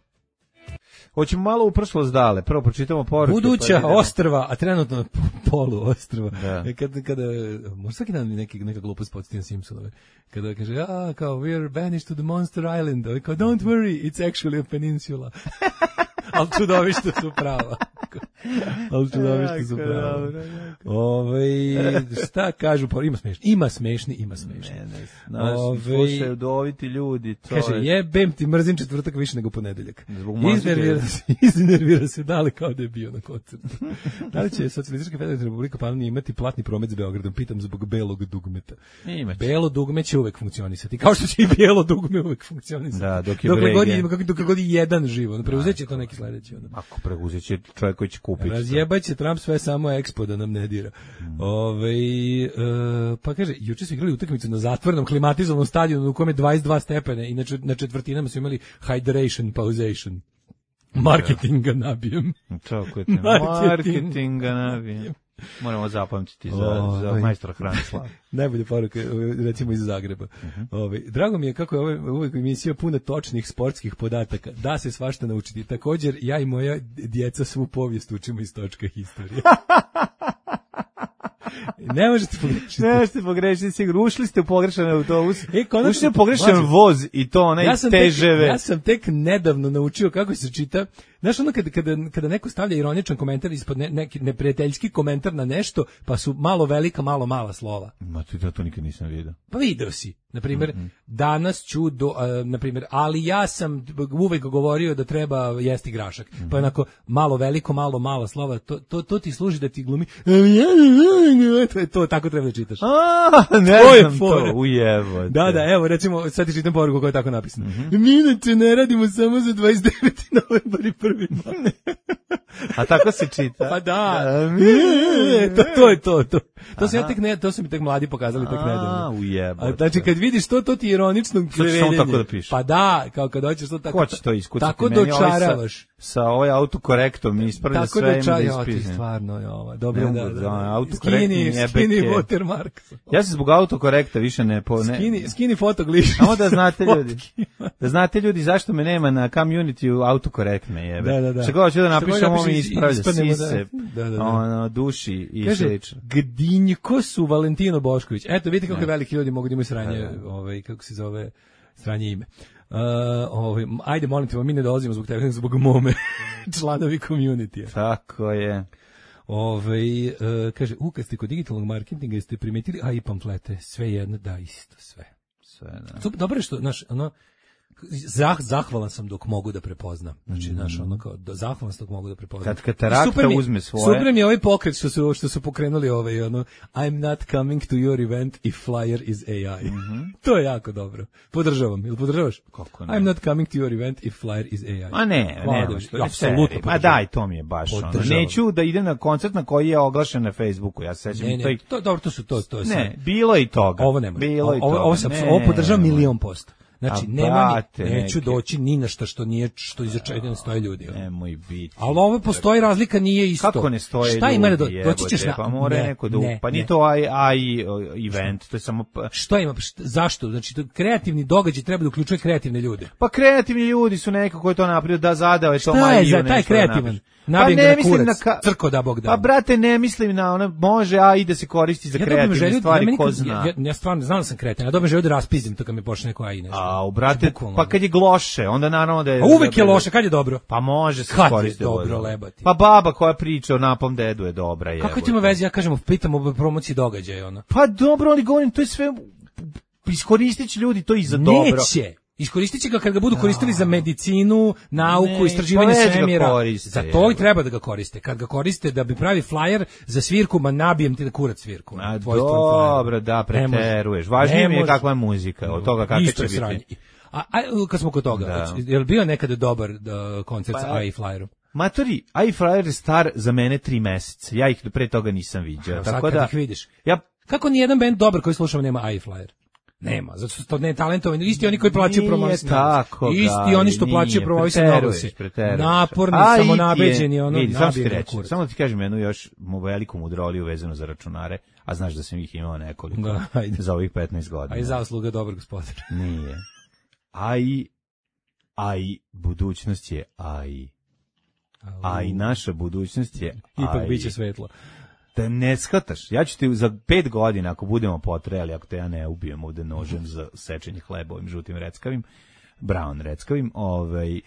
Hoćemo malo u prošlost dale. Prvo pročitamo poruke. Buduća pa ostrva, a trenutno polu ostrva. Da. Kada, kada, možda svaki dan neki, neka glupost podsjetim Simpsonove. Kada kaže, a, kao, we are banished to the Monster Island. Ovi kao, don't worry, it's actually a peninsula. Ali čudovište su prava. Ali čudovište su prava. Ove, šta kažu, ima smešni, ima smešni, ima smešni. Ne, ne, naš, slušaju doviti ljudi. To kaže, je... jebem ti, mrzim četvrtak više nego ponedeljak. Iznervira se, iznervira se, da li kao da je bio na koncertu. Da li će Socijalistička federativna republika Panonija imati platni promet s Beogradom? Pitam zbog belog dugmeta. Belo dugme će uvek funkcionisati, kao što će i bijelo dugme uvek funkcionisati. Da, dok je dokle god, brege. dok god je jedan živo, preuzet će to neki sledeći. Ono. Ako preuzet će čovjek koji će kupiti. Razjebaće Trump sve samo Expo da nam ne dira. Mm. Ove, e, pa kaže, juče su igrali utakmicu na zatvorenom klimatizovanom stadionu u kome je dvadeset dva stepene i na, na četvrtinama su imali hydration, pausation. Marketinga nabijem. Čako je te, marketinga nabijem. Moramo zapamtiti za, o, za majstora Hranislava. Najbolje poruke, recimo iz Zagreba. Uh-huh. Ove, drago mi je kako je ove, uvek emisija puna točnih sportskih podataka. Da se svašta naučiti. Također, ja i moja djeca svu povijest učimo iz točka historije. Ne možete pogrešiti. Ne možete pogrešiti, sigurno. Ušli ste u pogrešan autobus. E, ušli ste u pogrešan voz i to onaj ja teževe. Ja sam tek nedavno naučio kako se čita. Znaš, ono kada, kada, kada neko stavlja ironičan komentar ispod ne, neki neprijateljski komentar na nešto, pa su malo velika, malo mala slova. Ma ti da to nikad nisam vidio. Pa video si. Na primjer, mm-hmm. danas ću, do, uh, na primjer, ali ja sam uvek govorio da treba jesti grašak. Mm-hmm. Pa onako, malo veliko, malo mala slova, to, to, to ti služi da ti glumi. To je to, tako treba da čitaš. A, ne to znam to, ujevo. Da, da, evo, recimo, sad ti čitam poruku koja je tako napisana. Mm-hmm. Mi inače ne radimo samo za dvadeset deveti novembar i prvi maj. A tako se čita? Pa da. to, to je to, to. To se ja tek ne, to su mi tek mladi pokazali tek nedavno. A, ujebo. Znači kad vidiš to, to ti ironično kleveljenje. Tako da piše. Pa da, kao kad hoćeš to tako. Ko će to iskucati? Tako dočaravaš. Sa, sa ovaj autokorektom ispravlja sve im da ispisne. Tako stvarno je ovo. Dobro, da, da. Autokorektni skini watermark. Ja se zbog autokorekta više ne... Po, ne. Skini, skini fotogliš. Samo da znate ljudi. Da znate ljudi zašto me nema na community autokorektne jebe. Da, da, da. Što god ću da napišem, ovo mi ispravlja sise, da, da, da. ono, duši i slično. Gdinjko su Valentino Bošković. Eto, vidite kako veliki ljudi mogu da imaju sranje, ovaj, kako se zove, sranje ime. Uh, ovaj, ajde, molim te, mi ne dolazimo zbog tebe, zbog mome, članovi community. Tako je. Ovaj, uh, kaže, u, kad ste kod digitalnog marketinga, jeste primetili, a i pamflete, sve jedno, da, isto, sve. Sve, da. Super, dobro je što, znaš, ono, Zah, zahvalan sam dok mogu da prepoznam. Znači, mm. znaš, ono kao, do, zahvalan sam dok mogu da prepoznam. Kad katarakta uzme svoje... Super mi je ovaj pokret što su, što su pokrenuli ovaj, ono, I'm not coming to your event if flyer is A I. Mm-hmm. To je jako dobro. Podržavam. Ili podržavaš? Kako ne? I'm not coming to your event if flyer is A I. A ne, Hvala ne, što je apsolutno. Ma daj, to mi je baš ono. Neću da idem na koncert na koji je oglašen na Facebooku. Ja se sećam. Ne, ne, to, dobro, to su to. to ne, bilo i toga. Ovo nema. Bilo i ovo, toga. Ovo, ovo, ovo podržavam milion posto. Znači, A, nema brate, ni, neću neke. doći ni na šta što nije, što iza čega ne stoje ljudi. ono. Nemoj biti. Ali ovo postoji razlika, nije isto. Kako ne stoje Šta ljudi, ima da do, jebote, doći ćeš na... pa mora ne, neko da... ne, pa nije ne. to aj, aj event, to je samo... pa- Šta ima? Šta, zašto? Znači, to kreativni događaj treba da uključuje kreativne ljude. Pa kreativni ljudi su neko ko je to napravio, da zadao je to Šta je Maju za nešto taj da kreativan? napravi. Nabijem Pa ga ne na mislim kurac, na ka- crko da Bog da. Pa brate, ne mislim na ono, može, a i da se koristi za Ja dobijem kreativne želju, stvari, da meni ko kad- zna. Ja, ja stvarno znam da sam kretan, ja dobijem želju da raspizdim to kad mi počne neko aj nešto. A, u brate, Bukvalno. pa kad je gloše, onda naravno da je... A uvek je loše, kad je dobro? Pa može se Kad je koristiti. dobro, lebati? Pa baba koja priča o napom dedu je dobra, je. Kako ti ima veze, ja kažem, pitam o promociji događaja, ono. Pa dobro, ali govorim, to je sve... Iskoristit će ljudi to i za dobro. Neće. Iskoristit će ga kad ga budu koristili za medicinu, nauku, Ne, istraživanje pa već ga svemira. koriste, Za to i evo. treba da ga koriste. Kad ga koriste da bi pravi flyer za svirku, ma nabijem ti da kurac svirku. A Tvoj stvar flyer. dobro, da, Ne može. preteruješ. Važnije Ne mi je može. kakva je muzika, od toga kakva Isto će je biti. sranje. A, a kad smo kod toga, Da. je li bio nekada dobar da, koncert sa Pa- A I Flyerom? Matori, iFlyer je star za mene tri meseca. Ja ih pre toga nisam viđao. Evo, sad Tako kad da, ih vidiš. ja Kako ni jedan bend dobar koji slušamo nema A I Flyer? Nema, zato što to ne talentovani, isti oni koji plaćaju Nije promovisni tako, oglas. Isti Gari, oni što nije, plaćaju promovisni preteruješ, oglasi. preteruješ. Naporni, A, i ti samo je- nabeđeni, ono, vidi, samo ti nabijem na reći, kurac. samo da ti kažem jednu još mu veliku mudroliju vezanu za računare, a znaš da sam ih imao nekoliko Da, ajde. za ovih petnaest godina. A i zasluga dobrog gospodara. Nije. A i, a i budućnost je A I. A i naša budućnost je Ipak A I. biće svetlo. Da ne shvataš, ja ću ti za pet godina, ako budemo potrejali, ako te ja ne ubijem ovde nožem za sečenje hleba ovim žutim reckavim, brown reckavim, ovaj,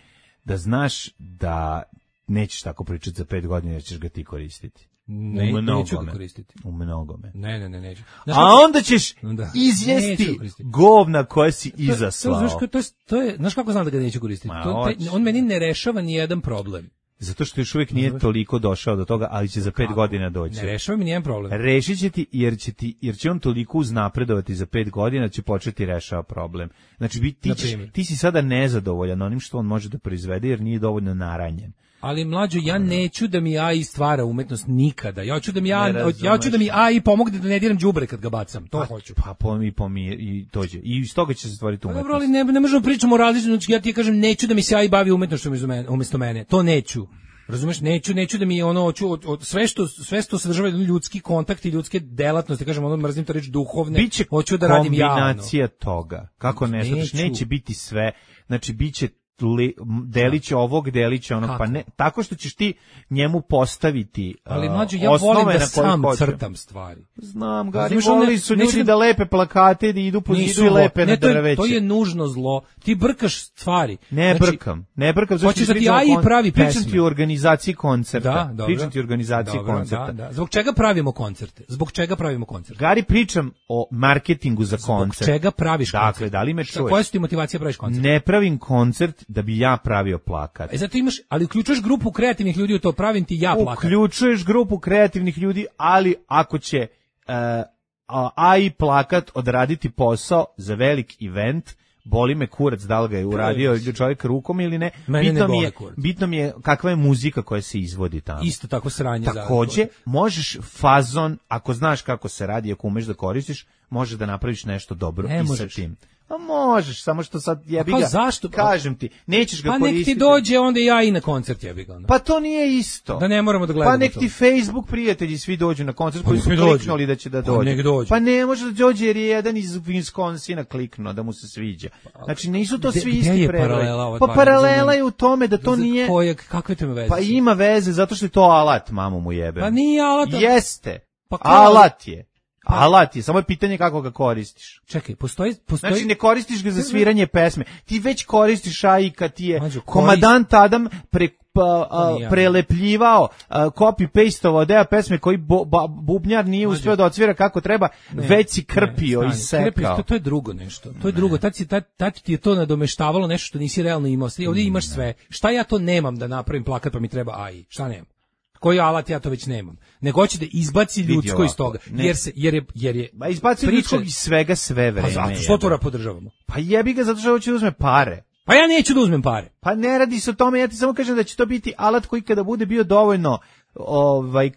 da znaš da nećeš tako pričati za pet godina jer ćeš ga ti koristiti. Ne, U neću ga mnogome. koristiti. U mnogome. Ne, ne, ne, neću. Znaš A kako- onda ćeš Da. Neću izjesti ga koristiti. govna koje si To- to- izaslao. Znaš, kako- to, je, to je, znaš kako znam da ga neću koristiti? Ma, To, taj, hoću. on meni ne rešava ni jedan problem. Zato što još uvijek nije toliko došao do toga, ali će za pet godina doći. Ne rešava mi ni jedan problem. Rešit će ti, jer će, ti, jer će on toliko uznapredovati za pet godina, da će početi rešava problem. Znači, bi, ti, Na ćeš, primjer. ti si sada nezadovoljan onim što on može da proizvede, jer nije dovoljno naranjen. Ali mlađo, ja neću da mi A I stvara umetnost nikada. Ja hoću da mi Ne A I, razumeš. ja hoću da mi A I pomogne da ne diram đubre kad ga bacam. To hoću. Pa pomi, pomi, i dođe. I iz toga će se stvoriti Pa umetnost. dobro, ali ne, ne možemo pričamo o različitom, znači ja ti kažem neću da mi se A I bavi umetnošću umesto mene, umesto mene. To neću. Razumeš, neću, neću da mi ono hoću od, od sve što sve što sadržava ljudski kontakt i ljudske delatnosti, kažem, ono mrzim to reći duhovne. Biće hoću da radim javno. kombinacija toga. Kako ne, shvataš, Neću. neće biti sve. Znači, biće li, deliće ovog, deliće onog, Kako? pa ne, tako što ćeš ti njemu postaviti Ali uh, mlađo, ja osnove volim da na koje sam hoće. crtam stvari. Znam, Gari, Razumeš, one- volili su neću ljudi da- da lepe plakate, da idu po Nisu zidu i lepe ne, na to je, drveće. to je nužno zlo. Ti brkaš stvari. Ne Znači, brkam, ne brkam. zašto hoćeš da ti pričam o A I kon- pravi Pričam pesme. ti o organizaciji koncerta. Da, dobro. Pričam ti o organizaciji Dobro, koncerta. Da, da. Zbog čega pravimo koncerte? Zbog čega pravimo koncerte? Gari, pričam o marketingu za Zbog koncert. čega praviš Dakle, koncert? da li me Šta, čuješ? koja su ti motivacija da praviš koncert? Ne pravim koncert da bi ja pravio plakat. E zato imaš, ali uključuješ grupu kreativnih ljudi u to, pravim ti ja plakat. Uključuješ grupu kreativnih ljudi, ali ako će e, a- A I plakat odraditi posao za velik event, boli me kurac da li ga je uradio čovjek rukom ili ne. Mene ne bitno, mi boli je, kurac. bitno mi je kakva je muzika koja se izvodi tamo. Isto tako sranje. Takođe, za- možeš fazon, ako znaš kako se radi, ako umeš da koristiš, možeš da napraviš nešto dobro Ne i možeš. sa tim. A možeš, samo što sad jebi kao ga. zašto? Kažem ti, nećeš ga Pa nek koristiti. ti dođe onda ja i na koncert, jebi ga. ono. Pa to nije isto. Da ne moramo da gledamo Pa nek to. ti Facebook prijatelji svi dođu na koncert Pa koji nek su mi dođu. kliknuli da će da Pa dođu. nek dođu. Pa ne može da dođe jer je jedan iz Wisconsina kliknuo da mu se sviđa. Znači nisu to Gde- svi gde isti je prebroji. paralela ova Pa dva, paralela razumijem. je u tome da to Za nije... Kojeg, kakve to ima veze? Pa ima veze zato što je to alat, mamu mu jebe. Pa nije alat. Jeste. Pa kao- Alat je. Alat je, samo je pitanje kako ga koristiš. Čekaj, postoji... postoji... Znači ne koristiš ga za sviranje pesme. Ti već koristiš A I kad ti je Mađo, korist- komadant Adam pre, pa, a, nije. prelepljivao, a, copy-pastovao deo pesme koji bo, ba, bubnjar nije uspeo da odsvira kako treba, Ne, već si ne, krpio i stani, krpio, sekao. To, to je drugo nešto. To je drugo. Tad, si, tad, tad ti je to nadomeštavalo nešto što nisi realno imao. Sad ovdje imaš sve. Šta ja to nemam da napravim plakat pa mi treba A I? Šta nemam? Koji alat ja to već nemam? Nego hoće da izbaci ljudsko iz ovako, toga. ne. Jer, se, jer je... Jer je Ma izbaci priča- ljudskog iz svega sve vreme. Pa zato što to jebe. podržavamo? Pa jebi ga zato što hoće da uzme pare. Pa ja neću da uzmem pare. Pa ne radi se o tome, ja ti samo kažem da će to biti alat koji kada bude bio dovoljno ovaj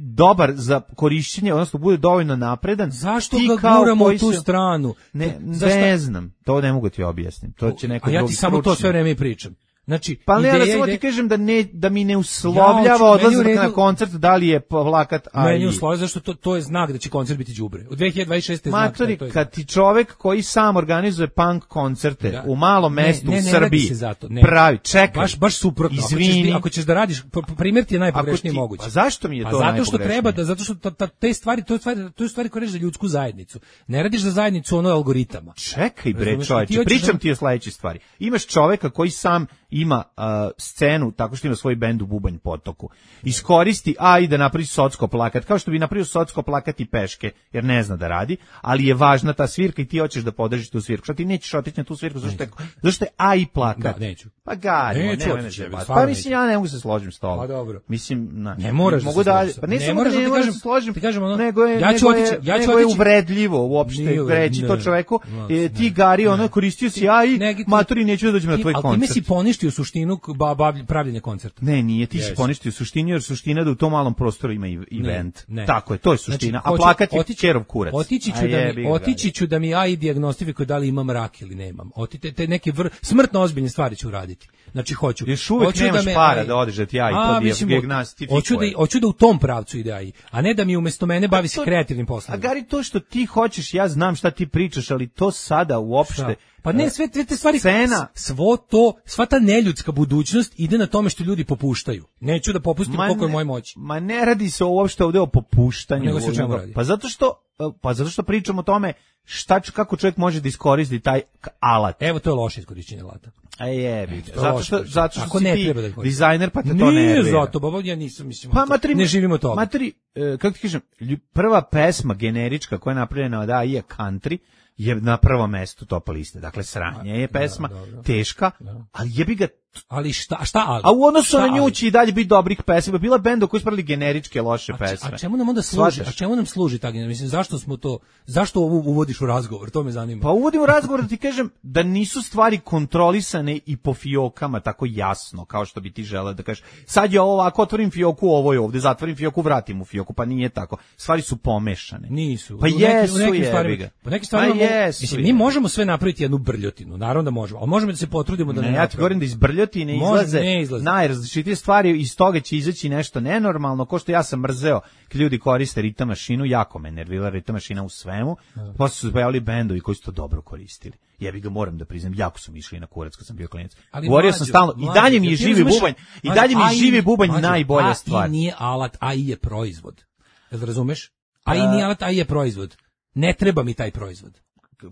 dobar za korišćenje, odnosno bude dovoljno napredan. Zašto ti ga kao guramo u koji tu se- stranu? Ne, Zašto- ne znam, to ne mogu ti objasniti. To će neko A ja drugi ti samo to stručnjak. sve vreme i pričam. Znači, Pa ne, ideja ja samo ide- ti kažem da ne da mi ne Ja uslovljava hoću- meni u odlazak redu- na koncert, da li je plakat a Meni i- u sloju, zašto to, to je znak da će koncert biti đubre. U dve hiljade dvadeset šeste je znak. Matori, da, to je kad ti čovek koji sam organizuje punk koncerte Da. u malom Ne, mestu ne, u ne radi Srbiji, se zato, ne. pravi, čekaj, Baš, baš suprotno. Ako ćeš, izvini, ako ćeš da radiš, p- p- primjer ti je najpogrešniji Ako ti- moguće. a zašto mi je Pa to zato što najpogrešnije? treba, da, zato što ta, ta, te stvari, to je stvari, to je stvari koje radiš za ljudsku zajednicu. Ne radiš za zajednicu ono algoritama. Čekaj bre Razumeš, ti čoveče, hoćeš pričam da- ti o sledećoj stvari. Imaš čoveka koji sam ima uh, scenu tako što ima svoj bend u Bubanj potoku. Iskoristi, a i da napravi socko plakat, kao što bi napravio socko plakat i peške, jer ne zna da radi, ali je važna ta svirka i ti hoćeš da podržiš tu svirku. Šta ti nećeš otići na tu svirku, zašto je, zašto je a i plakat? Da, neću. Pa gari, Neću nemoj me otići, zajebati. stvarno Pa mislim, ja ne mogu se složiti s tobom. Pa dobro. Mislim, na, Ne moraš da mogu se da, složiš. pa ne, Ne samo moraš da da ne ti moram kažem- da se složim, ti kažem ono, nego je, ja ću nego je, otići- ja ću nego je otići- uvredljivo uopšte Nije uvredljivo, reći to ne. čoveku, Ne, e, ti ne, Gari, ne. ono, koristio si ja i Ne, ti- maturi, neću da dođem na Ti- tvoj ali time koncert. si poništio suštinu k- ba, ba, pravljenja koncerta. Ne, nije, ti si Jesi. poništio suštinu, jer suština je da u tom malom prostoru ima i event. Ne. Tako je, to je suština. Znači, a hoću- plakat je otići- Kerov kurac. Otići ću, A da jebi mi, ga, otići ću da mi A I dijagnostifikuje da li imam rak ili nemam. Otite, te neke vr, smrtno ozbiljne stvari ću raditi. Znači, hoću. Još uvek hoću nemaš me para A I da odeš da ti A I A, to mislim, dijagnostifikuje. Hoću da, hoću da u tom pravcu ide A I, a ne da mi umesto mene bavi se to- kreativnim A poslovima. Gari, to što ti hoćeš, ja znam šta ti pričaš, ali to sada uopšte... Da. Pa ne, sve sve te stvari, Scena- s- svo to, sva ta neljudska budućnost ide na tome što ljudi popuštaju. Neću da popustim koliko je ne- moje moći. Ma ne radi se uopšte ovde o popuštanju. Nego se o čemu nego- radi? Pa zato što pa zato što pričamo o tome šta č- kako čovjek može da iskoristi taj k- alat. Evo, to je loše iskorišćenje alata. A jebi. to je Zato loše što korištenje. zato što Ako si ne ti treba da koristiš. dizajner pa te to Nije nervira. zato, baba, ja nisam, mislim, Pa to- matri, ne živimo od toga. Matri, e, kako ti kažem, lju- prva pesma generička koja je napravljena od A I je Country, je na prvom mestu top liste. Dakle, sranje je pesma, dobro. teška, ali jebi ga, Ali šta, šta ali? a u odnosu Šta na nju ali? će i dalje biti dobrih pesma. Bila benda koji su pravili generičke loše A, če- pesme. a čemu nam onda služi? Shvataš? A čemu nam služi ta generacija? Mislim, zašto smo to, zašto ovo uvodiš u razgovor? To me zanima. Pa uvodim u razgovor da ti kažem da nisu stvari kontrolisane i po fiokama tako jasno kao što bi ti želeo da kažeš. Sad je ovo ovako, otvorim fioku, ovo je ovde, zatvorim fioku, vratim u fioku, pa nije tako. Stvari su pomešane. Nisu. Pa U nekim- jesu, u nekim jebi stvarima, ga. po nekim stvarima, Pa mogu- jesu, mislim, jebi mi ga. možemo sve napraviti jednu brljotinu, naravno da možemo, ali možemo da se potrudimo da ne, Ne, ja ti napravimo. govorim da iz brljotine Može, izlaze, ne izlaze. najrazličitije stvari, iz toga će izaći nešto nenormalno, ko što ja sam mrzeo kad ljudi koriste ritam mašinu, jako me nervila ritam mašina u svemu, posle su se pojavili bendovi koji su to dobro koristili. Jebi ga, moram da priznam, jako su mi išli na kurac kad sam bio klinac. Ali Govorio mlađo, sam stalno, i mlađo, dalje mi je jel ti živi razumeš- bubanj, i mlađo, dalje mi A je I živi bubanj mlađo, najbolja A I stvar. nije alat, A I je proizvod. Jel razumeš? A I Pa- nije alat, A I je proizvod. Ne treba mi taj proizvod.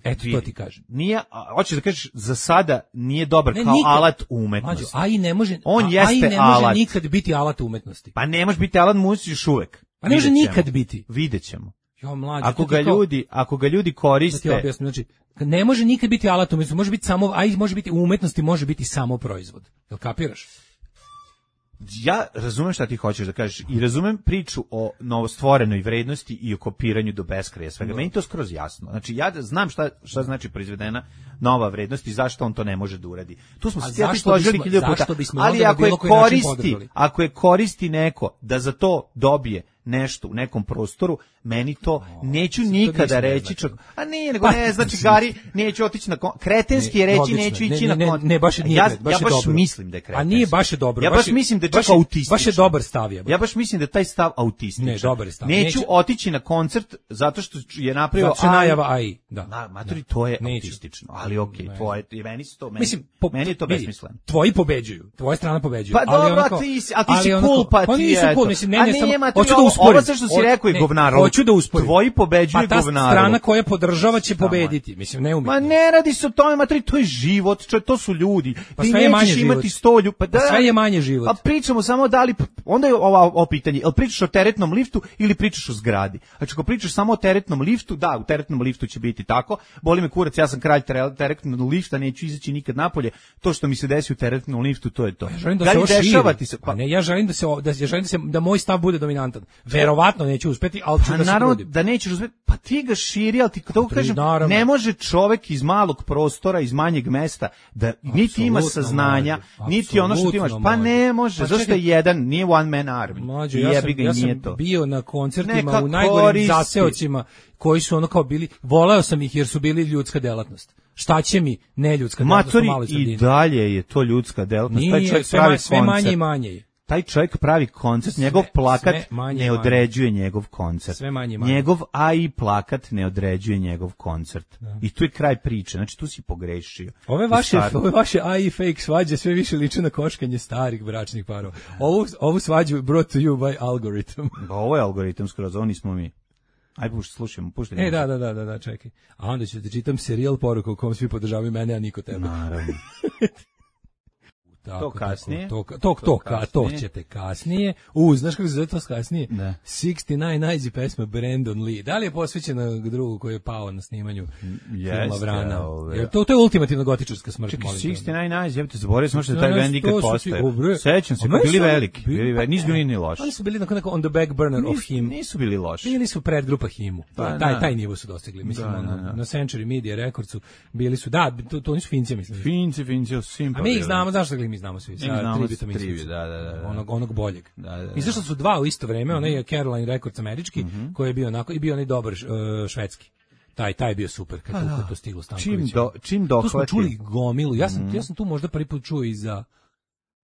Eto, to Vidi, ti kažem. Nije, a, hoćeš da kažeš, za sada nije dobar Ne, kao nikad. alat Mlađo, umetnosti. A I ne može, On a- jeste A I ne može alat. nikad biti alat umetnosti. Pa ne može biti alat muzici još uvek. Pa ne može Vidjet ćemo. nikad biti. Vidjet ćemo. Jo, mlađo, Ako to ti ga kao- ljudi, ako ga ljudi Da ti koriste, objasnim, znači, ne može nikad biti alat umetnosti, može biti samo, a i može biti u umetnosti, može biti samo proizvod. Jel kapiraš? ja razumem šta ti hoćeš da kažeš i razumem priču o novostvorenoj vrednosti i o kopiranju do beskraja svega. Meni je to skroz jasno. Znači ja znam šta šta znači proizvedena nova vrednost i zašto on to ne može da uradi. Tu smo A se ja ti zašto složili bismo- hiljadu puta. zašto bismo Ali onda na ako je bilo koji način koristi, podržali? ako je koristi neko da za to dobije nešto u nekom prostoru, meni to neću nikada mislim ne reći. znači. Čak, a nije, nego Pa, ne, znači Gari, neću otići na kon, kretenski je Ne, reći logično neću je. ići Ne, ne, na kon. ne, baš nije ja, kret- baš ja je baš dobro. mislim da je kretenski. A nije baš je dobro. Ja baš baš je- mislim da je baš čak autistično. Baš je dobar stav je. Ja baš mislim da je taj stav autističan. Ne, dobar je stav. Neću Neće- otići na koncert zato što je napravio Zato što je najava A I. Da. Na, matori, to je Neću. autistično, ali okej, Ne. tvoje, i meni su to, meni, Mislim, po, meni je to vidi, besmisleno. Tvoji pobeđuju, tvoja strana pobeđuje. Pa ali dobro, onako- a ti si, a ti ali si onako- cool, pa Pa ti nisam eto. cool, mislim, ne, A ne, nije, samo, matori, hoću da ovo- usporim. ovo sve što si Hoću- rekao je ne, govnarovo. Hoću da usporim. Tvoji pobeđuju Pa ta govnarovo. strana koja podržava će pobediti, mislim, ne umjetno. Ma ne radi se o tome, matri, to je život, čo, to su ljudi. Pa ti sve je manje nećeš život. imati sto lju, pa da. Pa sve je manje život. A pričamo samo da li, onda je ovo, ovo pitanje, jel pričaš o teretnom liftu ili pričaš o zgradi? Znači, ako pričaš samo o teretnom liftu, da, u teretnom liftu će biti tako. Boli me kurac, ja sam kralj tere- teretnog lifta, neću izaći nikad napolje. To što mi se desi u teretnom liftu, to je to. Ja želim da li se ovo širi. dešava ti se, Pa ne, ja želim da se o- da ja želim da se da moj stav bude dominantan. Verovatno neću uspeti, ali ću Pa da se naravno trudim. da nećeš uspeti, pa ti ga širi, ali ti to Tri, kažem, naravno. ne može čovek iz malog prostora, iz manjeg mesta, da niti ima Apsolutno saznanja, može, niti ono što ti imaš. apsolutno Pa ne može, Pa zašto čekaj, je jedan, nije one man army. Mlađo, I ja sam, jebi ga i ja nije sam to. bio na koncertima Neka u najgorim koristi. zaseocima koji su ono kao bili, voleo sam ih jer su bili ljudska delatnost. Šta će mi neljudska delatnost u Matori, maloj sredini? i dalje je to ljudska delatnost. Taj Nije, čovjek sve, pravi ma- sve manje koncert. i manje je. Taj čovjek pravi koncert, Sve- njegov plakat sve manje i ne manje. određuje njegov koncert. Sve manje i manje. Njegov A I plakat ne određuje njegov koncert. I tu je kraj priče, znači tu si pogrešio. Ove vaše, Stvarno. ove vaše A I fake svađe sve više liče na koškanje starih bračnih parova. Ovu, ovu svađu brought to you by algorithm. Pa ovo je algoritam skroz, ovo nismo mi. Aj, pušti, slušajmo, pušti. E, da, da, da, da, da, čekaj. A onda ću ti čitam serijal poruka u kom svi podržavaju mene, a niko tebe. Naravno. Tako, To kasnije. tako, To, to, to, To ka, to kasnije. ćete kasnije. U, znaš kako se zove to kasnije? Da. šezdeset devet Nights i pesma Brandon Lee. Da li je posvećena drugu koji je pao na snimanju filma Jeste, Vrana? ove. Jer to, to je ultimativna gotičarska smrt. Čekaj, molim te. šezdeset devet Nights, jebate, zaboravio sam što je taj band nikad To su ti- postao. o, bre. Sećam se, A meni bili su oni veliki, bili- bili veliki, nisu bili ni loši. Oni su bili na neko on the back burner of Nisu, him. nisu bili loši. Bili su predgrupa Himu. Pa, taj, da. taj nivo su dostigli. Mislim, Da, ono, da, da. na Century Media Recordsu bili su, da, to, to nisu Finci, mislim. Finci, Finci, Simpa. A mi ih znamo, znaš što mi znamo svi. Sa znamo Tributom Tribu, Institute. da, da, da, da. Onog, onog boljeg. Da, da, da. Izašli su dva u isto vreme, onaj je Caroline Records američki, koji je bio onako, i bio onaj dobar uh, švedski. Taj, taj je bio super, kad, tu, kad to stiglo Stanković. Čim, do, čim Tu dohvati. smo čuli gomilu. Ja sam, ja sam tu možda prvi put čuo i za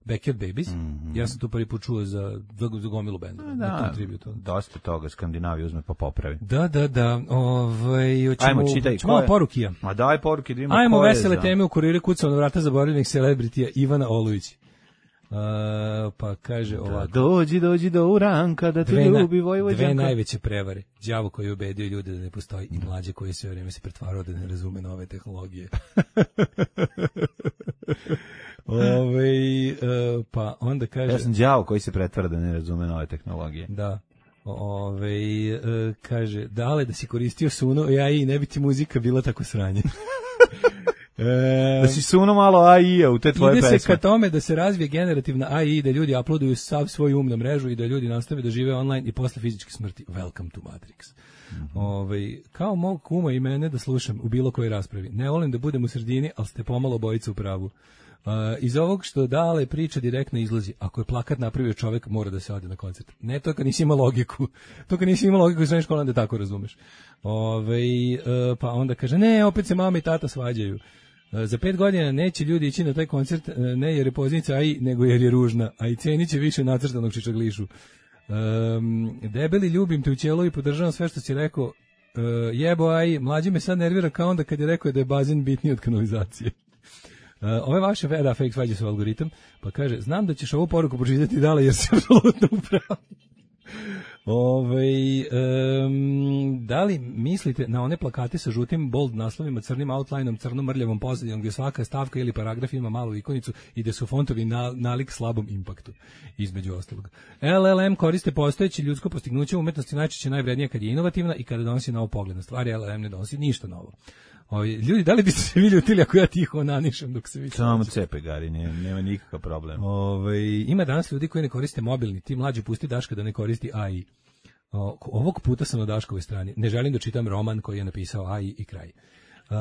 Backyard Babies. Ja sam tu prvi put čuo za, za, za gomilu benda. na Da, tom tributu. dosta toga Skandinavija uzme pa popravi. Da, da, da. Ovaj, hoćemo, Ajmo, čitaj, ćemo ko malo je? porukija. Ma daj poruke da imamo Ajmo ko je vesele za- teme u kuriru kucao na vrata zaboravljenih celebritija Ivana Olujić. Uh, pa kaže Da, ovako. dođi, dođi do Uranka da te Dve, na- ljubi dve Vojvođanka. najveće prevare. Đavo koji je ubedio ljude da ne postoji i mlađe koji sve vreme se pretvarao da ne razume nove tehnologije. Ove, e, pa onda kaže... Ja sam đavo koji se pretvara da ne razume nove tehnologije. Da. Ove, e, kaže, dale da si koristio suno, ja i ne bi ti muzika bila tako sranje. E, Da si suno malo A I-a u te tvoje ide se pesme. ka tome da se razvije generativna A I, da ljudi uploaduju sav svoj um na mrežu i da ljudi nastave da žive online i posle fizičke smrti. Welcome to Matrix. Mhm. Ovaj, kao mog kuma i mene da slušam u bilo kojoj raspravi. Ne volim da budem u sredini, ali ste pomalo bojica u pravu. Uh, iz ovog što dale priča direktno izlazi. Ako je plakat napravio čovek, mora da se ode na koncert. Ne to kad nisi imao logiku. To kad nisi imao logiku u srednjoj školi, onda tako razumeš. Ovaj, uh, pa onda kaže, ne, opet se mama i tata svađaju. Uh, za pet godina neće ljudi ići na taj koncert, uh, ne jer je poznica A I, nego jer je ružna. A i cenit će više nacrtanog čičaglišu. Um, debeli, ljubim te u ćelu i podržavam sve što si rekao. Uh, jebo A I, mlađi me sad nervira kao onda kad je rekao da je bazen bitniji od kanalizacije. Uh, ove vaše da, fake svađe su algoritam, pa kaže, znam da ćeš ovu poruku pročitati dale jer si apsolutno upravo. Ove, um, da li mislite na one plakate sa žutim bold naslovima, crnim outlineom, crnom mrljavom pozadinom, gdje svaka stavka ili paragraf ima malu ikonicu i gdje su fontovi na, nalik slabom impaktu, između ostalog. L L M koriste postojeće ljudsko postignuće umetnosti najčešće najvrednije kad je inovativna i kada donosi novo pogled na stvari. L L M ne donosi ništa novo. Ovi, ljudi, da li biste se vi ljutili ako ja tiho onanišem dok se vi... Samo cepe, Gari, ne, nema nikakav problem. Ove, ima danas ljudi koji ne koriste mobilni, ti mlađi pusti Daška da ne koristi A I. O, ovog puta sam na Daškovoj strani. Ne želim da čitam roman koji je napisao A I i kraj. Uh,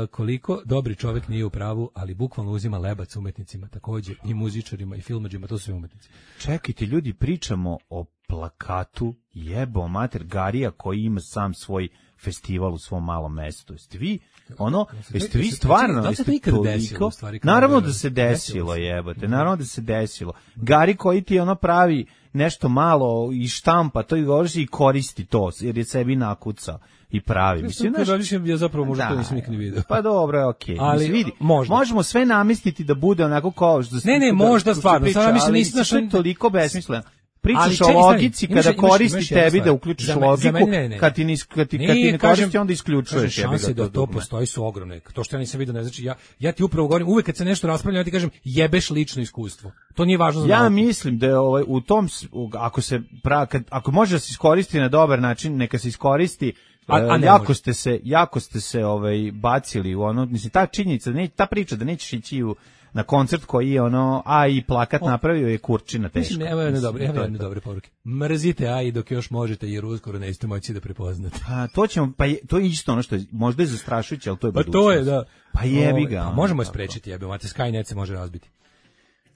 koliko dobri čovjek nije u pravu, ali bukvalno uzima lebac umetnicima, također i muzičarima i filmadžima, to su sve umetnici. Čekajte, ljudi, pričamo o plakatu jebo mater Garija koji ima sam svoj festival u svom malom mestu. Jeste vi, ono, jeste vi stvarno, Da li se to jeste ikad toliko, desilo, u stvari, kao naravno da- da se desilo desilo se. jebote, naravno da se desilo. Gari koji ti ono pravi nešto malo i štampa, to i govoriš i koristi to, jer je sebi nakucao i pravi. Mislim, Mislim, znaš, ja zapravo možda to da, nisam nikad ni vidio. Pa dobro, okej. Ali, Mislim, vidi, možda. možemo sve namestiti da bude onako kao što Ne, ne, da- možda što se stvarno, priča, samo mislim, ali nisi znaš, to je on- toliko besmisleno. Ali Pričaš čekaj, o stani, logici imaš- kada imaš- koristi imaš jednu tebi stvar. da uključiš Za me- za logiku, mene ne, ne. kad ti ne, kad ti, kad ti Nije, ne kažem- koristi, onda isključuješ. kažem, jebi ga šanse da to dugme. postoji su ogromne. To što ja nisam vidio ne znači, ja, ja ti upravo govorim, uvek kad se nešto raspravlja, ja ti kažem, jebeš lično iskustvo. To nije važno za Ja nauku. mislim da je ovaj u tom s- u- ako se pra, kad, ako može da se iskoristi na dobar način, neka se iskoristi. A- a e, ne jako može. ste se jako ste se ovaj bacili u ono, mislim ta činjenica, da ne, ta priča da nećeš ići u na koncert koji je ono A I plakat napravio je kurčina teško. Mislim, evo jedne dobre, evo to je jedne to. dobre poruke. Mrzite A I dok još možete, jer uskoro nećete moći da prepoznate. Pa to ćemo, pa je, to je isto ono što je, možda je zastrašujuće, ali to je Pa budućnost. to je, da. Pa jebi Ove, ga. pa ono, možemo je tako. sprečiti, jebe, mate, Skynet se može razbiti.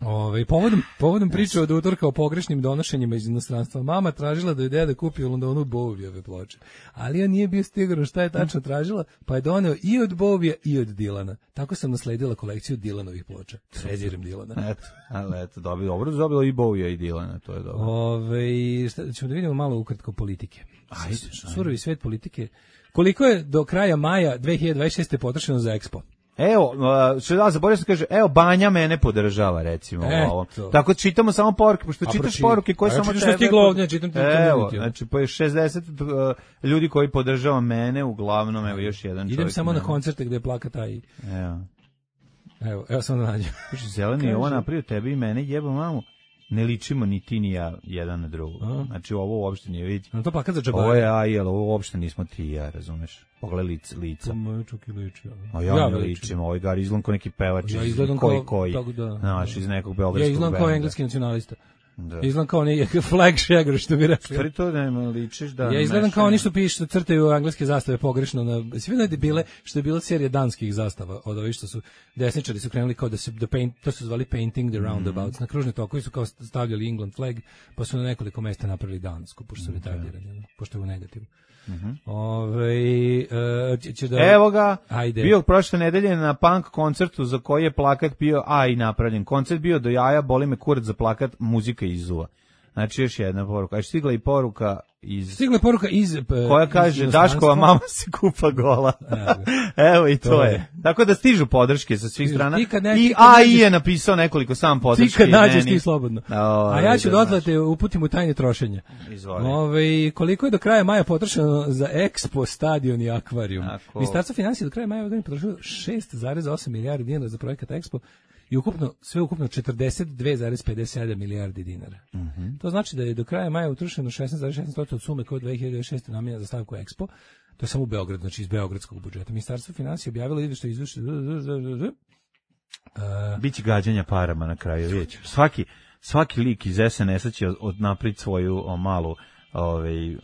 Ove, povodom, povodom priče od utorka o pogrešnim donošenjima iz inostranstva, mama tražila da je deda kupi u Londonu Bowieve ploče. Ali on nije bio siguran šta je tačno tražila, pa je doneo i od Bowija i od Dilana. Tako sam nasledila kolekciju Dilanovih ploča. Treziram Dilana. Eto, ali eto, dobilo, dobro, dobilo i Bowija i Dilana, to je dobro. Ove, šta, ćemo da vidimo malo ukratko politike. Ajde, Surovi svet politike. Koliko je do kraja maja dve hiljade dvadeset šeste. potrošeno za Expo? Evo, uh, što da zaboravio sam kaže, evo Banja mene podržava recimo Eto. ovo. Tako čitamo samo poruke, pošto A čitaš proči- poruke koje a ja samo čitam što tebe. stiglo ovdje, čitam ti Evo, community, ono. znači pa je šezdeset uh, ljudi koji podržava mene, uglavnom evo još jedan čovjek. Idem samo na mene. koncerte gde je plaka taj. Evo. Evo, evo samo da nađem. Kaže, zeleni je ovo Kaže. napravio tebi i mene, jebo mamu. Ne ličimo ni ti ni ja jedan na drugu. A. Znači ovo uopšte nije vidi. Na to plakat za Ovo je džabare. A I, ali ovo uopšte nismo ti i ja, razumeš? Pogledaj lice, lica. To moje čak i liči. A ja, ne me ličim, ovaj gar izgledam kao neki pevač. Ja iz- izgledam koji, kao- koji, tako da, znaš, da. iz nekog Ja beogradskog izgledam kao benda. engleski nacionalista. Da. Izgledam kao neki flag shagger, što bi rekli. Stvari to ne ličiš da... Ja izgledam mešaju- kao oni što pišu, što crtaju engleske zastave pogrešno na sve da bile što je bila serija danskih zastava od ovih što su desničari su krenuli kao da se the paint, to su zvali painting the roundabouts na kružne tokovi su kao stavljali England flag pa su na nekoliko mesta napravili dansku pošto su retardirani pošto je u negativu. Ovaj e, će- će da Evo ga, Ajde. bio prošle nedelje na punk koncertu za koji je plakat bio A I napravljen. Koncert bio do jaja, boli me kurac za plakat, muzika izuva. Znači još jedna poruka. A stigla i poruka iz... Stigla je poruka iz e, koja iz kaže, inostranstva. Daškova mama se kupa gola. Evo Evo i to, To je. je. Tako da stižu podrške sa svih Stižu. strana. Ti kad ne- I ti kad A I nađeš- je napisao nekoliko sam podrške. Ti kad nađeš meni. ti slobodno. O, A ja ću da, dotle znaš. te uputim u tajne trošenja. Izvoli. Ove, koliko je do kraja maja potrošeno za Expo, stadion i akvarijum? Ako- Ministarstvo financija do kraja maja ove godine potrošilo šest zarez osam milijardi dinara za projekat Expo i ukupno, sve ukupno četrdeset dve zarez pedeset sedam milijardi dinara. Mhm. To znači da je do kraja maja utrošeno šesnaest zarez šesnaest posto od sume koje je dve hiljade šeste namijenjena za stavku Expo. To je samo u Beogradu, znači iz beogradskog budžeta. Ministarstvo financija objavilo izveštaj izveštaj Biće gađanja parama na kraju, vidjet ćemo. Svaki, svaki lik iz S N S-a će od, od napraviti svoju o, malu, ovaj,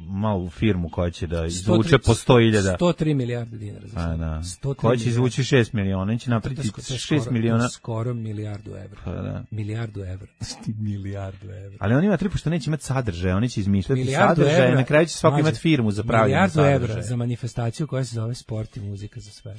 malu firmu koja će da izvuče po sto hiljada. sto tri milijarde dinara. Za A, sad. da. sto tri Koja će milijarde. izvući šest miliona, će To je napraviti sko- to je šest skoro- miliona. to je skoro milijardu evra. Pa da. Milijardu evra. milijardu evra. Ali on ima tri, pošto neće imati sadržaje, oni će izmišljati Milijardu sadržaje, evra. na kraju će svako Mlađe, imati firmu za pravljanje Milijardu sadržaja. evra za manifestaciju koja se zove sport i muzika za sve.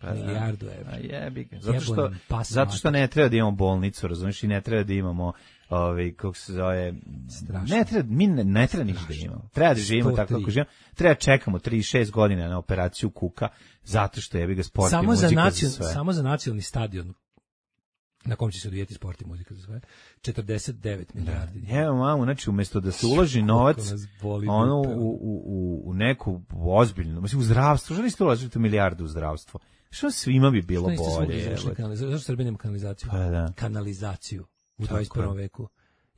Pa da. Milijardu evra. A jebi ga. Zato što, Jebonem pas zato što ne treba da imamo bolnicu, razumiješ, i ne treba da imamo ovaj kako se zove, Strašno. ne treba, mi ne, ne treba ništa da imamo. Treba da živimo sto tri. tako kako živimo. Treba čekamo tri šest godina na operaciju kuka, zato što jebi ga sport i Samo za, muzika nacion, za sve. samo za nacionalni stadion na kom će se odvijeti sport i muzika za sve, četrdeset devet milijardi dinara. Evo mamu, znači umjesto da se uloži novac Koliko nas boli ono dupe, u, u, u, u neku ozbiljnu, mislim u zdravstvo, što niste uložili milijardu u zdravstvo? Što svima bi bilo Što niste svugdje bolje? završili evo. kanalizaciju? Zašto Srbija nema kanalizaciju? Pa da. Kanalizaciju u Tako dvadeset prvom je. veku.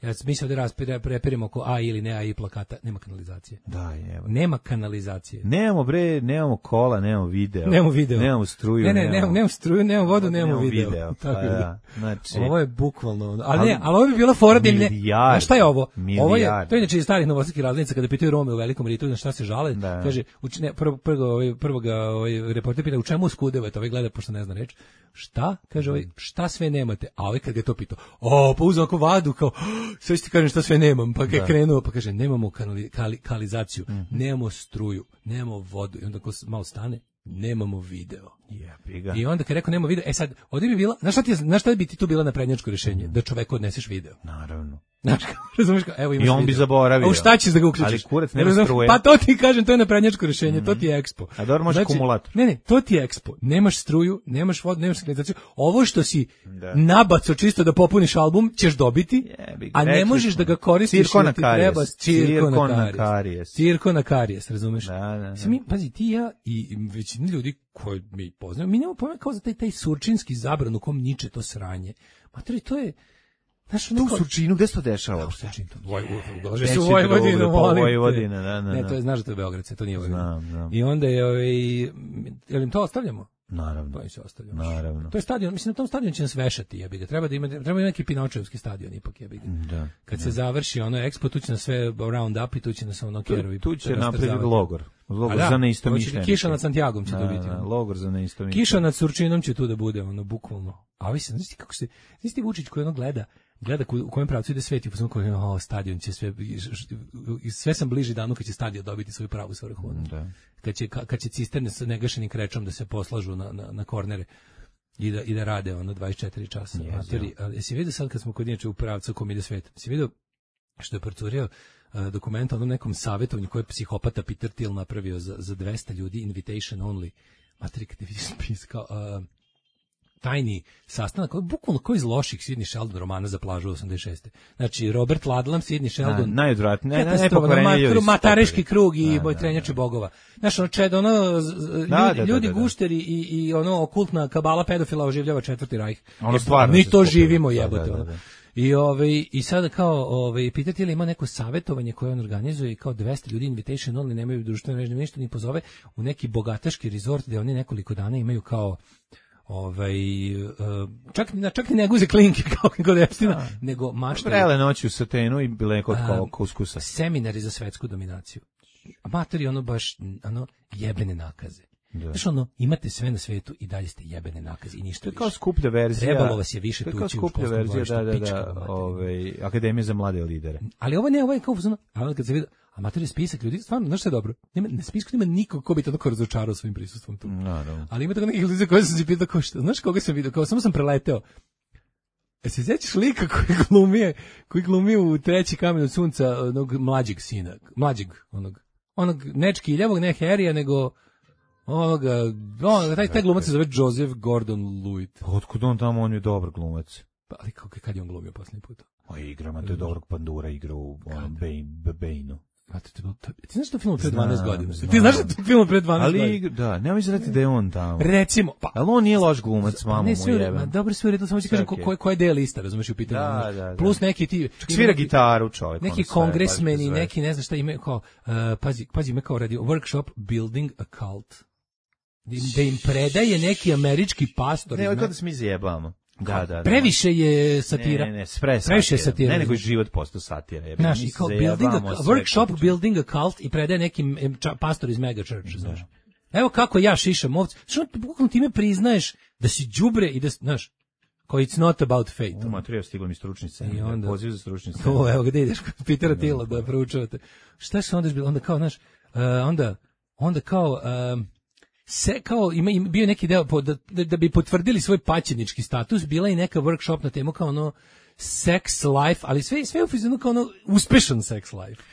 Ja mi se ovdje raspire- prepirimo oko A ili ne A i plakata, nema kanalizacije. Da, evo. Nema kanalizacije. Nemamo bre, nemamo kola, nemamo video. Nemamo video. Nemamo struju, Ne, ne, nemamo, nemamo struju, nemamo vodu, nemamo nemamo video. video. Tako Pa je. da, znači, Ovo je bukvalno, ono- ali, Ali- ne, ali ovo bi bila fora da im ne. Milijarde. Znaš šta je ovo? Ovo je, Milijarde. to je inače iz starih novosadskih razglednica kada pitaju Rome u Velikom Ritu na šta se žale, Da. kaže, uč, ne, prvo, prvo, ovaj, prvo ga ovaj, reporter pita u čemu skudevate, ovaj gleda pošto ne zna reč. Šta? Kaže ovaj, šta sve nemate? A ovaj kad ga je to pitao, o, pa uzeo ako vadu, kao, sve ti kažem šta sve nemam, pa kad je krenuo, pa kaže, nemamo kanali, kali, kanalizaciju, nemamo struju, nemamo vodu, i onda ko s- malo stane, nemamo video. jebi ga. I onda kad je rekao nema video, e sad, ovdje bi bila, znaš šta, ti, je- znaš šta bi ti tu bila naprednjačko rješenje? Da čoveku odneseš video. Naravno. Znaš, kao, razumiješ kao, evo imaš I on bi video. zaboravio. A u šta ćeš da ga uključiš? Ali kurac nema Razumeš? struje. Pa to ti kažem, to je naprednjačko rješenje, to ti je Expo. A dobro, može akumulator. Ne, ne, to ti je Expo. Nemaš struju, nemaš vodu, nemaš kanalizaciju. Ovo što si Da. nabaco čisto da popuniš album, ćeš dobiti, Jebi ga, a ne rekli možeš smo. da ga koristiš. Cirko jer na ti karijes. treba cirko, Cirko na na karijes. karijes. Cirko na karijes, razumeš? Da, da, da. Mislim, mi, pazi, ti i ja i i većina ljudi koji mi poznaju, mi nemamo pojma kao za taj, taj surčinski zabran u kom niče to sranje. Matori, to je, znaš, Tu neko... u Surčinu, gde se to dešava uopšte? Dođe Neće se u Vojvodinu, drugde, pa molim te. Vojvodina, da, da, Ne, da. to je, znaš da to je Beograd, to nije Vojvodina. Znam, znam. I onda je, ovaj, jel im to ostavljamo? Naravno. To im se ostavlja. Naravno. To je stadion, mislim na tom stadionu će nas vešati, jebi ga. Treba da ima treba ima neki Pinočevski stadion ipak, jebi ga. Da. Kad da. se završi ono Expo, tu će nas sve round up i tu će nas ono kerovi. Tu, tu će napraviti logor. Logor da, za neistomišljenike. Kiša nad Santiagom će da, to biti. Da, logor za neistomišljenike. Kiša nad Surčinom će tu da bude, ono, bukvalno. A vi se, znaš ti kako se, znaš ti Vučić koji ono gleda, gleda u kojem pravcu ide svet i po koji o, stadion će sve, sve sam bliži danu kad će stadion dobiti svoju pravu svrhu. Da. Kad će, kad će cisterne sa negašenim krečom da se poslažu na, na, na kornere i da, i da rade ono dvadeset četiri časa. Yes, ali jesi vidio sad kad smo kod inače u pravcu kom ide svet? Jesi vidio što je procurio uh, dokument o onom nekom savjetovanju koje je psihopata Peter Thiel napravio za, za dvesta ljudi, invitation only. Matri, kad vidiš spis kao uh, tajni sastanak, bukvalno koji iz loših Sidney Sheldon romana za plažu osamdeset šeste. Znači, Robert Ludlum, Sidney Sheldon. Na, najodvratnije, najpokvarenije. Mataraški krug i da, boj trenjače bogova. Znaš, ono, čed, ono, ljudi, da, da, ljudi da, da, gušteri i, i ono, okultna kabala pedofila oživljava četvrti rajh. Ono stvarno. Mi to živimo, jebote. Da, da, da. I ovaj i sada kao ovaj pitati li ima neko savjetovanje koje on organizuje i kao dvesta ljudi invitation only, nemaju društvene mreže, ništa ni pozove u neki bogataški resort gde oni nekoliko dana imaju kao ovaj čak na čak i ne guze klinke kao kod Epsteina, nego maštaju prele noći u satenu i bile kod kao kuskusa. Seminari za svetsku dominaciju. Amatori ono baš ono jebene nakaze. Znaš ono, imate sve na svetu i dalje ste jebene nakaze i ništa više. To je kao skuplja verzija. Trebalo vas je više tući u školskom skuplja verzija, da, da, da, ovaj, Akademija za mlade lidere. Ali ovo ne, ovo je kao, a onda kad se vidi, amator je spisak ljudi, stvarno, znaš što je dobro? Nema, na spisku nema nikog ko bi to tako razočarao svojim prisustvom tu. No, no. Ali ima tako nekih ljudi koje sam si pitao, kao što, znaš koga sam vidio, kao samo sam preleteo. E se sjećaš lika koji glumije, koji glumije u Treći kamen od sunca onog mlađeg sina, mlađeg, onog, onog nečki ljevog, ne Harrya, nego onoga, on, taj, taj glumac se zove Joseph Gordon-Levitt. Pa otkud on tamo, on je dobar glumac. Pa, ali kako, kad je on glumio posljednji put? O, igrama, to je dobrog Pandura, igra u onom Bane-u. A ti, ti znaš da film pre dvanaest godina? Ti znaš da je film pre dvanaest ali, godina? Ali, da, nema mi znati da je on tamo. Recimo, pa. Ali on nije loš glumac, mamo mu jebem. Dobro, sve u redu, samo ti kažem ko, koja je deo lista, razumeš u pitanju. Da, da, da. Plus neki ti... Svira neki, gitaru čovjek. Neki kongresmeni, neki ne znam šta imaju kao, uh, pazi, pazi, ima kao radio, workshop building a cult. Da im predaje neki američki pastor. Ne, ovo je da se mi zajebamo. Da, da, da. Previše je satira. Ne, ne, spre satira. Previše je satira. Ne, nego je život postao satira. Ja znaš, i kao building a, workshop building a cult i predaje neki pastor iz mega church, znaš. Evo kako ja šišam ovce. Što bukvalno time priznaješ da si đubre i da, znaš, kao it's not about fate. U materiju stiglo mi stručni scen. I onda, poziv za stručni scen. O, evo gde ideš kod Petera Thiela da proučavate. Šta se onda bilo? Onda kao, znaš, uh, onda, onda kao... Um, se kao ima, ima bio neki deo da, da, da bi potvrdili svoj paćenički status, bila i neka workshop na temu kao ono sex life, ali sve sve u fizonu kao ono uspešan sex life.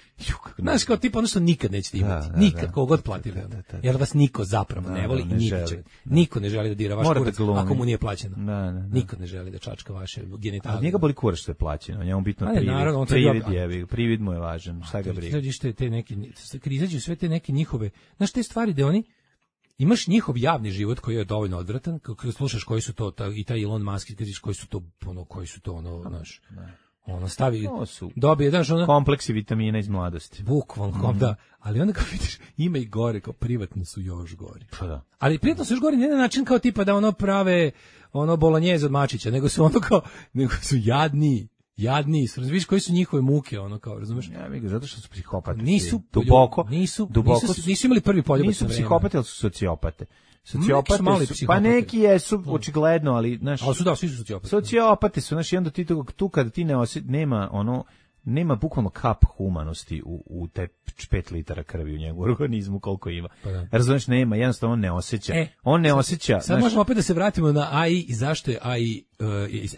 Znaš, kao tipa ono što nikad nećete imati. Da, da, nikad, da, kogod platili. Da, da, da, da. Jer vas niko zapravo da, ne voli da, i niko, će, niko ne želi da dira vaš kurac ako mu nije plaćeno. Da, da, da. Niko ne želi da čačka vaše genitalije. A njega boli kurac što je plaćeno, njemu bitno privid. Naravno, privid, je, privid mu je važan, šta ga briga. Te, te neki, izađu sve te neke njihove, znaš, te stvari da oni imaš njihov javni život koji je dovoljno odvratan, kada slušaš koji su to, ta, i taj Elon Musk, kada koji su to, ono, koji su to, ono, znaš, ono, stavi, dobije, znaš, ono... kompleksi vitamina iz mladosti. Bukvalno, mm. da, ali onda kao vidiš, ima i gore, kao privatno su još gori. Pa da. Ali privatno su još gori, ne na način kao tipa da ono prave, ono, bolognjeze od mačića, nego su ono kao, nego su jadniji. Jadni, vidiš koji su njihove muke, ono kao, razumeš? Ja, mi zato što su psihopati. Nisu duboko, nisu, duboko nisu, nisu imali prvi poljubac. Nisu psihopati, ali su sociopate. Sociopate su, pa neki jesu očigledno, ali znaš, ali su da, svi su sociopati. Sociopati su, znaš, i onda ti tu, tu kad ti ne osjeti, nema ono, nema bukvalno kap humanosti u, u te pet litara krvi u njegovom organizmu koliko ima. Pa da. Razumeš, nema, jednostavno on ne osjeća. E, on ne sad, osjeća. Sad znaš, možemo opet da se vratimo na A I i zašto je A I uh,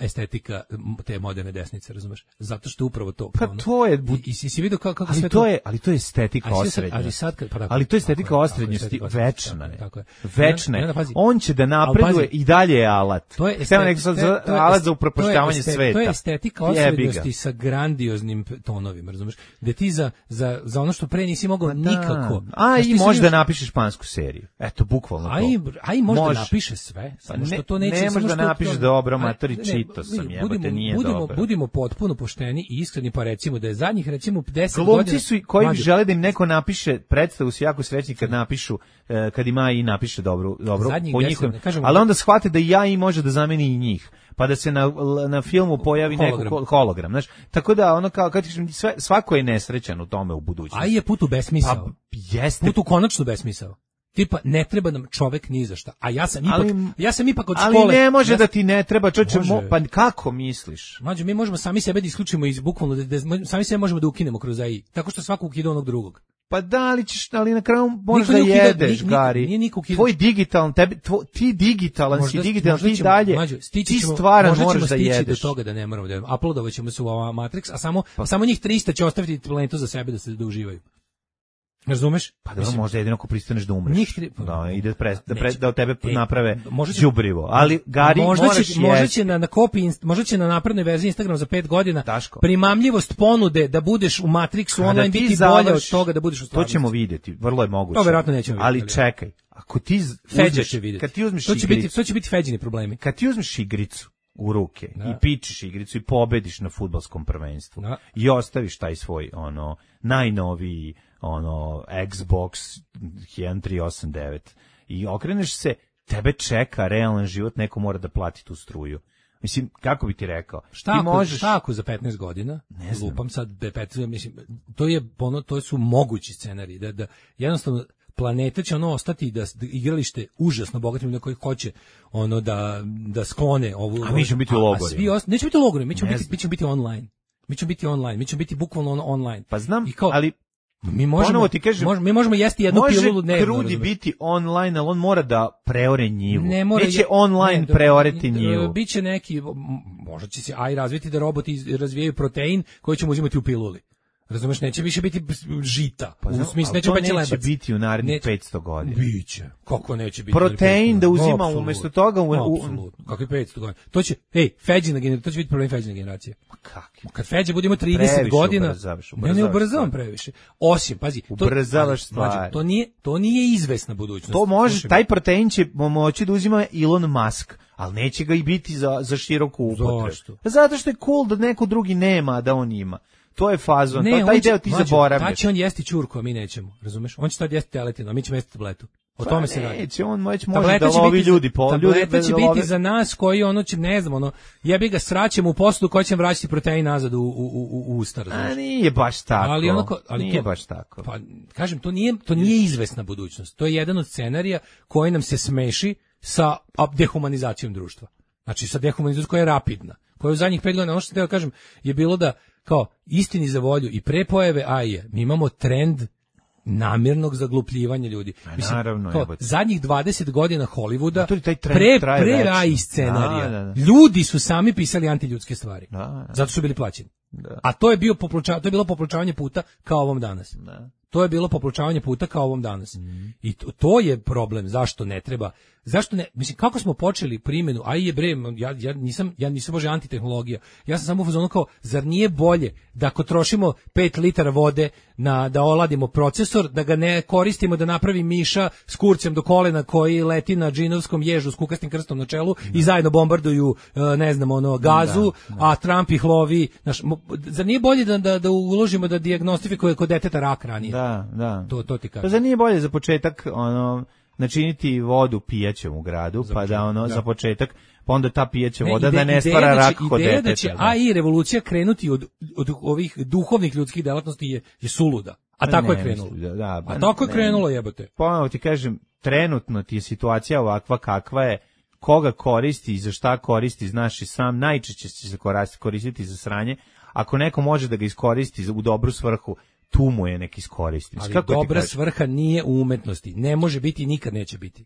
estetika te moderne desnice, razumeš? Zato što je upravo to. Pa ono, to je i, i si vidio kako, kako ali sve to je, ali to je estetika osrednjosti. Ali, sad, pa da, ali to je estetika osrednjosti, večna je. Tako je. Večna je. On će da napreduje i dalje je alat. To je estetika, alat za upropaštavanje sveta. To je estetika osrednjosti sa grandioznim tonovima, razumeš? Da ti za, za, za ono što pre nisi mogao nikako. A i možda napišeš špansku seriju. Eto, bukvalno to. A i, a i možda može. Napiše sve, samo što to neće. Ne može da napiše dobro, matori, ne, čito sam, budimo, jebote, nije budimo, dobro. budimo potpuno pošteni i iskreni, pa recimo da je zadnjih recimo deset Glumci godina... su i- koji Mlađe, žele da im neko napiše predstavu, su jako srećni kad napišu, eh, kad ima i napiše dobro, dobro Zadnjih po deset, njihovim, ne kažemo- ali onda shvate da i ja i može da zameni i njih. Pa da se na, na filmu pojavi Hologram. neko hologram, znaš. Tako da ono kao kad kažem, sve, svako je nesrećan u tome u budućnosti. A je put u besmisao. Pa jeste. Put u konačno besmisao. Tipa, ne treba nam čovek ni za šta. A ja sam ipak, Ali- ja sam ipak od Ali škole... ne može ja da sam- ti ne treba, čoče, Može. mo, pa kako misliš? Mlađe, mi možemo sami sebe da isključimo iz bukvalno, da, da, sami sebe možemo da ukinemo kroz A I. Tako što svako ukida onog drugog. Pa da, ali ćeš, ali na kraju možeš Niko da nije ukida- jedeš, ni- ni- Gari. nije niko ukida- Tvoj digitalan, tebi, tvo, ti digitalan Možda- si digitalan, možda ti ćemo- dalje, mlađe, stići ti ćemo- stvaran možda ćemo moraš da stići jedeš. do toga da ne moramo da jedemo. Uploadovat ćemo se u ova Matrix, a samo, a samo njih trista će ostaviti planetu za sebe da se da uživaju. Razumeš? Pa da, možda jedino ako pristaneš da umreš. Njih tri- Da, ide pre, da, pre, Neće. da od tebe E, naprave možda će- đubrivo. Ali, Gari, možda moraš će, možda jesti. će na, na kopiji, inst- možda će na naprednoj verziji Instagram za pet godina Daško. primamljivost ponude da budeš u Matrixu Kada online ti biti bolja od završ- toga da budeš u To stvarnosti. ćemo vidjeti, vrlo je moguće. To verovatno nećemo Ali vidjeti, čekaj, ako ti z- Feđa uzmeš, će vidjeti. kad ti uzmeš to će biti, igricu, to će biti Feđini problemi. kad ti uzmeš igricu u ruke Da. i pičiš igricu i pobediš na fudbalskom prvenstvu Da. i ostaviš taj svoj ono najnoviji ono Xbox jedan tri osam devet i okreneš se, tebe čeka realan život, neko mora da plati tu struju. Mislim, kako bi ti rekao? Šta ti ako, možeš... šta ako za petnaest godina? Ne znam. Lupam sad be petnaest, mislim, to je ono, to su mogući scenariji da da jednostavno planeta će ono ostati da, da igralište užasno bogatim ljudima koji hoće ono da da sklone ovu. A mi ćemo biti u a- a logorima. Svi ost... neće biti u logorima, mi ćemo Ne biti, znam. mi ćemo biti online. Mi ćemo biti online, mi ćemo biti bukvalno ono online. Pa znam, I kao, ali mi možemo, ponovo ti kažem, možemo, mi možemo jesti jednu može pilulu dnevno. Krudi razumeš? biti online, ali on mora da preore njivu. Ne mora Neće je- online ne, preoreti e, njivu. Biće neki, m, možda će se A I razviti da roboti iz- razvijaju protein koji ćemo uzimati u piluli. Razumeš, neće više biti žita. Pa znam, u smislu, ali neće to peći neće lebac. biti u narednih Neće. petsto godina. Biće. Kako neće biti? Protein da uzima Apsolutno. umesto toga u- u- Apsolutno. Kakvi petsto godina? To će, ej, Feđina generacija, to će biti problem Feđine generacije. Kakvi? Kad Feđe budemo trideset Previše godina, ubrzavaš, ne, ne ubrzavaš ubrzavam stvari. previše. Osim, pazi, to, Ubrzavaš ali, mlađe, stvari. To nije, to nije izvesna budućnost. To može, Slušaj me. taj protein će moći da uzima Elon Musk, ali neće ga i biti za, za široku upotrebu. Zašto? Zato što je cool da neko drugi nema, a da on ima. To je fazon, to, taj on će- deo ti mlađo, zaboravljaš. tad će on jesti ćurku, a mi nećemo, razumeš? On će tad jesti teletinu, a mi ćemo jesti tabletu. O tome se radi. Neće, on već može Tableta da će lovi biti za- ljudi po ljudi tableta će da biti love- za nas koji ono će, ne znam, ono, jebi ga sraćemo u posudu koji će vraćati protein nazad u, u, u, u usta, razumeš? A nije baš tako. Ali onako, ali nije to, baš tako. Pa, kažem, to nije, to nije izvesna budućnost. To je jedan od scenarija koji nam se smeši sa a, dehumanizacijom društva. Znači, sa dehumanizacijom koja je rapidna. Koja je u zadnjih pet godina, ono što sam teo kažem, je bilo da, kao, istini za volju i pre pojave A I-a, mi imamo trend namirnog zaglupljivanja ljudi. naravno, kao, jebote. zadnjih dvadeset godina Hollywooda, to je taj trend pre, traje pre večno. A I scenarija, Da, da, da. ljudi su sami pisali antiljudske stvari. Da, da. Zato su bili plaćeni. Da. A to je bio poploča, to je bilo popločavanje puta kao ovom danas. Da. To je bilo popločavanje puta kao ovom danas. Mhm. I to, to je problem, zašto ne treba. Zašto ne, mislim kako smo počeli primjenu, a i je bre, ja ja nisam ja nisam bože antitehnologija. Ja sam samo u fazonu kao zar nije bolje da ako trošimo pet litara vode na da oladimo procesor, da ga ne koristimo da napravi miša s kurcem do kolena koji leti na džinovskom ježu s kukastim krstom na čelu i zajedno bombarduju e, ne znam ono gazu, a Trump ih lovi, znaš, mo- zar nije bolje da da, da uložimo da dijagnostifikuje kod deteta rak ranije. Da, da. To to ti kažem. Pa zar nije bolje za početak ono načiniti vodu pijaćom u gradu, pa da ono da. za početak, pa onda ta pijaća Ne, voda ide- da ne ideja stvara da će- rak kod ideja deteta. da će da. A I revolucija krenuti od, od ovih duhovnih ljudskih delatnosti je, je suluda. A tako Pa Ne je krenulo. mislim, Da, da, pa A tako je ne. krenulo, jebote. Ponovo ti kažem, trenutno ti je situacija ovakva kakva je, koga koristi i za šta koristi, znaš i sam, najčešće će se korasti- koristiti za sranje. Ako neko može da ga iskoristi za- u dobru svrhu, tu mu je nek iskoristi. Ali Kako ti dobra kažem? svrha nije u umetnosti. Ne može biti i nikad neće biti.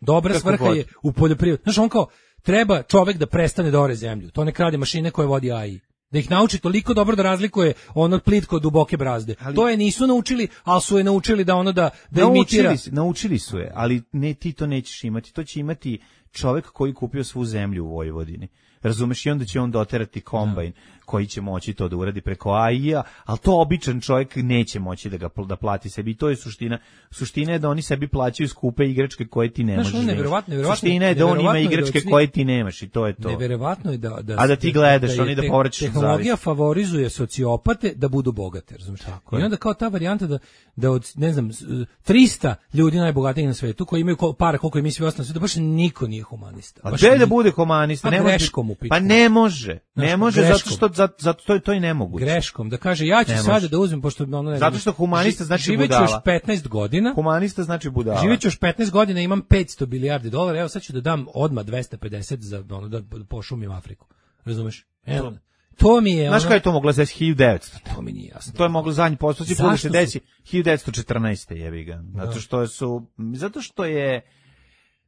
Dobra Kako svrha god. je u poljoprivredi. Znaš, on kao, treba čovek da prestane da ore zemlju. To nek radi mašine koje vodi A I. Da ih nauči toliko dobro da razlikuje ono plitko od duboke brazde. Ali- To je nisu naučili, ali su je naučili da ono da, da imitira. Naučili, su- naučili su je, ali ne, ti to nećeš imati. To će imati čovek koji kupio svu zemlju u Vojvodini. Razumeš, i onda će on doterati kombajn koji će moći to da uradi preko A I-a, ali to običan čovjek neće moći da ga da plati sebi. I to je suština. Suština je da oni sebi plaćaju skupe igračke koje ti ne Znaš, možeš. ono da imaš. neverovatno, neverovatno, Suština je da on ima neverovatno je da igračke od svih- koje ti nemaš i to je to. Neverovatno je da da A da ti gledaš, je oni da te- povraćaš od tehnologija zavisti. favorizuje sociopate da budu bogate, razumiješ? Tako I je. onda kao ta varijanta da da od ne znam s- trista ljudi najbogatijih na svetu koji imaju ko- para koliko i mi svi ostali na svetu, baš niko nije humanista. A Baš gde da niko. bude humanista? Pa Ne može- greškom u pitanju. Pa ne može. Ne Znaš, može greškom. zato što zato, zato to, je- to je nemoguće. Greškom da kaže ja ću Ne sada može. da uzmem pošto ono ne Zato znam, što humanista ži- znači živeću budala. još petnaest godina. Humanista znači budala. Živeću još petnaest godina, imam petsto milijardi dolara, evo sad ću da dam odmah dvesta pedeset za ono da pošumim Afriku. Razumeš? Evo. To mi je Znaš ono, kada je to moglo da se desi hiljadu devetsto? to mi nije jasno. To je moglo zadnji posto si put da Zašto se su- desi hiljadu devetsto četrnaeste jebi ga. Zato što su zato što je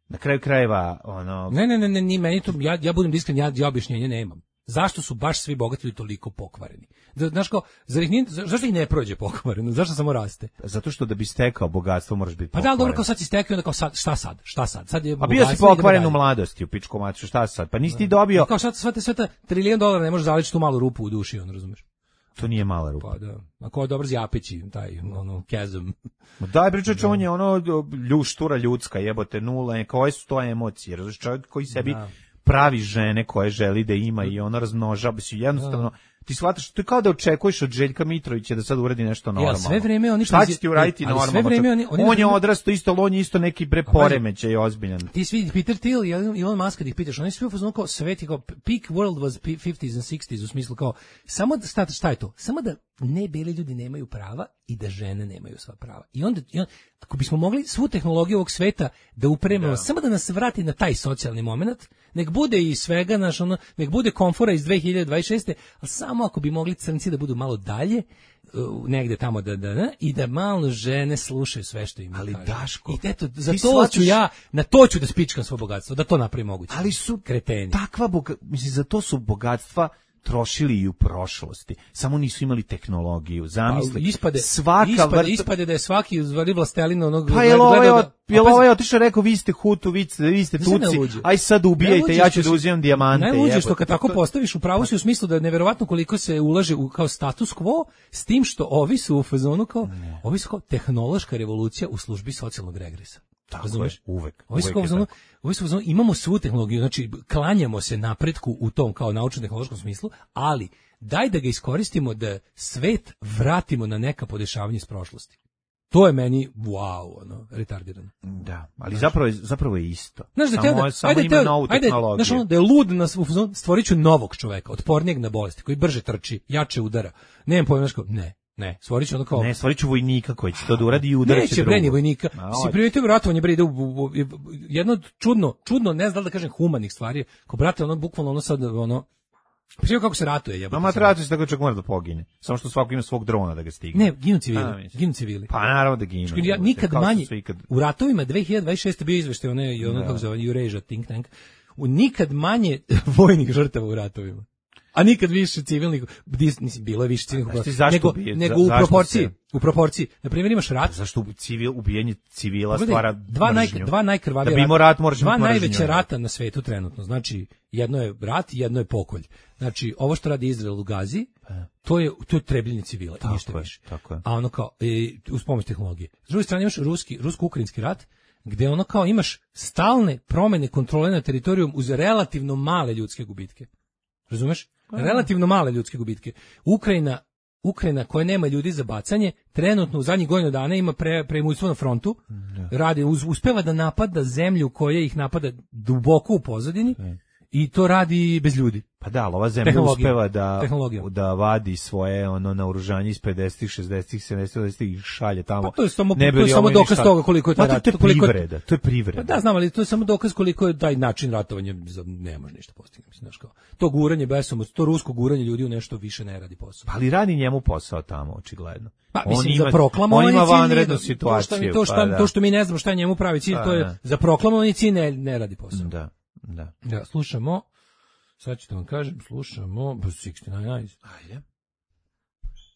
na kraju krajeva ono Ne, ne, ne, ne, ni meni to, ja, ja budem iskren, ja, ja objašnjenje nemam. Zašto su baš svi bogati ljudi toliko pokvareni? Da, znaš kao, zar ih nije, za- zašto ih ne prođe pokvareno? Zašto samo raste? zato što da bi stekao bogatstvo moraš biti Pa da, ali dobro, kao sad si stekao, onda kao sad, šta sad? Šta sad? Sad je A bio si bogatstvo, idemo pokvaren u dalje. mladosti u pičku maču, šta sad? Pa nisi ti dobio, Kao šta, sve te, sve te trilijon dolara ne može zaličiti tu malu rupu u duši, on razumeš? to nije mala rupa. Pa da. Ako je dobar zjapići, taj, ono, kezom. Ma daj bre čoveče, on je ono ljuštura ljudska, jebote, nula, koje su to emocije, razumiješ, čovjek koji sebi Da. pravi žene koje želi da ima i ono razmnožava se jednostavno. Ti shvataš, to je kao da očekuješ od Željka Mitrovića da sad uradi nešto normalno. sve vreme oni Šta prozi- će ti uraditi ali sve normalno? vreme oni- oni- on je odrastao isto, ali on je isto neki bre pazi. poremećaj ozbiljan. Ti svi, Peter Thiel i Elon Musk, kad ih pitaš, oni svi u fazonu kao svet je kao peak world was fifties and sixties, u smislu kao, samo da, šta, šta je to? Samo da ne beli ljudi nemaju prava i da žene nemaju sva prava. I onda, i onda ako bismo mogli svu tehnologiju ovog sveta da upremimo, samo da nas vrati na taj socijalni moment, nek bude i svega, naš, ono, nek bude komfora iz dve hiljade dvadeset šeste, ali samo ako bi mogli crnci da budu malo dalje, uh, negde tamo da, da, da, i da malo žene slušaju sve što im Ali, kažu. Daško, I eto, za ti to shvatiš- ću ja, na to ću da spičkam svo bogatstvo, da to napravim moguće. Ali su kreteni. takva boga, mislim, za to su bogatstva trošili i u prošlosti. Samo nisu imali tehnologiju. Zamisli. Pa, ispade, svaka ispade, vrsta... ispade da je svaki zvali vlastelina onog... Pa je ovaj, gledao od, da- je a pazi, ovaj otišao rekao vi ste Hutu, vi ste, vi ste Znaš šta je Tutsi, najluđe? aj sad ubijajte, Najluđe ja što ću da si- uzimam dijamante. Najluđe što jebote. kad tako To- postaviš u pravu si u smislu da je neverovatno koliko se ulaže u kao status quo, s tim što ovi su u fazonu kao, ovi su kao tehnološka revolucija u službi socijalnog regresa. Tako Razumeš? je, uvek. Ovi su uvek kao je u fazonu- tako. ovi su u fazonu, imamo svu tehnologiju, znači klanjamo se napretku u tom kao naučno-tehnološkom smislu, ali daj da ga iskoristimo da svet vratimo na neka podešavanja iz prošlosti. To je meni wow, ono, retardirano. Da, ali zapravo je, zapravo je isto. Znaš da samo, teo da, samo ajde, ima teo, novu ajde, tehnologiju. znaš ono, da je lud na u fazonu, stvorit ću novog čoveka, otpornijeg na bolesti, koji brže trči, jače udara. Nemam pojma, znaš kao, ne, ne, stvorit ću ono kao... Ne, stvorit ću vojnika koji će to da uradi i udarit će Neće bre ni drugog. vojnika. A, Si hoće. primetio ratovanje bre ide u, u, u, jedno od čudno, čudno, ne znam da li da kažem humanih stvari. Ko brate, ono bukvalno ono sad ono Pričao kako se ratuje, jebote. No, matrato se tako čak mora da pogine. Samo što svako ima svog drona da ga stigne. Ne, ginu A, civili, mislim. ginu civili. Pa naravno da ginu. Ja nikad Kao što manje, su ikad- u ratovima dve hiljade dvadeset šeste bio izveštaj one, i ono Da. kako se zove, Eurasia think tank, u nikad manje vojnih žrtava u ratovima. A nikad više civilnih, dis- mislim, bilo je više civilnih, znaš ti zašto nego, ubije- nego za- u zašto proporciji, se- u proporciji. Na primjer imaš rat, Zašto ubi- civil, ubijanje civila Pogledaj, stvara dva, naj, mržnju? dva najkrvavija Da bi imao rat, moraš dva imati mržnju. najveća rata na svetu trenutno. Znači, jedno je rat, jedno je pokolj. Znači, ovo što radi Izrael u Gazi, to je to je trebljenje civila i ništa Tako je, više. tako je. A ono kao e, uz pomoć tehnologije. S druge strane imaš ruski rusko-ukrajinski rat, gde ono kao imaš stalne promene kontrole na teritorijum uz relativno male ljudske gubitke. Razumeš? Relativno male ljudske gubitke. Ukrajina Ukrajina koja nema ljudi za bacanje, trenutno u zadnjih godinu dana ima pre, premućstvo na frontu, radi, uz, uspeva da napada zemlju koja ih napada duboko u pozadini i to radi bez ljudi. Pa da, ali ova zemlja Tehnologija. uspeva da, Tehnologija. da vadi svoje ono naoružanje iz pedesetih, šezdesetih, sedamdesetih, osamdesetih i šalje tamo. Pa to je samo, Ne bi to je li samo ovo dokaz ništa- toga koliko je taj Pa to, rat. to je koliko je- privreda, to je privreda. Pa da, znam, ali to je samo dokaz koliko je taj način ratovanja za- ne može ništa postignuti, mislim, znaš kao. To guranje besom, to rusko guranje ljudi u nešto više ne radi posao. Pa ali radi njemu posao tamo, očigledno. Pa On mislim ima- za proklamovani on ima cilj nije vanrednu da- situaciju. To što, mi, to, što, pa da. to što mi ne znamo šta je njemu pravi cilj, Pa to je da. za proklamovani cilj ne, ne radi posao. Da, da. Da, slušamo, sad ću da vam kažem, slušamo Bruce šezdeset devet Eyes. Ajde.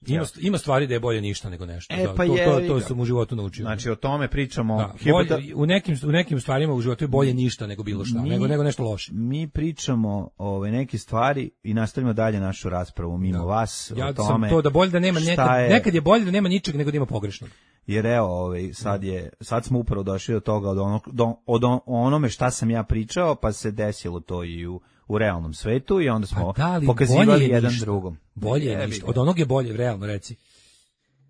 Ima, ima stvari da je bolje ništa nego nešto. E, da, pa to, je, to, to sam u životu naučio. Znači, o tome pričamo. Da, Hipota... bolje, u, nekim, u nekim stvarima u životu je bolje ništa nego bilo šta, mi, nego, nego nešto loše. Mi pričamo ove neke stvari i nastavimo dalje našu raspravu mimo da. vas ja o tome. Ja sam to da bolje da nema nekad, je... nekad je bolje da nema ničeg nego da ima pogrešnog. Jer evo, ovaj, sad, je, sad smo upravo došli do toga, od, ono, do, od onome šta sam ja pričao, pa se desilo to i u, u realnom svetu i onda smo da, pokazivali jedan ništa. drugom. Bolje je ništa. Od onog je bolje, realno reci.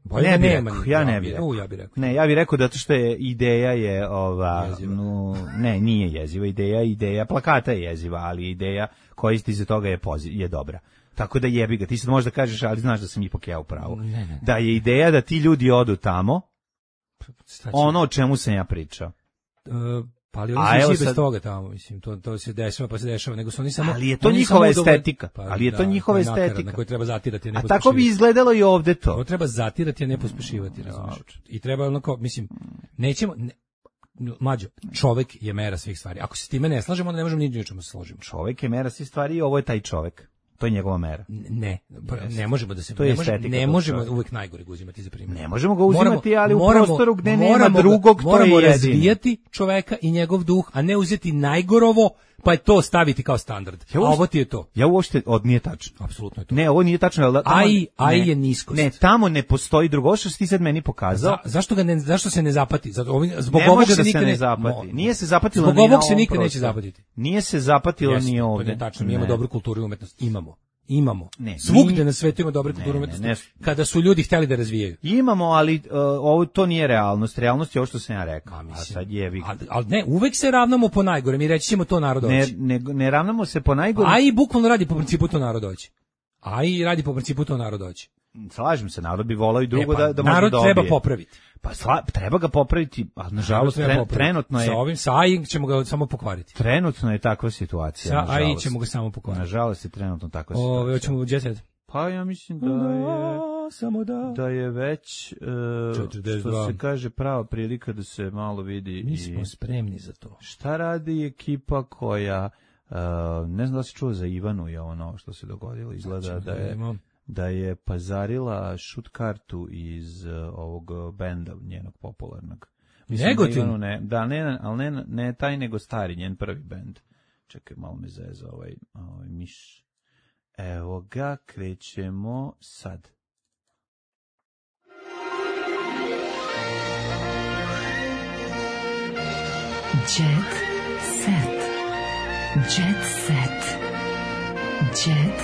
Bolje ne da bi nema rekao, ništa. ja ne bih rekao. U, ja bih rekao. Ne, ja bih rekao da to što je ideja je ova, jeziva. no, ne, nije jeziva ideja, ideja plakata je jeziva, ali ideja koja isti iza toga je poziv, je dobra. Tako da jebi ga, ti sad možda kažeš, ali znaš da sam ipak ja u pravu. Ne, ne. Da je ideja da ti ljudi odu tamo, ono o čemu sam ja pričao. Uh, pa ali oni su svi bez sad... toga tamo, mislim, to, to se dešava, pa se dešava, nego su oni samo... Ali je to njihova estetika, pa, ali je to da, njihova to je estetika. Na koju treba zatirati, a ne a tako bi izgledalo i ovde to. To treba zatirati, a ne pospešivati, razumiješ. I treba onako, mislim, nećemo... Ne, mlađo, čovek je mera svih stvari. Ako se s time ne slažemo, onda ne možemo ni ničemu se složimo. Čovek je mera svih stvari i ovo je taj čovek. To je njegova mera. Ne, yes. ne možemo da se to ne, je može, ne možemo čovjek. uvek najgore ga uzimati za primjer. Ne možemo ga uzimati, moramo, ali u moramo, prostoru gde moramo, nema drugog, to moramo je razvijati čoveka i njegov duh, a ne uzeti najgorovo, pa je to staviti kao standard. Ja uopšte, a ovo ti je to. Ja uopšte, od nije tačno. Apsolutno je to. Ne, ovo nije tačno. Ali tamo, aj, aj ne, je niskost. Ne, tamo ne postoji drugo, što si ti sad meni pokazao. Za, zašto, ga ne, zašto se ne zapati? Zato, ovim, zbog ne ovog može se da nikad se ne ne zapati. Mo, nije se zapatilo zbog ni ovog na se nikad prostoru. neće zapatiti. Nije se zapatilo Jeste, ni ovde. To je tačno, mi ne. imamo dobru kulturu i umetnost. Imamo. Imamo. Ne, svugde mi... na svetu ima dobre kulture umetnosti. Ne, ne. Kada su ljudi hteli da razvijaju. Imamo, ali uh, ovo to nije realnost. Realnost je ovo što sam ja rekao. A, mislim, a sad je vi. Ali al ne, uvek se ravnamo po najgore. Mi reći ćemo to narod hoće. Ne, ne, ne ravnamo se po najgore. A i bukvalno radi po principu to narod hoće. A i radi po principu to narod hoće. Slažem se, narod bi volao i drugo e pa, da da može narod dobije. treba popraviti. Pa sla, treba ga popraviti, ali nažalost tre, trenutno je sa ovim sa A I ćemo ga samo pokvariti. Trenutno je takva situacija, sa nažalost. A I ćemo ga samo pokvariti. Nažalost je trenutno takva situacija. Ove, hoćemo u Jet Set. Pa ja mislim da je samo da da je već uh, što se kaže prava prilika da se malo vidi. Mi smo i spremni za to. Šta radi ekipa koja uh, ne znam da se čuo za Ivanu je ono što se dogodilo, izgleda da je da je pazarila šut kartu iz uh, ovog benda njenog popularnog. Negotin? Ne, da, ne, ali ne, ne taj nego stari, njen prvi bend. Čekaj, malo me zeza ovaj, ovaj miš. Evo ga, krećemo sad. Jet set. Jet set. Jet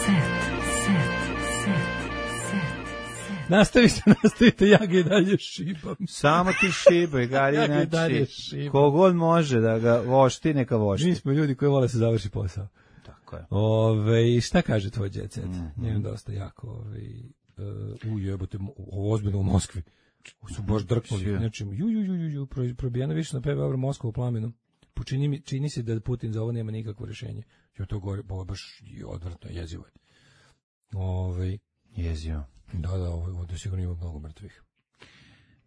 set. Set. Set. Set. Nastavite, nastavite, ja ga i dalje šibam. Samo ti šibaj, gari, ja ga i znači, dalje šibam. Kogod može da ga vošti, neka vošti. Mi smo ljudi koji vole da se završi posao. Tako je. Ove, šta kaže tvoj Jet Set? Mm-hmm. Njem dosta jako. Ove, uh, ujebote, ovo ozbiljno u Moskvi. Su baš drknuli. Znači, ju, ju, ju, ju, ju, probijena više na peve Moskva u plamenu. Počini mi, čini se da Putin za ovo nema nikakvo rješenje. Jo, to govori, ovo je baš odvrtno, jezivo je. Ove, jezivo. Da, da, ovo, ovdje sigurno ima mnogo mrtvih.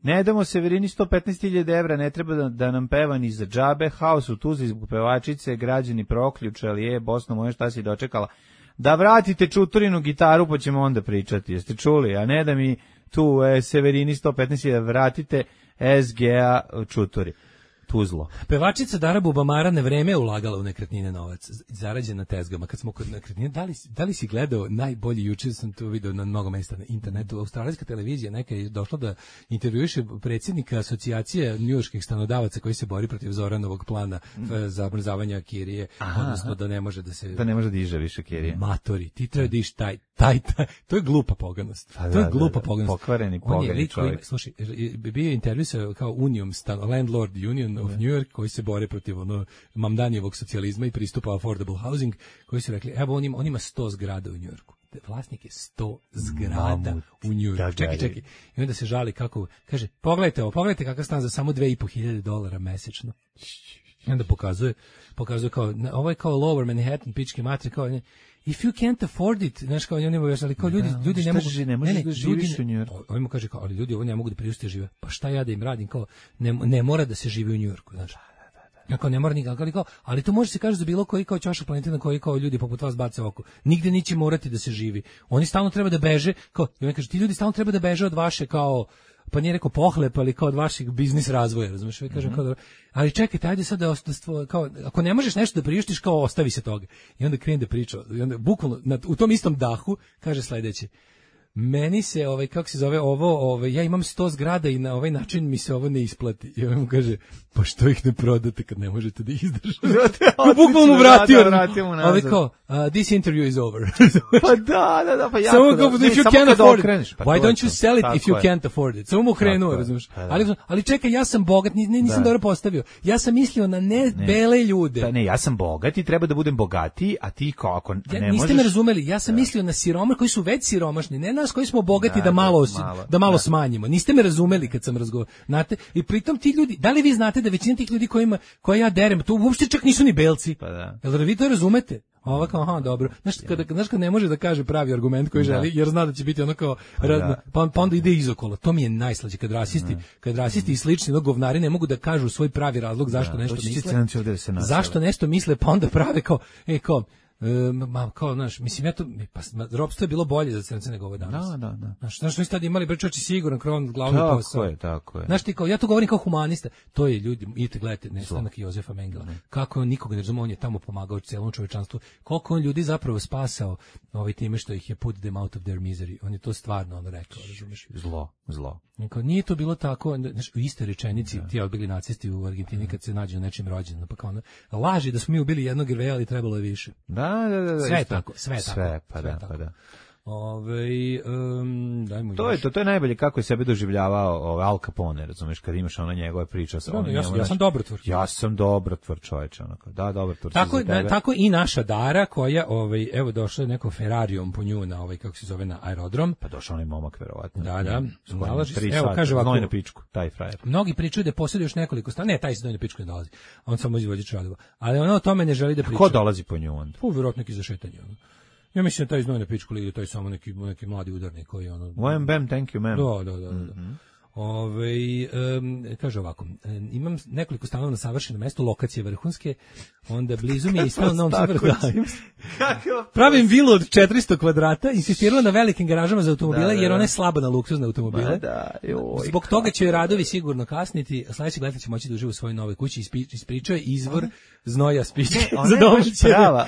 Ne damo Severini sto petnaest hiljada evra, ne treba da, da nam peva ni za džabe, haos u Tuzli zbog pevačice, građani proključali, je, Bosno moje šta si dočekala. Da vratite Čuturinu gitaru, pa ćemo onda pričati, jeste čuli, a ne da mi tu e, Severini sto petnaest hiljada vratite S G A Čuturi. Tuzlo. Pevačica Dara Bubamara na vreme ulagala u nekretnine novac, zarađen na tezgama. Kad smo kod nekretnine, da li, da li si gledao najbolji, juče sam to video na mnogo mesta na internetu, australijska televizija neka je došla da intervjuiše predsjednika asocijacije njujorških stanodavaca koji se bori protiv Zoranovog plana mm. zamrzavanja kirije, aha, odnosno da ne može da se... Da ne može da diže više kirije. Matori, ti treba da iš taj, taj, taj, to je glupa poganost. Pa to je da, glupa da, da. poganost. Pokvareni, pogani čovjek. Koji, slušaj, bio je intervju sa kao Union, stan, Landlord Union of New York, koji se bore protiv ono Mamdanijevog socijalizma i pristupa affordable housing, koji su rekli, evo on ima, on ima sto zgrada u Njujorku. Vlasnik je sto zgrada Mamut, u Njujorku. Čekaj, čekaj. I onda se žali kako, kaže, pogledajte ovo, pogledajte kakav stan za samo dve i po hiljade dolara mesečno. I onda pokazuje, pokazuje kao, ovo je kao Lower Manhattan, pički matri, kao, ne, if you can't afford it, znaš kao, oni mogu, ali kao ljudi, da, ljudi ne mogu, ne, ne, ne, da živiš u Njujorku. Ovo mu kaže kao, ali ljudi ovo ne mogu da priušte žive. Pa šta ja da im radim, kao, ne, ne mora da se živi u Njujorku, znaš. Ako ne mora nikako, ali, kao, ali to može se kaže za bilo koji kao ćošak planete na koji kao ljudi poput vas bace oko. Nigde neće morati da se živi. Oni stalno treba da beže, kao, i on kaže, ti ljudi stalno treba da beže od vaše kao, pa nije rekao pohlepa, ali kao od vašeg biznis razvoja, razumiješ? Ja kažem, mm-hmm. kao, ali čekajte, ajde sad da ostastvo, kao, ako ne možeš nešto da priuštiš, kao ostavi se toga. I onda krene da priča, i onda bukvalno na, u tom istom dahu kaže sledeće. Meni se ovaj kako se zove ovo, ovaj ja imam sto zgrada i na ovaj način mi se ovo ne isplati. I on mu kaže: "Pa što ih ne prodate kad ne možete da izdržite?" Bukvalno mu vratio. Ovaj kao: uh, "This interview is over." Pa da, da, da, pa jako. Samo kao, if you can't afford it, pa why don't you sell it if you can't afford it? Samo mu krenuo, razumiješ? Ali ali čekaj, ja sam bogat, nisam dobro postavio. Ja sam mislio na ne bele ljude. Da, ne, ja sam bogat i treba da budem bogatiji, a ti kao ako ne možeš. Niste me razumeli, ja sam mislio na siroma koji su već siromašni, ne nas koji smo bogati da, da malo malo, da malo da. smanjimo. Niste me razumeli kad sam razgovarao. Znate, i pritom ti ljudi, da li vi znate da većina tih ljudi kojima koja ja derem, to uopšte čak nisu ni belci. Pa da. Jel da vi to razumete? Ova kao, aha, dobro. Znaš, kada, znaš kad ne može da kaže pravi argument koji želi, jer zna da će biti ono kao, pa, pa, pa onda ide izokolo. To mi je najslađe, kad rasisti, kad rasisti i slični govnari ne mogu da kažu svoj pravi razlog zašto da, nešto misle. Zašto nešto misle, pa onda prave kao, e, kao, ma kao, znaš, mislim, ja to, pa, ropstvo je bilo bolje za crnce nego ovo danas. Da, da, da. Znaš, znaš, oni tad imali brčači siguran kron glavni tako posao. Tako je, tako je. Znaš ti kao, ja to govorim kao humanista, to je ljudi, idite gledajte, nestanak Jozefa Mengela, kako on nikoga ne razume, on je tamo pomagao celom čovečanstvu, koliko on ljudi zapravo spasao ovaj time što ih je put them out of their misery, on je to stvarno ono rekao, razumeš? Zlo, zlo. Kao, nije to bilo tako, znaš, u istoj rečenici, da. Ti bili nacisti u Argentini kad se nađu na nečim rođendan, pa kao ono, laži da smo mi ubili jednog Irveja, ali trebalo je više. Da, da, da. Sve je tako, sve je tako. Sve, pa sve da, tako. pa da. Ove, um, dajmo to je to, to je najbolje kako je sebe doživljavao ovaj Al Capone, razumeš, kad imaš ona njegove priče sa onim. Ja, ja sam dobrotvor. Ja sam dobrotvor, čoveče, onako. Da, dobrotvor. Tako na, tako i naša Dara koja ovaj evo došla je neko Ferrarijom po nju na ovaj kako se zove na aerodrom. Pa došao onaj momak verovatno. Da, da. Nalazi se. Evo kaže ovako, na pičku, taj frajer. Mnogi pričaju da posjeduje još nekoliko stana. Ne, taj se na pičku ne dolazi. On samo izvođač radova. Ali ona o tome ne želi da priča. Ko dolazi po nju onda? Pa verovatno neki za šetanje. Ja mislim da taj znoj na pičku ili taj samo neki neki mladi udarnik koji ono. Wham bam, thank you ma'am. Da, da, da, da. Mm-hmm. Ove, um, kaže ovako, um, imam nekoliko stanova na savršenom mestu, lokacije vrhunske, onda blizu mi je i stan na Novom Sadu. Pravim vilu od četiristo kvadrata, insistirala na velikim garažama za automobile, da, da, jer ona je slaba na luksuzne automobile. Da, joj, zbog toga će radovi sigurno kasniti, a sledećeg leta će moći da uživa u svojoj novoj kući, ispričao je izvor znoja spiće za domaće,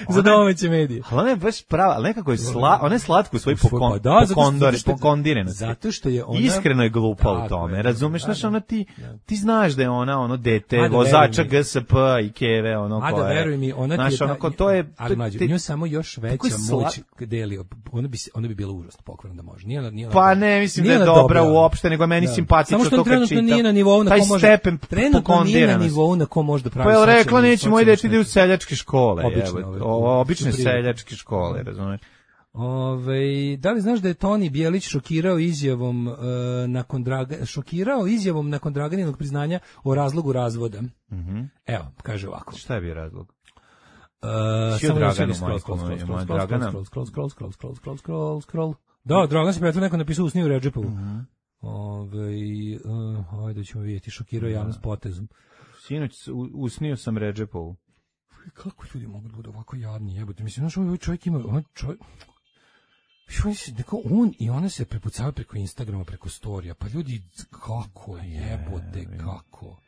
za domaće medije. Ali ona je baš prava, ali nekako je sla, ona je slatko u svoj pokon, da, pokondore, pokondirenost. Zato što je ona iskreno je glupa u tome, razumeš, da, znaš, ona ti, da. Ti znaš da je ona ono dete, da vozača G S P i Keve, ono koje. A da veruj mi, ona znaš, ti je, ono, to je, ali mlađe, nju samo još veća moć deli, ona bi, ona bi bila užasno pokvarna da može. Nije ona, nije ona, pa ne, mislim da je dobra uopšte, nego meni simpatično to kad čitam. Samo što nije na nivou na ko može, stepen trenutno nije na nivou na ko može da pravi. Pa je rekla, neće moj dete ide u seljačke škole, obične seljačke škole, razumeš. Ove, da li znaš da je Toni Bjelić šokirao izjavom uh, nakon Draga, šokirao izjavom nakon Draganinog priznanja o razlogu razvoda? Mm-hmm. Evo, kaže ovako. Šta je bio razlog? Uh, samo Draganu, scroll, scroll, scroll, scroll, scroll, scroll, scroll, scroll, scroll, scroll, scroll, scroll. Da, Dragan se pretvo neko napisao u sniju Redžepovu. Mm-hmm. Ove, uh, ajde ćemo vidjeti, šokirao javnost potezom. Sinoć usnio sam Redžepovu. Kako ljudi mogu da budu ovako jadni, jebote? Mislim, znaš, ovaj čovjek ima, ovaj čovjek... Neko on i ona se prepucavaju preko Instagrama, preko storija. Pa ljudi, kako jebote, kako?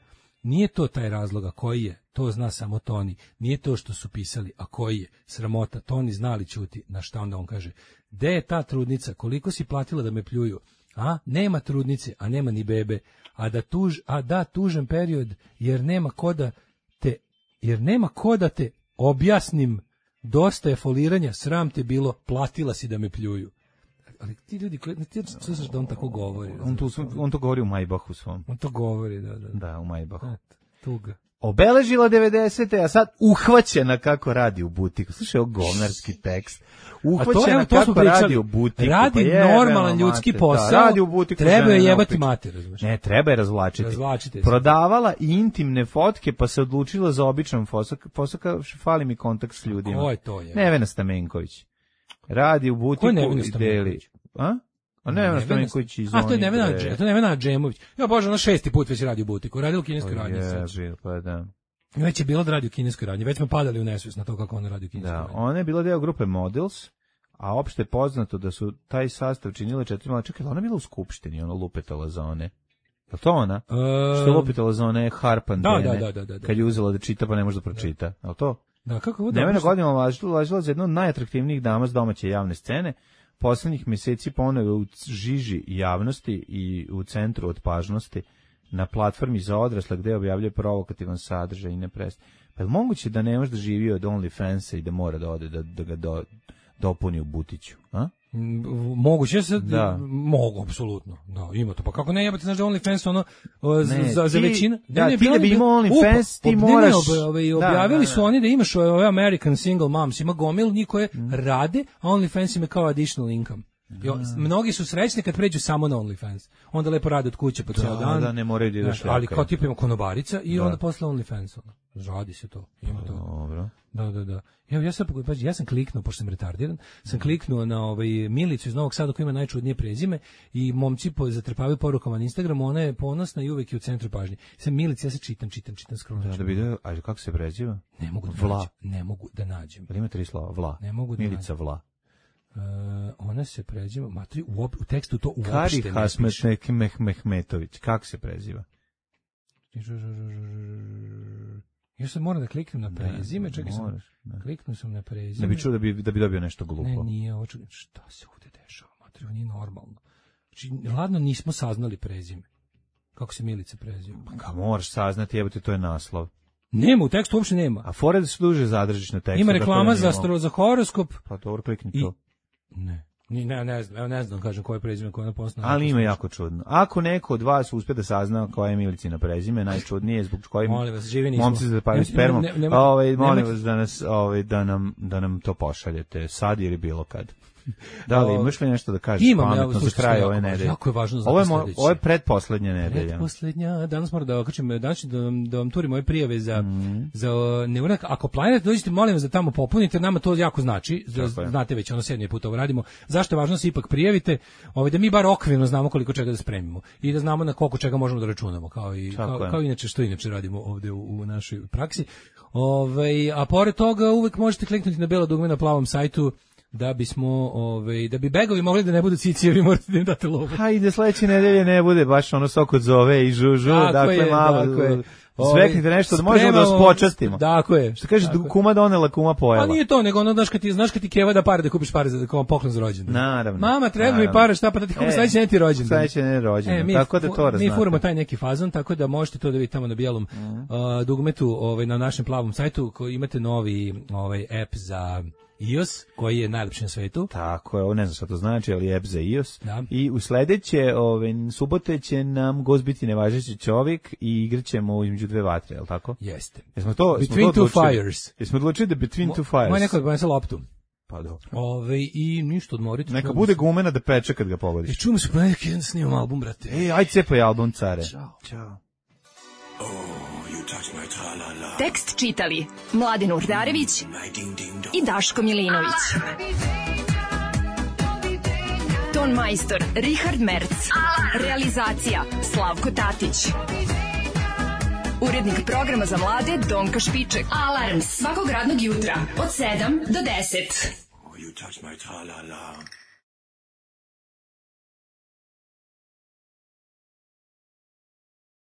Nije to taj razlog, a koji je? To zna samo Toni. Nije to što su pisali, a koji je? Sramota. Toni znali ćuti. Na šta onda on kaže? Gde je ta trudnica? Koliko si platila da me pljuju? A? Nema trudnice, a nema ni bebe. A da, tuž, a da tužan period, jer nema ko da te, jer nema ko da te objasnim. Dosta je foliranja, sram te bilo, platila si da me pljuju. Ali ti ljudi, ti slušaš da on tako govori. On to, on to govori u Majbahu svom. On to govori, da, da. Da, u Majbahu. Tuga. Obeležila devedesete, a sad uhvaćena kako radi u butiku. Slušaj, ovo govnarski tekst. Uhvaćena to, kako radi u butiku. Radi pa je, normalan ljudski mater, posao, da, radi u butiku, treba je jebati mater. Razumiješ? Ne, treba je razvlačiti. Razvlačite Prodavala i intimne fotke, pa se odlučila za običan posao. Posao kao fali mi kontakt s ljudima. Ko je to? Je? Nevena Stamenković. Radi u butiku i deli. A? A Nevena Stamenković iz A to je Nevena, to je Nevena Džemović. Ja bože, ona šesti put već radi u butiku. Radi u kineskoj radnici. Pa da. Već je bilo da radi u kineskoj radnji, već smo padali u nesvijest na to kako ona radi u kineskoj Da, radnji. ona je bila deo grupe Models, a opšte je poznato da su taj sastav činile četiri mala. Čekaj, ona je bila u skupštini, ona lupetala za one. Je to ona? E, Što je lupetala za one harpandene? Da, da, da, da, da, da. Kad je uzela da čita pa ne može da pročita. Je li to? Da, kako ovo Nevena dobro- godina važila, važila za jednu od najatraktivnijih dama s domaće javne scene. Poslednjih meseci ponovo u žiži javnosti i u centru odpažnosti na platformi za odrasle gde objavljuje provokativan sadržaj i ne prestaje. Pa je li moguće da ne može da živi od OnlyFansa i da mora da ode da, da ga do, dopuni u butiću? A? M, Moguće se, Da. mogu, apsolutno. Da, ima to. Pa kako ne, jebate, znaš da OnlyFans ono, o, za, Ne, za, za ti- većinu. da, ti bilo da bi je- imao Upa, OnlyFans, ti ob- ne, ne, moraš- ob- ovaj, Da, objavili da, su da. oni da imaš ove American Single Moms, ima gomil njih koje rade, a OnlyFans im je kao additional income. Jo, mnogi su srećni kad pređu samo na OnlyFans. Onda lepo rade od kuće po ceo Da, dan. da, ne moraju da idu Znaš, šljakaju. ali kao tipa ima konobarica i Da. onda posle OnlyFans. ono. Radi se to. Ima to. Dobro. Da, da, da. Evo ja sam pazi, ja sam kliknuo pošto sam retardiran, sam kliknuo na ovaj Milicu iz Novog Sada koja ima najčudnije prezime i momci po zatrpavaju porukama na Instagramu, ona je ponosna i uvek je u centru pažnje. Sam Milica, ja se čitam, čitam, čitam skroz. Da, da bi da, a kako se preziva? Ne mogu da Vla. nađem. Ne mogu da nađem. Jel ima tri slova? Vla. Ne mogu da Milica nađem. Vla. Uh, ona se preziva, matri, u, op, u tekstu to uopšte Kari ne Hasmet piše. Mek- Meh- Mehmetović. Kako se preziva? Ja sad moram da kliknem na prezime, čekaj sam. Moraš, da. Kliknuo sam na prezime. Da bi čuo da bi, da bi dobio nešto glupo. Ne, nije, ovo ču- šta se ovde dešava, matri, ovo nije normalno. Znači, ladno nismo saznali prezime. Kako se Milica preziva. Ka moraš saznati, jebote, to je naslov. Nema, u tekstu uopšte nema. A fore da se duže zadržiš na tekstu. Ima tako reklama da za, nije astro, za horoskop. mogu. Pa dobro, klikni I- to. Ne. Ni, ne, ne znam, evo ne znam, kažem koje prezime, koje je ponosno. Ali ima jako čudno. Ako neko od vas uspe da sazna koja je Milicina prezime, najčudnije je zbog kojim Molim vas, živi nismo. momci se zapavaju Ne- spermom. ne- ne- ne- Ovaj, molim nemojte- vas da nas ovaj da nam da nam to pošaljete sad ili bilo kad. Da li imaš li nešto da kažeš Imam, pametno evo, za slušaj, kraj jako ove važno, nedelje? jako je važno za Ovo je mo- sledeće. ovo je pretposlednja nedelja. Pretposlednja, danas moram da okačem, danas ću da vam, da vam turim ove prijave za, Mhm. za ne urak, ako planirate, dođite, molim vas da tamo popunite, nama to jako znači, za- Tako je. znate već, ono sedmi put ovo radimo, zašto je važno da se ipak prijavite, ovaj, da mi bar okvirno znamo koliko čega da spremimo i da znamo na koliko čega možemo da računamo, kao i, Tako kao, je. kao inače što inače radimo ovde u, u našoj praksi. Ovaj, a pored toga uvek možete kliknuti na belo dugme na plavom sajtu da bismo, ovaj, da bi begovi mogli da ne budu cicijevi, morate da im date lovu. Hajde, sledeće nedelje ne bude baš ono soko zove i žužu, Tako dakle je, malo tako je. zveknite nešto da možemo da vas Spremamo- počastimo. Tako je. Što kaže, Tako je. kuma donela, kuma pojela. Pa nije to, nego ono, znaš kad ti, znaš kad ti keva da pare da kupiš pare za kao poklon za rođendan. Naravno. Mama, treba mi Naravno. pare, šta pa da ti kupim E, sledeći ne ti rođendan. Sledeće ne rođendan, E, mi, tako da fu- to mi raznate. furamo taj neki fazon, tako da možete to da vidite tamo na bijelom Mhm. uh, dugmetu, ovaj, na našem plavom sajtu, koji imate novi ovaj, app za iOS, koji je najlepši na svetu. Tako je, ovo ne znam šta to znači, ali app za iOS. Da. I u sledeće, ove, subote će nam gost biti nevažeći čovjek i igraćemo između dve vatre, je li tako? Jeste. Jesmo to, jesmo Between to two odlučili? fires. Jesmo odlučili da Between Two Fires? Moj neko donese loptu. Pa dobro. Ove, I ništa odmoriti. Neka čujemo bude se. gumena da peče kad ga I pogodiš. čujemo se ponedjeljak jedan snimam album, brate. Ej, aj cepaj album, care. Ćao. Ćao. Tekst čitali Mladin Urdarević i Daško Milinović. Ton majstor Richard Merc. Realizacija Slavko Tatić. Urednik programa za mlade Donka Špiček. Alarms svakog radnog jutra od sedam do deset. You touch my tra-la-la.